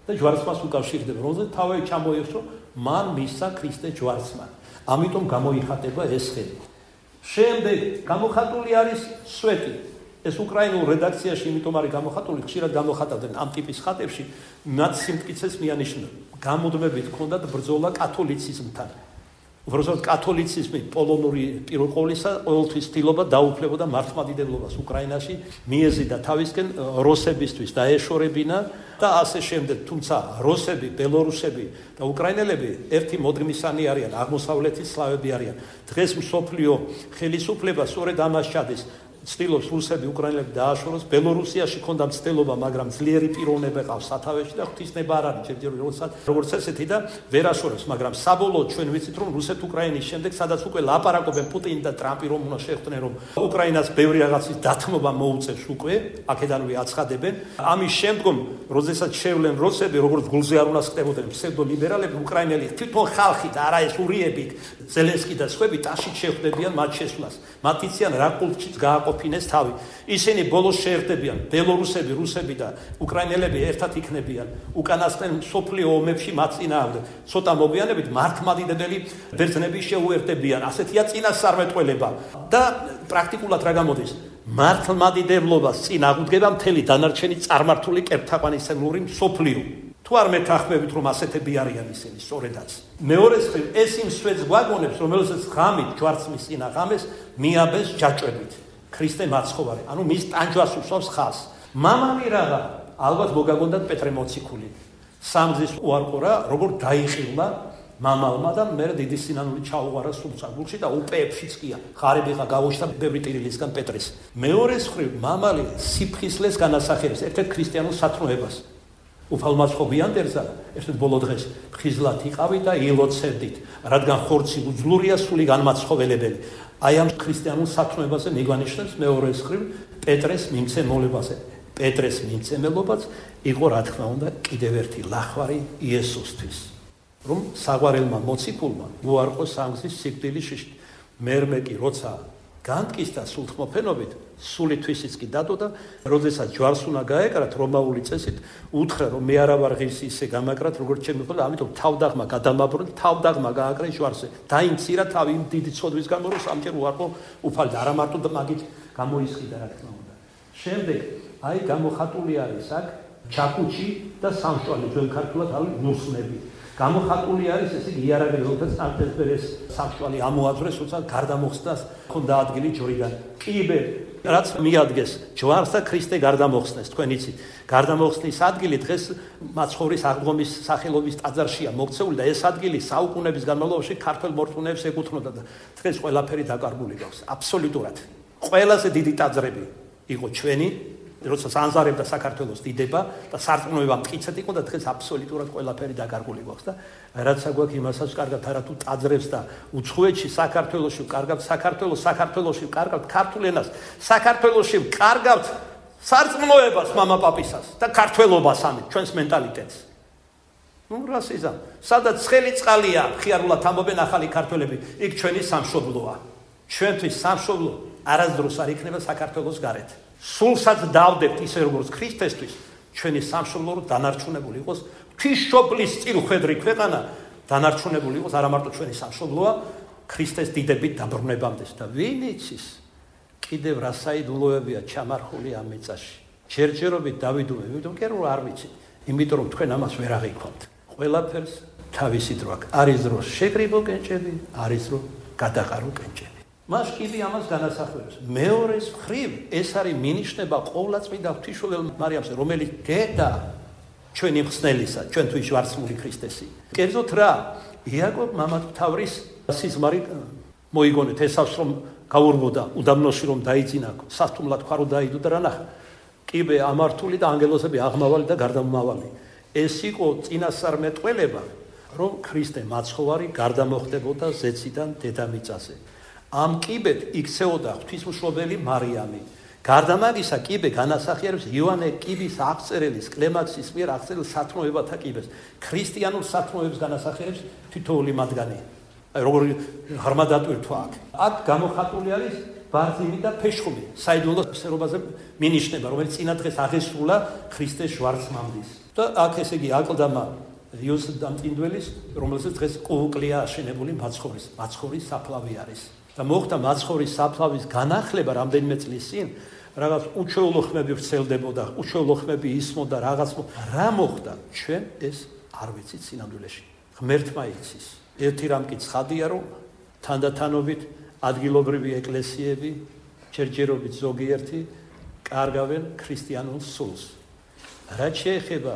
და ჯვარცმას უკავშირდება, რომელზეც თავი ჩამოიღოს, რომ მან მისცა ქრისტე ჯვარცმა. ამიტომ გამოიხატება ეს ხე. შემდეგ გამოხატული არის სვეტი. ეს უკრაინულ რედაქციაში იმიტომ არის გამოხატული, ხშირად გამოხატავდნენ ამ ტიპის ხატებში, მათ სიმტკიცეს მიანიშნებდნენ. გამუდმებით ჰქონდათ ბრძოლა კათოლიციზმთან. უბრალოდ კათოლიციზმი პოლონური პირველყოლისა ყოველთვის ცდილობდა დაუფლებოდა მართლმადიდებლობას უკრაინაში, მიეზიდა თავისკენ როსებისთვის დაეშორებინა და ასე შემდეგ. თუმცა როსები, ბელორუსები და უკრაინელები ერთი მოდგმისანი არიან, აღმოსავლეთის სლავები არიან. დღეს მსოფლიო ხელისუფლება სწორედ ამას ჩადის. ცდილობს რუსები უკრაინელები დააშოროს. ბელორუსიაში ქონდა მცდელობა, მაგრამ ძლიერი პიროვნება ყავს სათავეში და ღვთისნება არ არის ჯერჯერობით როგორც ესეთი და ვერ აშორებს, მაგრამ საბოლოოდ ჩვენ ვიცით რომ რუსეთ-უკრაინის შემდეგ, სადაც უკვე ლაპარაკობენ პუტინი და ტრამპი რომ უნდა შეხვდნენ, რომ უკრაინას ბევრი რაღაცის დათმობა მოუწევს უკვე, აქედანვე აცხადებენ. ამის შემდგომ, როდესაც შევლენ რუსები, როგორც გულზე არ უნდა ხდებოდნენ ფსევდოლიბერალები, უკრაინელი თვითონ ხალხი და არა ეს ურიები, ზელენსკი და სხვები ტაშით შეხვდებიან მათ შესვლას. მათ იციან რა კულტშიც გააყოფინეს თავი. ისინი ბოლოს შეერთდებიან, ბელორუსები, რუსები და უკრაინელები ერთად იქნებიან. უკანასკნელ მსოფლიო ომებში მათ წინააღმდეგ. ცოტა მოგვიანებით მართლმადიდებელი ბერძნები შეუერთდებიან. ასეთია წინასწარმეტყველება და პრაქტიკულად რა გამოდის? მართლმადიდებლობას წინააღმდება მთელი დანარჩენი წარმართული კერპთაყვანისმცემლური მსოფლიო. თუ არ მეთანხმებით რომ ასეთები არიან ისინი, სწორედაც. მეორე მხრივ ეს იმ სვეტს გვაგონებს, რომელსაც ღამით ჯვარცმის წინა ღამეს მიაბეს ჯაჭვებით. ქრისტე მაცხოვარი, ანუ მის ტანჯვას უსვავს ხაზს. მამამი რაღა, ალბათ მოგაგონდათ პეტრე მოციქული. სამგზის უარყურა, როგორ დაიხილა მამალმა და მე დიდი სინანული ჩაუღარა სულსაგულში და უპეებშიც ყია. ღარიბი ხა გავოჩდა ბევრი ტირილისგან პეტრეს. მეორეს მხრივ მამალი სიფხისლეს განასახიერებს ერთ-ერთ ქრისტიანულ სათნოებას. უფალმაც ხო გვიანდერზა ერთ-ერთ ბოლო დღეს ხიზლად იყავი და ილოცებდით, რადგან ხორცი უძლურია სული განმაცხოველებელი. აი ამ ქრისტიანულ სათნოებაზე მიგვანიშნებს მეორეს მხრივ პეტრეს მიმცემელებაზე. პეტრეს მიმცემელობაც იყო რა თქმა უნდა კიდევ ერთი ლახვარი იესოსთვის. რომ საყვარელმა მოციქულმა უარყო სამგზის სიკვდილის შიშით. მერმე კი როცა განტკისდა სულთმოფენობით, სულითვისიც კი დადო და როდესაც ჯვარს უნდა გაეკრათ რომაული წესით, უთხრა რომ მე არა ვარ ღირსი ისე გამაკრათ, როგორც ჩემი ხოლმე, ამიტომ თავდაღმა გადამაბრუნდა, თავდაღმა გააკრა ჯვარზე. დაიმცირა თავი იმ დიდი ცოდვის გამო, რომ სამჯერ უარყო უფალ და არა მარტო და მაგით გამოისყიდა რა თქმა უნდა. შემდეგ აი გამოხატული არის აქ ჩაკუჩი და სამშვალე, ჩვენ ქართულად ავი ნუსნები. გამოხატული არის ესე იგი იარაღი, როდესაც ანტესპერეს სამშვალე ამოაძვრეს, როცა გარდამოხსნას ხონდა ადგილი ჯორიდან. კიბე რაც მიადგეს ჯვარს და ქრისტე გარდამოხსნეს, თქვენ იცით. გარდამოხსნის ადგილი დღეს მაცხოვრის აღდგომის სახელობის ტაძარშია მოქცეული და ეს ადგილი საუკუნეების განმავლობაში ქართველ მორწმუნეებს ეკუთვნოდა და დღეს ყველაფერი დაკარგული გვაქვს. აბსოლუტურად. ყველაზე დიდი ტაძრები იყო ჩვენი, როდესაც ანზარებდა საქართველოს დიდება და სარწმუნოება მტკიცედ იყო და დღეს აბსოლუტურად ყველაფერი დაკარგული გვაქვს და რაც აგვაქვს იმასაც კარგად არა თუ ტაძრებს და უცხოეთში საქართველოში კარგავთ საქართველოში კარგავთ ქართულ ენას საქართველოში კარგავთ სარწმუნოებას მამაპაპისას და ქართველობას ამით ჩვენს მენტალიტეტს. რასიზამ სადაც ცხელი წყალია ხიარულად ამბობენ ახალი ქართველები იქ ჩვენი სამშობლოა. ჩვენთვის სამშობლო არასდროს არ იქნება საქართველოს გარეთ. სულსაც დავდებთ ისე როგორც ქრისტესთვის ჩვენი სამშობლო რომ დანარჩუნებული იყოს ღვთისმშობლის წილხვედრი ქვეყანა დანარჩუნებული იყოს არა მარტო ჩვენი სამშობლოა ქრისტეს დიდებით დაბრუნებამდე და ვინ იცის კიდევ რა საიდუმლოებია ჩამარხული ამ მიწაში ჯერჯერობით დავიდუმე იმიტომ რომ არ ვიცი იმიტომ რომ თქვენ ამას ვერ აღიქვამთ ყველაფერს თავისი დრო აქვს არის დრო შეკრიბო კენჭები არის დრო გადაყარო კენჭები მას კიდე ამას განასახიერებს. მეორეს მხრივ ეს არის მინიშნება ყოვლადწმიდა ღვთისმშობელ მარიამზე, რომელიც დედა ჩვენი მხსნელისა, ჩვენთვის ვარსმული ქრისტესი. კერძოდ რა, იაკობ მამათმთავრის სიზმარი მოიგონეთ, ესავს რომ გაურბოდა, უდაბნოში რომ დაიძინა, სასტუმლად ხარო დაიდო და რა ნახა. კიბე ამართული და ანგელოზები აღმავალი და გარდამავალი. ეს იყო წინასწარმეტყველება, რომ ქრისტე მაცხოვარი გარდამოხდებოდა ზეციდან დედამიწაზე. ამ კიბეთ იქცეოდა ღვთისმშობელი მარიამი. გარდა მაგისა კიბე განასახიერებს იოანე კიბის აღწერელის კლემაქსის მიერ აღწერილ სათნოებათა კიბეს. ქრისტიანულ სათნოებს განასახიერებს თითოეული მათგანი. აი როგორი ღრმა დატვირთვა აქ. აქ გამოხატული არის ბარძიმი და ფეშხუმი. საიდუმლო სერობაზე მინიშნება, რომელიც წინა დღეს აღესრულა ქრისტეს შვარცმამდის. და აქ ესე იგი აკლდამა იოსებ დამწინდველის, რომელსაც დღეს კუკლია აშენებული მაცხოვრის საფლავი არის. და მოხდა მაცხოვრის საფლავის განახლება რამდენიმე წლის წინ, რაღაც უჩვეულო ხმები ვრცელდებოდა, უჩვეულო ხმები ისმოდა რაღაც რა მოხდა, ჩვენ ეს არ ვიცით სინამდვილეში. ღმერთმა იცის. ერთი რამ კი ცხადია, რომ თანდათანობით ადგილობრივი ეკლესიები, ჯერჯერობით ზოგიერთი კარგავენ ქრისტიანულ სულს. რაც შეეხება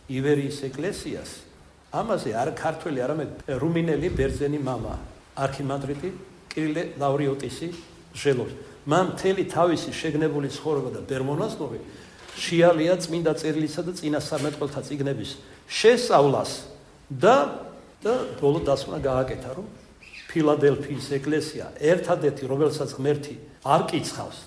ივერიის ეკლესიას, ამაზე არ ქართველი, არამედ რუმინელი ბერძენი მამა, არქიმანდრიტი კირილე ლავრიოტისი ჟელობს. მან მთელი თავისი შეგნებული ცხოვრება და ბერმონაზნოვი შეალია წმინდა წერილისა და წინასწარმეტყველთა წიგნების შესწავლას და ბოლო დასკვნა გააკეთა, რომ ფილადელფიის ეკლესია ერთადერთი, რომელსაც ღმერთი არ კიცხავს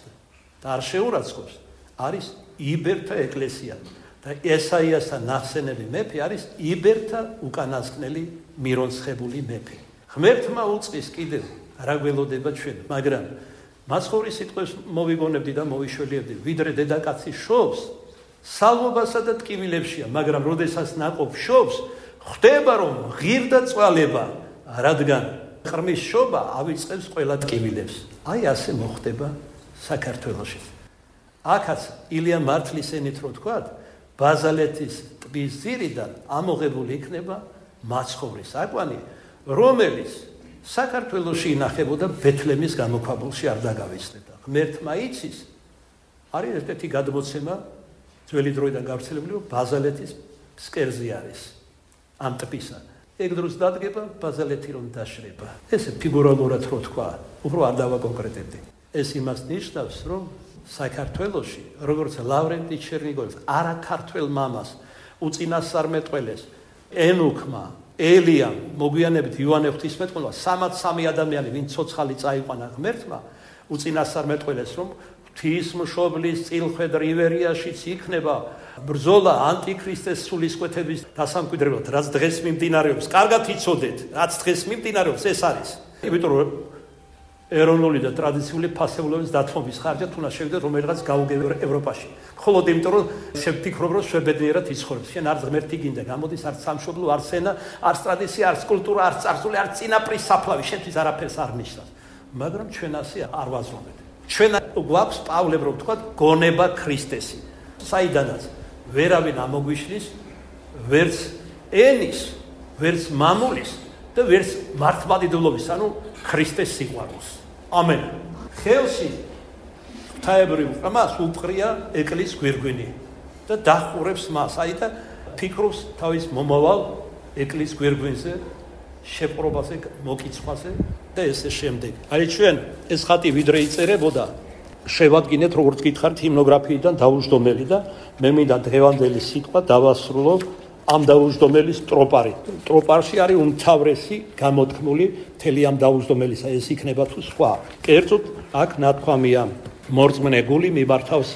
და არ შეურაცხყოფს, არის იბერთა ეკლესია. და ესაიასთან ნახსენები მეფე არის იბერთა უკანასკნელი მირონცხებული მეფე. ღმერთმა უწყის კიდევ რა გველოდება ჩვენ, მაგრამ მაცხოვრის სიტყვებს მოვიგონებდი და მოვიშველიებდი, ვიდრე დედაკაცი შობს, სალმობასა და ტკივილებშია, მაგრამ როდესაც ნაყოფ შობს, ხვდება რომ ღირდა წვალება, რადგან ყრმის შობა ავიწყებს ყველა ტკივილებს. აი ასე მოხდება საქართველოში. აქაც ილია მართლის ენით რო თქვათ, ბაზალეთის ტბის ძირიდან ამოღებული იქნება მაცხოვრის აკვანი, რომელიც საქართველოში ინახებოდა ბეთლემის გამოქვაბულში არ დაგავიწყდა. ღმერთმა იცის, არის ერთ-ერთი გადმოცემა ძველი დროიდან გავრცელებული, რომ ბაზალეთის ფსკერზე არის ამ ტბისა. ეგ დროს დადგება ბაზალეთი რომ დაშრება. ესე ფიგურალურად რო თქვა, უფრო არ დავაკონკრეტებდი. ეს იმას ნიშნავს, რომ საქართველოში, როგორც ლავრენტი ჩერნიგოვის, არა ქართველ მამას, უწინასწარმეტყველეს, ენუქმა, ელიამ, მოგვიანებით იოანე ღვთისმეტყველმა, 63 ადამიანი, ვინც ცოცხალი წაიყვანა ღმერთმა, უწინასწარმეტყველეს, რომ ღვთისმშობლის წილხვედ რივერიაშიც იქნება ბრძოლა ანტიქრისტეს სულისკვეთების დასამკვიდრებლად, რაც დღეს მიმდინარეობს. კარგად იცოდეთ, რაც დღეს მიმდინარეობს, ეს არის. იმიტომ რომ ეროვნული და ტრადიციული ფასეულობის დათმობის ხარჯად უნდა შევიდეთ რომელიღაც გაუგებარ ევროპაში. მხოლოდ იმიტომ რომ შევფიქრობ რომ შვებედნიერად იცხოვრებს. შენ არც ღმერთი გინდა, გამოდის არც სამშობლო, არც ენა, არც ტრადიცია, არც კულტურა, არც წარსული, არც წინაპრის საფლავი, შენთვის არაფერს არ ნიშნავს. მაგრამ ჩვენ ასე არ ვაზრობთ. ჩვენ გვაქვს პავლე რომ ვთქვათ გონება ქრისტესი. საიდანაც ვერავინ ამოგვიშლის ვერც ენის, ვერც მამულის და ვერც მართლმადიდებლობის, ანუ ქრისტეს სიყვარულს. ამენ. ხელში ღვთაებრივ ყრმას უყრია ეკლესიის გვირგვინი და დახურებს მას, აი და ფიქრობს თავის მომავალ ეკლესიის გვირგვინზე, შეპყრობაზე, მოკიცხვაზე და ესე შემდეგ. აი ჩვენ ეს ხატი ვიდრე იწერებოდა, შევადგინეთ როგორც გითხარით ჰიმნოგრაფიიდან დაუჯდომელი და მე მინდა დღევანდელი სიტყვა დავასრულო ამ დაუჯდომელის ტროპარი. ტროპარში არის უმთავრესი გამოთქმული მთელი ამ დაუჯდომელისა, ეს იქნება თუ სხვა. კერძოდ აქ ნათქვამია მორწმუნე გული მიმართავს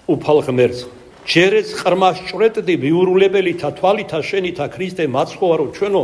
უფალ ღმერთს. ჯერეც ყრმას ჭვრეტდი მიურულებელითა თვალითა შენითა ქრისტე მაცხოვარო ჩვენო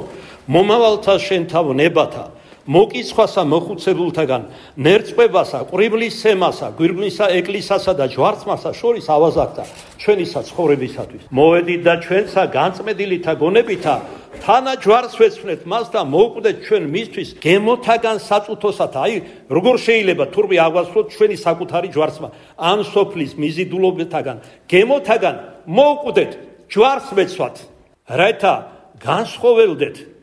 მომავალთა შენთავ ნებათა მოკიცხვასა მოხუცებულთაგან ნერწყვებასა ყრიბლის სემასა გვირგვინსა ეკლესიასა და ჯვარცმასა შორის ავაზაკდა ჩვენისა ცხოვრებისათვის. მოვედით და ჩვენსა განწმენდილითა გონებითა თანა ჯვარს ვეცვნეთ მას და მოვკვდეთ ჩვენ მისთვის გემოთაგან საწუთოსათა. აი როგორ შეიძლება თურმე აღვასრულოთ ჩვენი საკუთარი ჯვარცმა ამ სოფლის მიზიდულობთაგან გემოთაგან მოვკვდეთ ჯვარს ვეცვათ, რათა განსხოველდეთ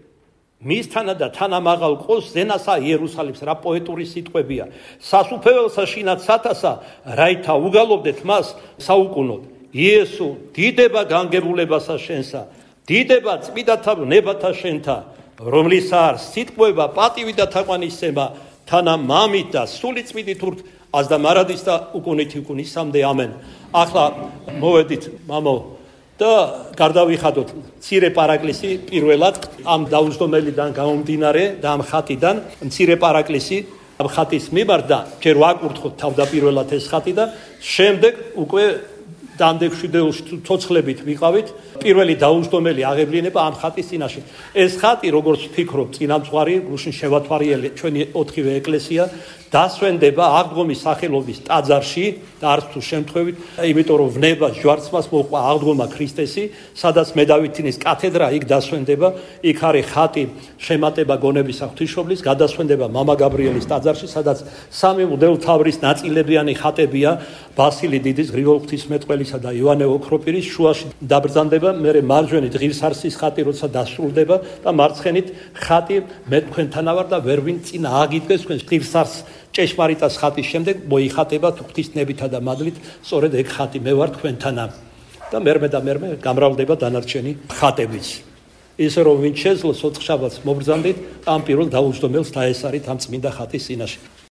მისთანა და თანამაღალ ყოს ზენასა იერუსალიმს. რა პოეტური სიტყვებია. სასუფეველსა შინათ სათასა, რაითა უგალობდეთ მას საუკუნოდ. იესო დიდება განგებულებასა შენსა, დიდება წმიდათა ნებათა შენთა, რომლისა არ სიტყვება პატივი და თაყვანისცემა თანა მამით და სული წმიდით ურთ ას და მარადის და უკუნითი უკუნისამდე. ამენ. ახლა მოვედით მამო და გარდავიხადოთ მცირე პარაკლისი პირველად ამ დაუჯდომელიდან გამომდინარე და ამ ხატიდან მცირე პარაკლისი ამ ხატის მიმართ და ჯერ ვაკურთხოთ თავდაპირველად ეს ხატი და შემდეგ უკვე დამდეგვშვიდეულში ცოცხლებით ვიყავით პირველი დაუჯდომელი აღევლინება ამ ხატის წინაშე. ეს ხატი როგორც ვფიქრობ წინამძღვარი გუშინ შევათვალიერე ჩვენი 4-ვე ეკლესია დასვენდება აღდგომის სახელობის ტაძარში და არც თუ შემთხვევით, იმიტომ რომ ვნებას ჯვარცმას მოყვა აღდგომა ქრისტესი, სადაც მედავითინის კათედრა იქ დასვენდება, იქ არის ხატი შემატება გონებისა ღვთისმშობლის, გადასვენდება მამა გაბრიელის ტაძარში, სადაც სამი მღვდელმთავრის ნაწილებიანი ხატებია ბასილი დიდის, გრიგოლ ღვთისმეტყველისა და იოანე ოქროპირის, შუაში დაბრძანდება, მერე მარჯვენით ღირსარსის ხატი როცა დასრულდება და მარცხენით ხატი მე თქვენთან ვარ და ვერ ვინ წინ ააგიდგეს თქვენ ღირსარს ჭეშმარიტას ხატის შემდეგ მოიხატება ღვთისნებითა და მადლით, სწორედ ეგ ხატი მე ვარ თქვენთანა და მერმე გამრავლდება დანარჩენი ხატებიც. ისე რომ ვინ შეძლოს ოთხშაბათს მობრძანდით ამ პირველ დაუჯდომელს დაესარით ამ წმინდა ხატის წინაშე.